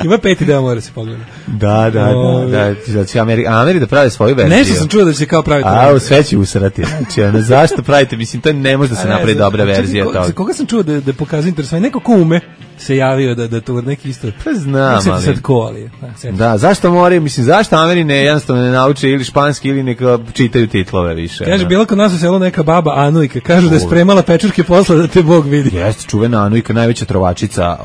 Ima 5 deo, mora se pogledati. Da, će Ameri da pravi svoju verziju. Nešto sam čuo da će kao praviti. Sve će usrati. Znači, zašto pravite? Mislim, to ne može da se napravi dobra verzija toga. Koga sam čuo da pokazuje interesovanje? Neko ko ume se javio da to neki isto. Pa znam, ali. Sad ko, ali. Da, zašto moraju, mislim, zašto Ameri jednostavno ne nauče ili španski ili neka čitaju titlove više. Kaže, bila kod nas u selu neka baba Anujka, kažu da je spremala pečurke posla da te Bog vidi. Jeste, čuvena Anujka, najveća trovačica.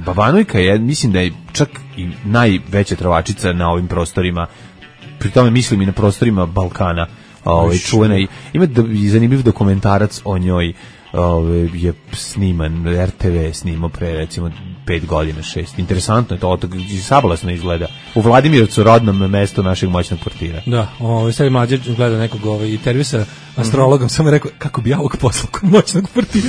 Baba Anujka je, mislim da je čak i najveća trovačica na ovim prostorima, pri tome mislim i na prostorima Balkana, čuvena. Ima zanimljiv dokumentarac o njoj, je sniman, RTV snimao pre recimo 5 godina, 6. Interesantno je to, sabalesno izgleda. U Vladimirovcu, rodnom mestu našeg moćnog portira. Da, sad mlađe gleda nekog intervju sa astrologom, samo je rekao, kako bi ja ovog poslao kod moćnog portira.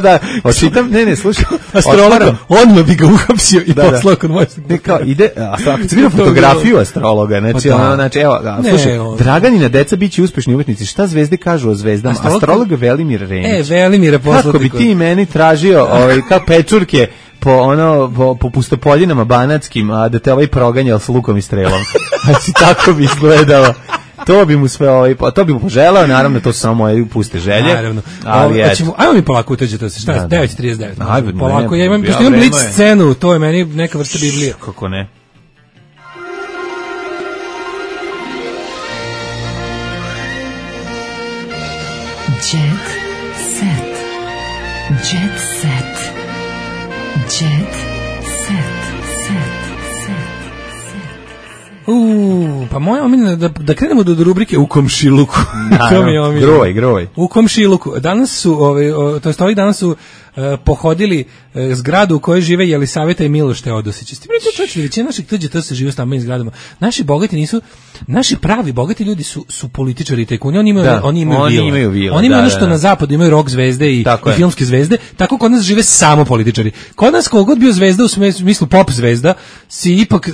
Da, očitam, ne, slušaj. Astrologom, odmah bi ga uhapsio i poslao kod moćnog portira. Ide, kad se vidio fotografiju astrologa, znači, evo, slušaj, Draganina deca biće uspešni umetnici, šta zvezde kažu o zvezdama? Astrolog Velimir Renić. Velimire poslati. Kako bi ti meni tražio kao pečurke po pustopoljinama banatskim, a da te proganjao s lukom i strelom. Znači, tako bi izgledalo. To bi mu sve to bi mu poželao, naravno, to su samo moje puste želje. Naravno. Ajmo mi polako uteđe to se. Šta je? 9:39. Polako, ja imam blic scenu, to je meni neka vrsta Biblije. Kako ne? Jet set. Jet set. Jet set. Pa moja omiljena da krenemo do rubrike u komšiluku. Groj. U komšiluku. Danas su, to jest ovih danas su pohodili zgradu u kojoj žive Jelisaveta i Miloš Teodosić. Ste vidjeli, većina naših tuđe to se žive u stambenim zgradama. Naši pravi bogati ljudi su političari i tajkuni, oni imaju vile. Oni imaju ono što na zapadu imaju rock zvezde i filmske zvezde, tako kod nas žive samo političari. Kod nas kogod bio zvezda u smislu pop zvezda, si ipak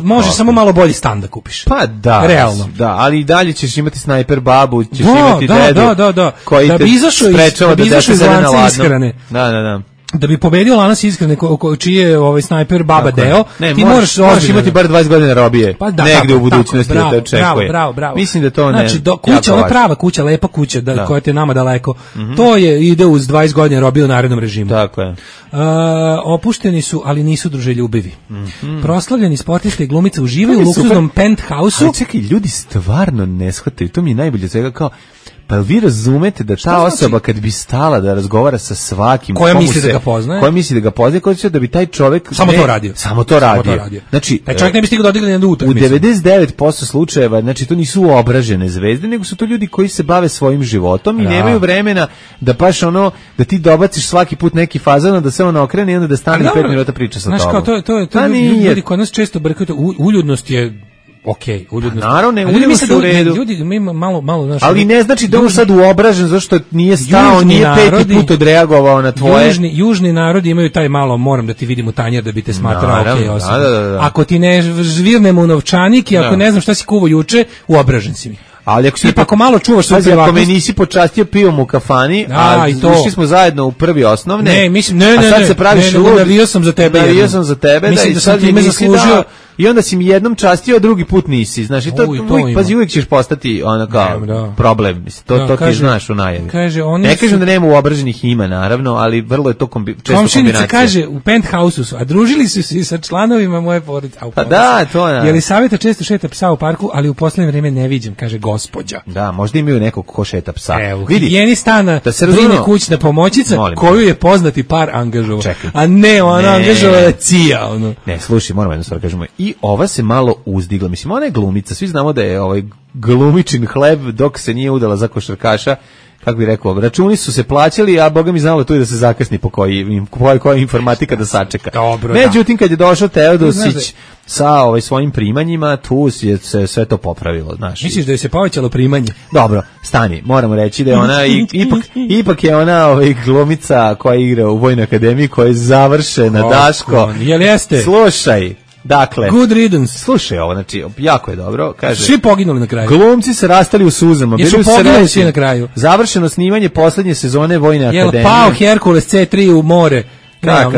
može samo malo bolji stan da kupiš. Pa da. Realno. Da, ali i dalje ćeš imati snajper babu, ćeš imati dedu koji te sprečava da dete sede na ladno. Da. Da bi pobedio lanac ishrane čiji je snajper baba deo, ti moraš imati bar 20 godina robije. Pa negde u budućnosti da te očekuje. Bravo. Mislim da to ne. Znači, kuća, ona prava kuća, lepa kuća, koja te nama daleko. To ide uz 20 godina robije u narednom režimu. Tako je. Opušteni su, ali nisu druželjubivi. Proslavljeni sportisti i glumice uživaju u luksuznom penthouse-u. Ali čekaj, ljudi stvarno ne shvataju. To mi je najbolje svega kao pa vi razumete da ta osoba kad bi stala da razgovara sa svakim koja misli da ga poznaje, koja će da bi taj čovjek samo to radio. Znači, taj čovjek ne bi stigao da odigra na utakmicu. U 99% slučajeva, znači to nisu obražene zvezde, nego su to ljudi koji se bave svojim životom i nemaju vremena da baš da ti dobaciš svaki put neki fazon, da se on okrene i onda da stane 5 minuta priča sa tobom. Znaš kao, to ljudi kod nas često brkaju, uljudnost je uljudnost. Naravno, uljudnost u redu. Ljudi malo znaš, ali ne znači da on sad uobražen zašto nije stao, nije peti put odreagovao na tvoje. Južni narodi imaju taj malo, moram da ti vidim u tanjer da bi te smatrao osoba. Da. Ako ti ne žvirnemo u novčanik i ako ne znam šta si kuvo juče, uobražen si mi. Ali ako malo čuvaš svoju privatnost, ako me nisi počastio pivom u kafani, a išli smo zajedno u prvi osnovne. Ne, a sad se praviš lud. Navio sam za tebe. Mislim da sam time zaslužio. I onda si mi jednom častio, a drugi put nisi. Znaš, uvijek ćeš postati problem. To ti znaš u najavi. Ne kažem da nema uobraženih ima, naravno, ali vrlo je to često kombinacija. Komšinica kaže, u penthouse-u su, a družili su se i sa članovima moje porodice. Pa da, to je. Jelisaveta često šeta psa u parku, ali u poslednje vrijeme ne viđem, kaže gospođa. Da, možda imaju nekog ko šeta psa. Evo, higijeni stana brine kućna pomoćica, koju je poznati par angažovao. A ne, ona angažovala CIA. Ne, slušaj, moramo jedno stvar kažemo. I ova se malo uzdigla. Mislim, ona je glumica. Svi znamo da je glumičin hleb dok se nije udala za košarkaša. Kako bih rekao, računi su se plaćali, a Boga mi znalo tu i da se zakasni po koja informatika da sačeka. Dobro, međutim, kad je došao Teodosić sa svojim primanjima, tu je se sve to popravilo. Znaš. Misliš da je se povećalo primanje? Dobro, stani, moramo reći da je ona, ipak je ona glumica koja igra u Vojnoj akademiji, koja je završena, Daško. Jel jeste? Slušaj. Dakle, good riddance. Slušaj ovo, znači, jako je dobro. Kaže, svi poginuli na kraju. Glumci se rastali u suzama. Jesu poginuli svi na kraju. Završeno snimanje posljednje sezone Vojne akademije. Jel pao Herkules C3 u more?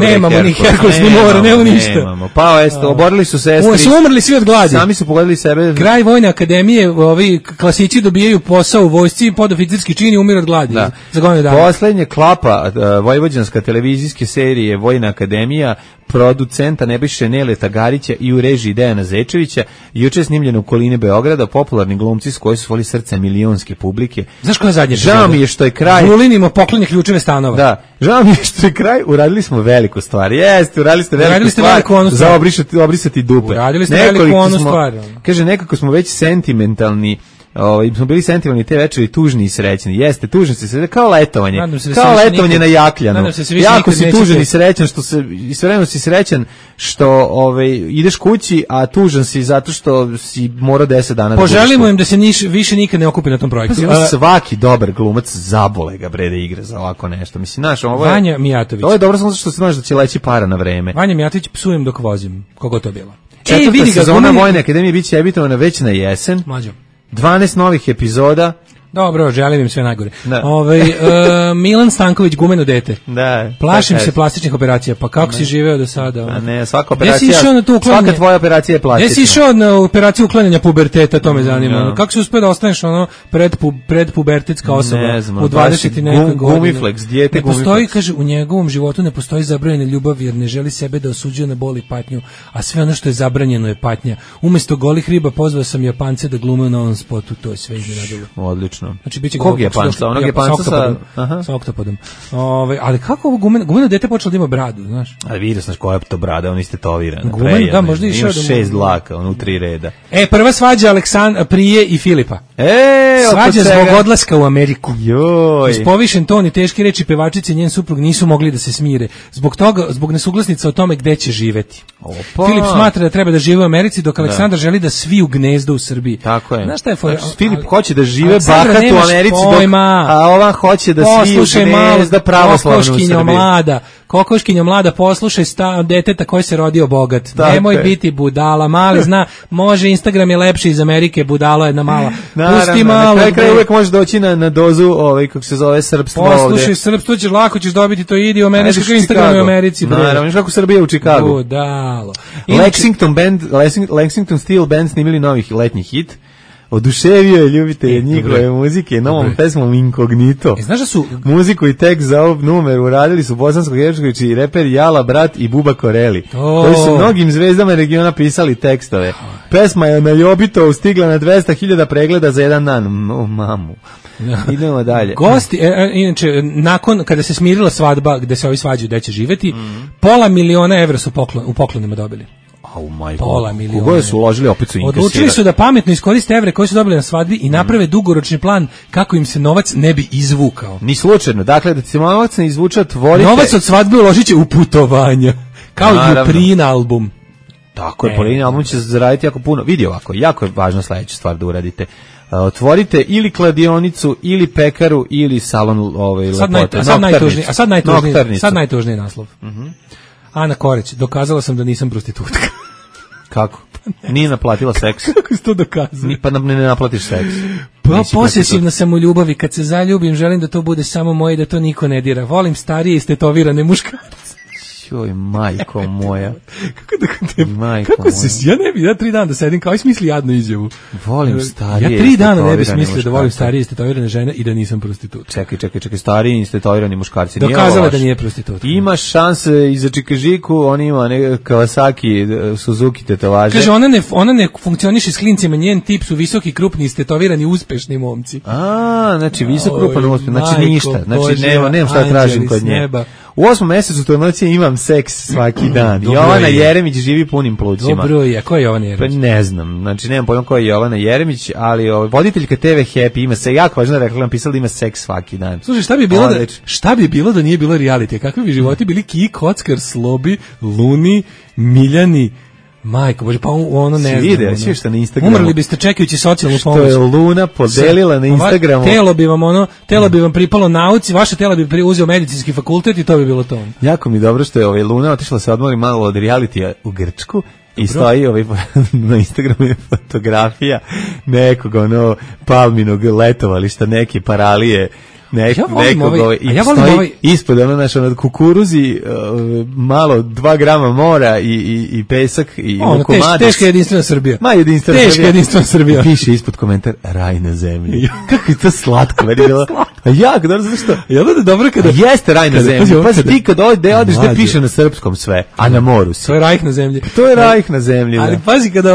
Nemamo ni Herkules ni more, nema ništa. Nemamo. Pao je, oborili su sestri. Su umrli svi od gladi. Sami su pogodili sebe. Kraj Vojne akademije, ovi klasići dobijaju posao u vojsci, podoficirski čin i umiru od gladi. Da. Za godinu dana. Poslednje klapa vojvođanska televizijske serije Vojna akademija, producenta Nebojše Neleta Garića i u režiji Dejana Zečevića, juče snimljeno u okoline Beograda, popularni glumci s koji su voli srce milionske publike. Znaš koja je zadnja? Žao mi je što je kraj. Zulinimo poklonje ključeve stanova. Da, žao mi je što je kraj, uradili smo veliku stvar. Jeste, uradili ste veliku stvar za obrisati dupe. Uradili ste veliku onu stvar. Kaže, nekako smo već sentimentalni. Smo bili sentimentalni te večeri, tužni i srećni. Jeste, tužni se kao letovanje. Kao letovanje na Jakljanu. Jako si tužan i srećan što se istovremeno si srećan što ideš kući, a tužan si zato što si morao 10 dana. Poželimo im da se više nikad ne okupi na tom projektu. Svaki dobar glumac zabole ga bre da igra za ovako nešto. Mislim, znaš, ovo je Vanja Mijatović. Ovo je dobro samo što se znaš da će leći para na vreme. Vanja Mijatović, psujem dok vozim. Kogo to bilo? Četvrta sezona Vojne akademije biće emitovana već na jesen. Mlađo. 12 novih epizoda. Dobro, želim im sve najgore. Milan Stanković, gumeno dete. Da. Plašim se plastičnih operacija, pa kako si živeo do sada? A ne, svaka operacija, svaka tvoja operacija je plastična. Gdje si išao na operaciju uklanjanja puberteta, to me zanima. Kako si uspio da ostaneš predpubertetska osoba u 20 i nekoj godini? Gumiflex, dijete Gumiflex. Ne postoji, kaže, u njegovom životu ne postoji zabranjena ljubav jer ne želi sebe da osuđuje na bol i patnju, a sve ono što je zabranjeno je patnja. Umesto golih riba pozvao sam Japance da glume u novom spotu, to je sve iznenadilo. Odlično. tačno. Znači biće kog Japanca? Onog Japanca sa oktopodom. Ali kako ovo gumeno dete počelo da ima bradu, znaš? Ali vidio sam koja je to brada, on istetoviran. Gumen, da, možda ima 6 dlaka, on u 3 reda. Prva svađa Prije i Filipa. Svađa zbog odlaska u Ameriku. Uz povišen ton i teške reči pevačice i njen suprug nisu mogli da se smire. Zbog nesuglasnica o tome gde će živeti. Filip smatra da treba da žive u Americi, dok Aleksandar želi da svi u gnezdo u Srbiji. Tako je. Znaš šta je Filip hoće da žive bahat u Americi, a ova hoće da svi u gnezda pravoslavno u Srbiji. Kokoškinja mlada, poslušaj deteta koji se rodio bogat. Nemoj biti budala, mali zna, može, Instagram je lepši iz Amerike, budalo jedna mala. Pusti malo. Na kraju uvek možeš doći na dozu, kako se zove, srpstvo ovde. Poslušaj srpstvo, ćeš lako ćeš dobiti, to idi u Americi, kakav Instagram je u Americi. Naravno, kako Srbija u Čikagu. Budalo. Lexington Steel Band snimili novih letnjih hit. Oduševio je ljubitelje njihove muzike novom pesmom Incognito. Znaš da su muziku i tekst za ovu numeru uradili su Bosansko Hercegović i reper Jala Brat i Buba Koreli, koji su mnogim zvezdama regiona pisali tekstove. Pesma je na Ljobitovu stigla na 200.000 pregleda za jedan dan. Mamu. Idemo dalje. Gosti, inače, nakon kada se smirila svadba gde se ovi svađaju gde će živeti, $500.000 su u poklonima dobili. $500.000. Kogo su uložili, opet su inkasirali. Odlučili su da pametno iskoriste evre koje su dobili na svadbi i naprave dugoročni plan kako im se novac ne bi izvukao. Ni slučajno, dakle da se novac ne izvuče, otvorite. Novac od svadbe uložit će u putovanja, kao i Prin album. Tako je, Prin album će zaraditi jako puno. Vidi ovako, jako je važno sledeća stvar da uradite. Otvorite ili kladionicu, ili pekaru, ili salon lepote. Sad najtužniji naslov. Ana Koreć, dokazala sam da nisam prostitutka. Kako? Nije naplatila seks. Kako si to dokazala? Pa ne naplatiš seks. Pa posesivna sam u ljubavi, kad se zaljubim želim da to bude samo moje i da to niko ne dira. Volim starije istetovirane muškarce. Joj, majko moja. Kako se, ja 3 dana da sedim kao i smisli jadnu izjavu. Volim starije. Ja 3 dana ne bi smislio da volim starije istetovirane žene i da nisam prostitut. Čekaj, stariji istetovirani muškarci. Dokazala da nije prostitut. Imaš šanse i za Čikažiku, on ima Kawasaki, Suzuki tetovaže. Kaže, ona ne funkcioniše s klincima, njen tip su visoki, krupni, istetovirani, uspešni momci. Znači visok, krupan, uspešan, znači ništa. Znači nema šta tražim kod nje. U 8. mesecu trudnoće imam seks svaki dan. Jovana Jeremić živi punim plućima. Dobro je, ko je Jovana Jeremić? Pa ne znam, znači nemam pojma ko je Jovana Jeremić, ali voditeljka TV Happy ima se, jako važno rekla, pisala da ima seks svaki dan. Slušaj, šta bi bilo da nije bilo reality? Kakvi bi životi bili Ki, Kockar, Slobi, Luni, Miljani, majko, bože, pa ono ne znam. Vide, svi što na Instagramu. Umrli biste čekajući socijalnu pomoć. Što je Luna podelila na Instagramu. Telo bi vam pripalo nauci, vaše telo bi uzeo medicinski fakultet i to bi bilo to. Jako mi dobro što je Luna otišla se odmori malo od realitija u Grčku. I stoji na Instagramu je fotografija nekog palminog letovališta, neke paralije. Ispod kukuruzi, malo 2 grama mora i pesak i komadic. Teška jedinstvena Srbija. Jedinstvena Srbija. Piše ispod komentar raj na zemlji. Kako je to slatko, meni bilo. Jako dobro, zašto? Dobro kada jeste raj na zemlji. Pa ti kad odeš da piše na srpskom sve, a na moru si. To je raj na zemlji. To je raj na zemlji. Ali pazi kada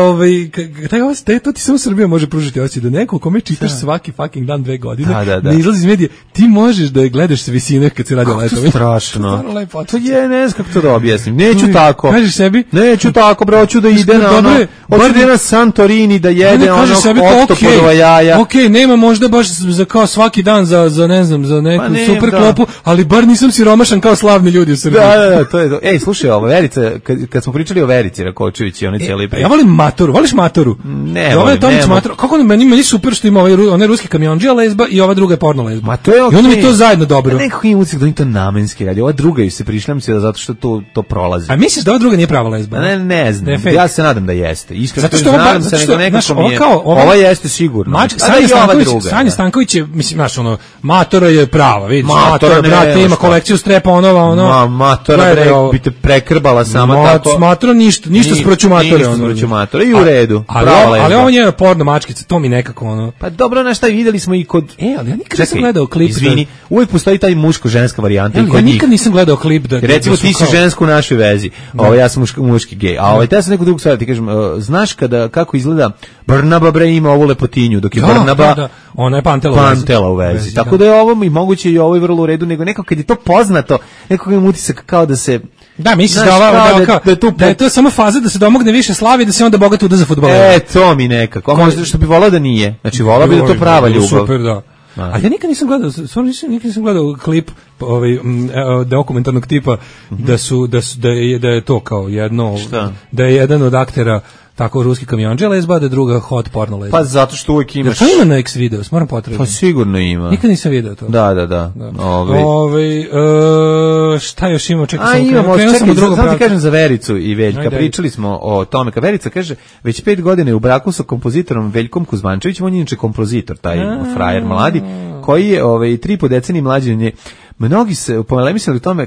to ti samo Srbija može pružiti osjećaj da neko kome čitaš svaki fucking dan 2 godine, ne izlazi iz medija. Ti možeš da je gledaš s visine kad se radi o letovima. Strašno. To je, ne znam kako to da objasnim. Neću tako. Kažeš sebi? Neću tako, bre, hoću da ide na hoću da ide na Santorini, da jede oktopodova jaja. Okej, nema možda baš za kao svaki dan za ne znam, za neku super klopu, ali bar nisam siromašan kao slavni ljudi u Srbiji. Da, to je to. Ej, slušaj, Verica, kad smo pričali o Verici Rakočević i onaj cijeli ja volim Matoru, voliš Matoru? Ne, volim. Kako meni super što ima onaj ruski kamiondžija lezba i ova druga je porno lezba. Ma to je i onda mi to zajedno dobro. Nekako im utisak da oni to namenski radi. Ova druga ju se prišljam se zato što to prolazi. A misliš da ova druga nije prava lezba? Ne znam. Ja se nadam da jeste. Iskreno zato što nadam se nego nekako mi je. Ova jeste sigurno. Sanja Stanković je, mislim, znaš, Matora je prava, vidiš. Matora, brate, ima kolekciju strepa, Matora, bi te prekrbala sama tako. Matora ništa sproću Matora. I u redu. Ali ovo je porno mačkica, to mi nekako Pa dobro, na šta videli smo i kod. Ali ja nikad nisam gledao klip. Izvini, uvijek postoji taj muško-ženska varijanta i kod njih. Ja nikad nisam gledao klip recimo ti si žensko u našoj vezi, ja sam muški gej. A te sam neku drugu stvar ti kažem, znaš kako izgleda Brnaba bre ima ovu lepotinju, dok je Brnaba ona je Pantela u vezi. Tako da je ovo i moguće i ovo je vrlo u redu, nego nekako kad je to poznato, nekako ima utisak kao da se da, misliš da je to samo faza da se domogne više slave i da se onda bogato uda za fudbalera. To mi nekako. A možda što bi volao da nije. Znači volao bi da to prava ljubav. Super, da. A ja nikad nisam gledao klip dokumentarnog tipa da je to kao jedno da je jedan od aktera tako ruski kamionđe lezba, da je druga hot porno lezba. Pa zato što uvijek imaš... Što ima na X-Videos? Moram potrebiti. Pa sigurno ima. Nikad nisam vidio to. Da. Šta još ima? Čekaj, samo ti kažem za Vericu i Veljka. Pričali smo o tome. Kad Verica kaže, već 5 godina je u braku sa kompozitorom Veljkom Kuzmančevićem, on je inače kompozitor, taj frajer mladi, koji je 3,5 decenije mlađi od nje. Mnogi se polemisali o tome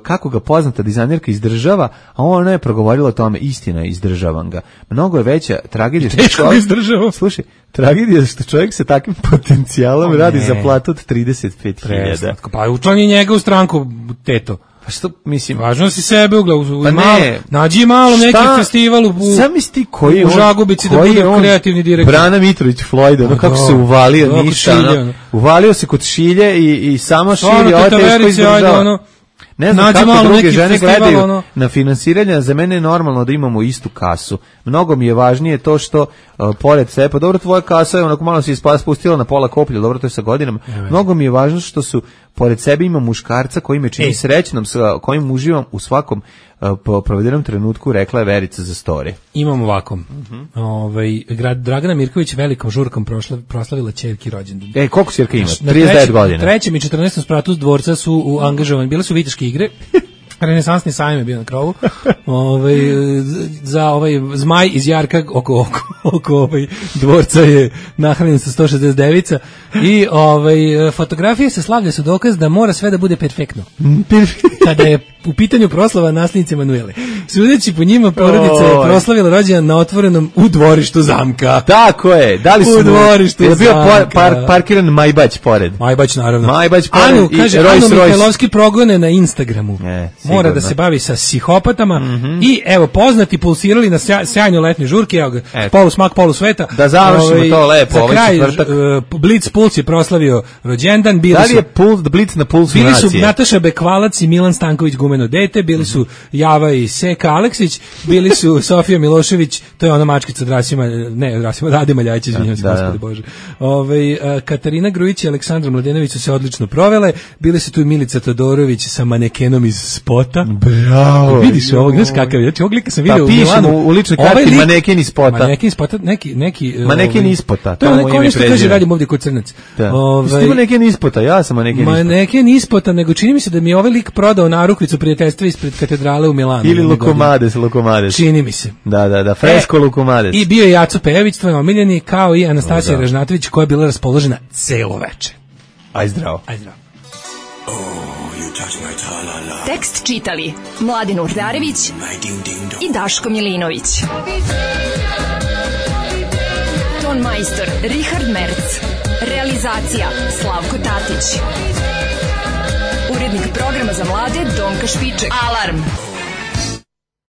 kako ga poznata dizajnerka izdržava, a ona je progovorila o tome, istina je, izdržavam ga. Mnogo je veća tragedija Slušaj, tragedija što čovjek sa takvim potencijalom radi za platu od 35.000. Pa učlani njega u stranku, teto. Pa što, mislim... Važno si sebe nađi malo neki festival u Žagubici da bude kreativni direktor. Brana Mitrović Floyd, kako se uvalio, ništa. Uvalio se kod Šilje i samo širi, ovo teško izdržava. Ne znam kako druge žene gledaju na finansiranje, za mene je normalno da imamo istu kasu. Mnogo mi je važnije to što pored sebe, pa dobro, tvoja kasa je onako malo se spustila na pola koplja, dobro, to je sa godinama. Mnogo mi je važno što su pored sebe ima muškarca koji me čini srećnom, sa kojim uživam u svakom provedenom trenutku, rekla je Verica za story. Imamo ovako. Dragana Mirković velikom žurkom proslavila ćerki rođendan. Koliko ćerka ima? 39 godina. Na 3. i 14. spratu dvorca su angažovani, bile su viteške igre. Renesansni sajam je bio na krovu. Za zmaj iz jarka oko dvorca je nahranjen sa 169 i fotografije sa slavlja su dokaz da mora sve da bude perfektno. Kada je u pitanju proslava nasljednice Manuele. Sudeći po njima, porodica je proslavila rođendan na otvorenom u dvorištu zamka. Tako je. Da li su u dvorištu zamka. Je bio parkiran Majbać pored. Majbać, naravno. Majbać pored. Anu, kaže, Anu Mihajlovski progone na Instagramu. Mora da se bavi sa psihopatama i evo, poznati pulsirali na sjajnoj letnjoj žurki, evo ga, polu smak, polu sveta. Da završimo to lepo. Za kraj, Blitz Puls je proslavio rođendan. Da li je Blitz na pulsu nacije? Bili su Nataša Bekvalac i Milan Stanković gumeno dete, bili su Java i Seka Aleksić, bili su Sofija Milošević, to je ona mačkica od Rade Maljajić, izvinjam se, gospodi Bože. Katarina Grujić i Aleksandra Mladenović su se odlično provele, bili su tu i Milica Todorović sa manekenom iz spota. Bravo. Vidiš ovog, znaš kakav je, ovog lika sam vidio u Milanu. U ličnoj karti maneken iz spota. Maneken iz spota, neki... Maneken iz spota, to je neko nešto kaže, radim ovdje kod Crnac. Ti maneken iz spota, ja sam maneken iz spota. Maneken iz spota, nego čini mi se da mi je ovaj lik prodao narukvicu prijateljstva ispred katedrale u Milanu. Ili Lukomades. Čini mi se. Da, fresko Lukomades. I bio je Jaco Pejević, tvoj omiljeni, kao i Anastasija Ražnatović, koja je bila raspoložena celo veče. Aj zdravo. Tekst čitali Mladin Urdarević i Daško Milinović. Ton majstor Richard Merc. Realizacija Slavko Tatić. Urednik programa za mlade Donka Špiček. Alarm!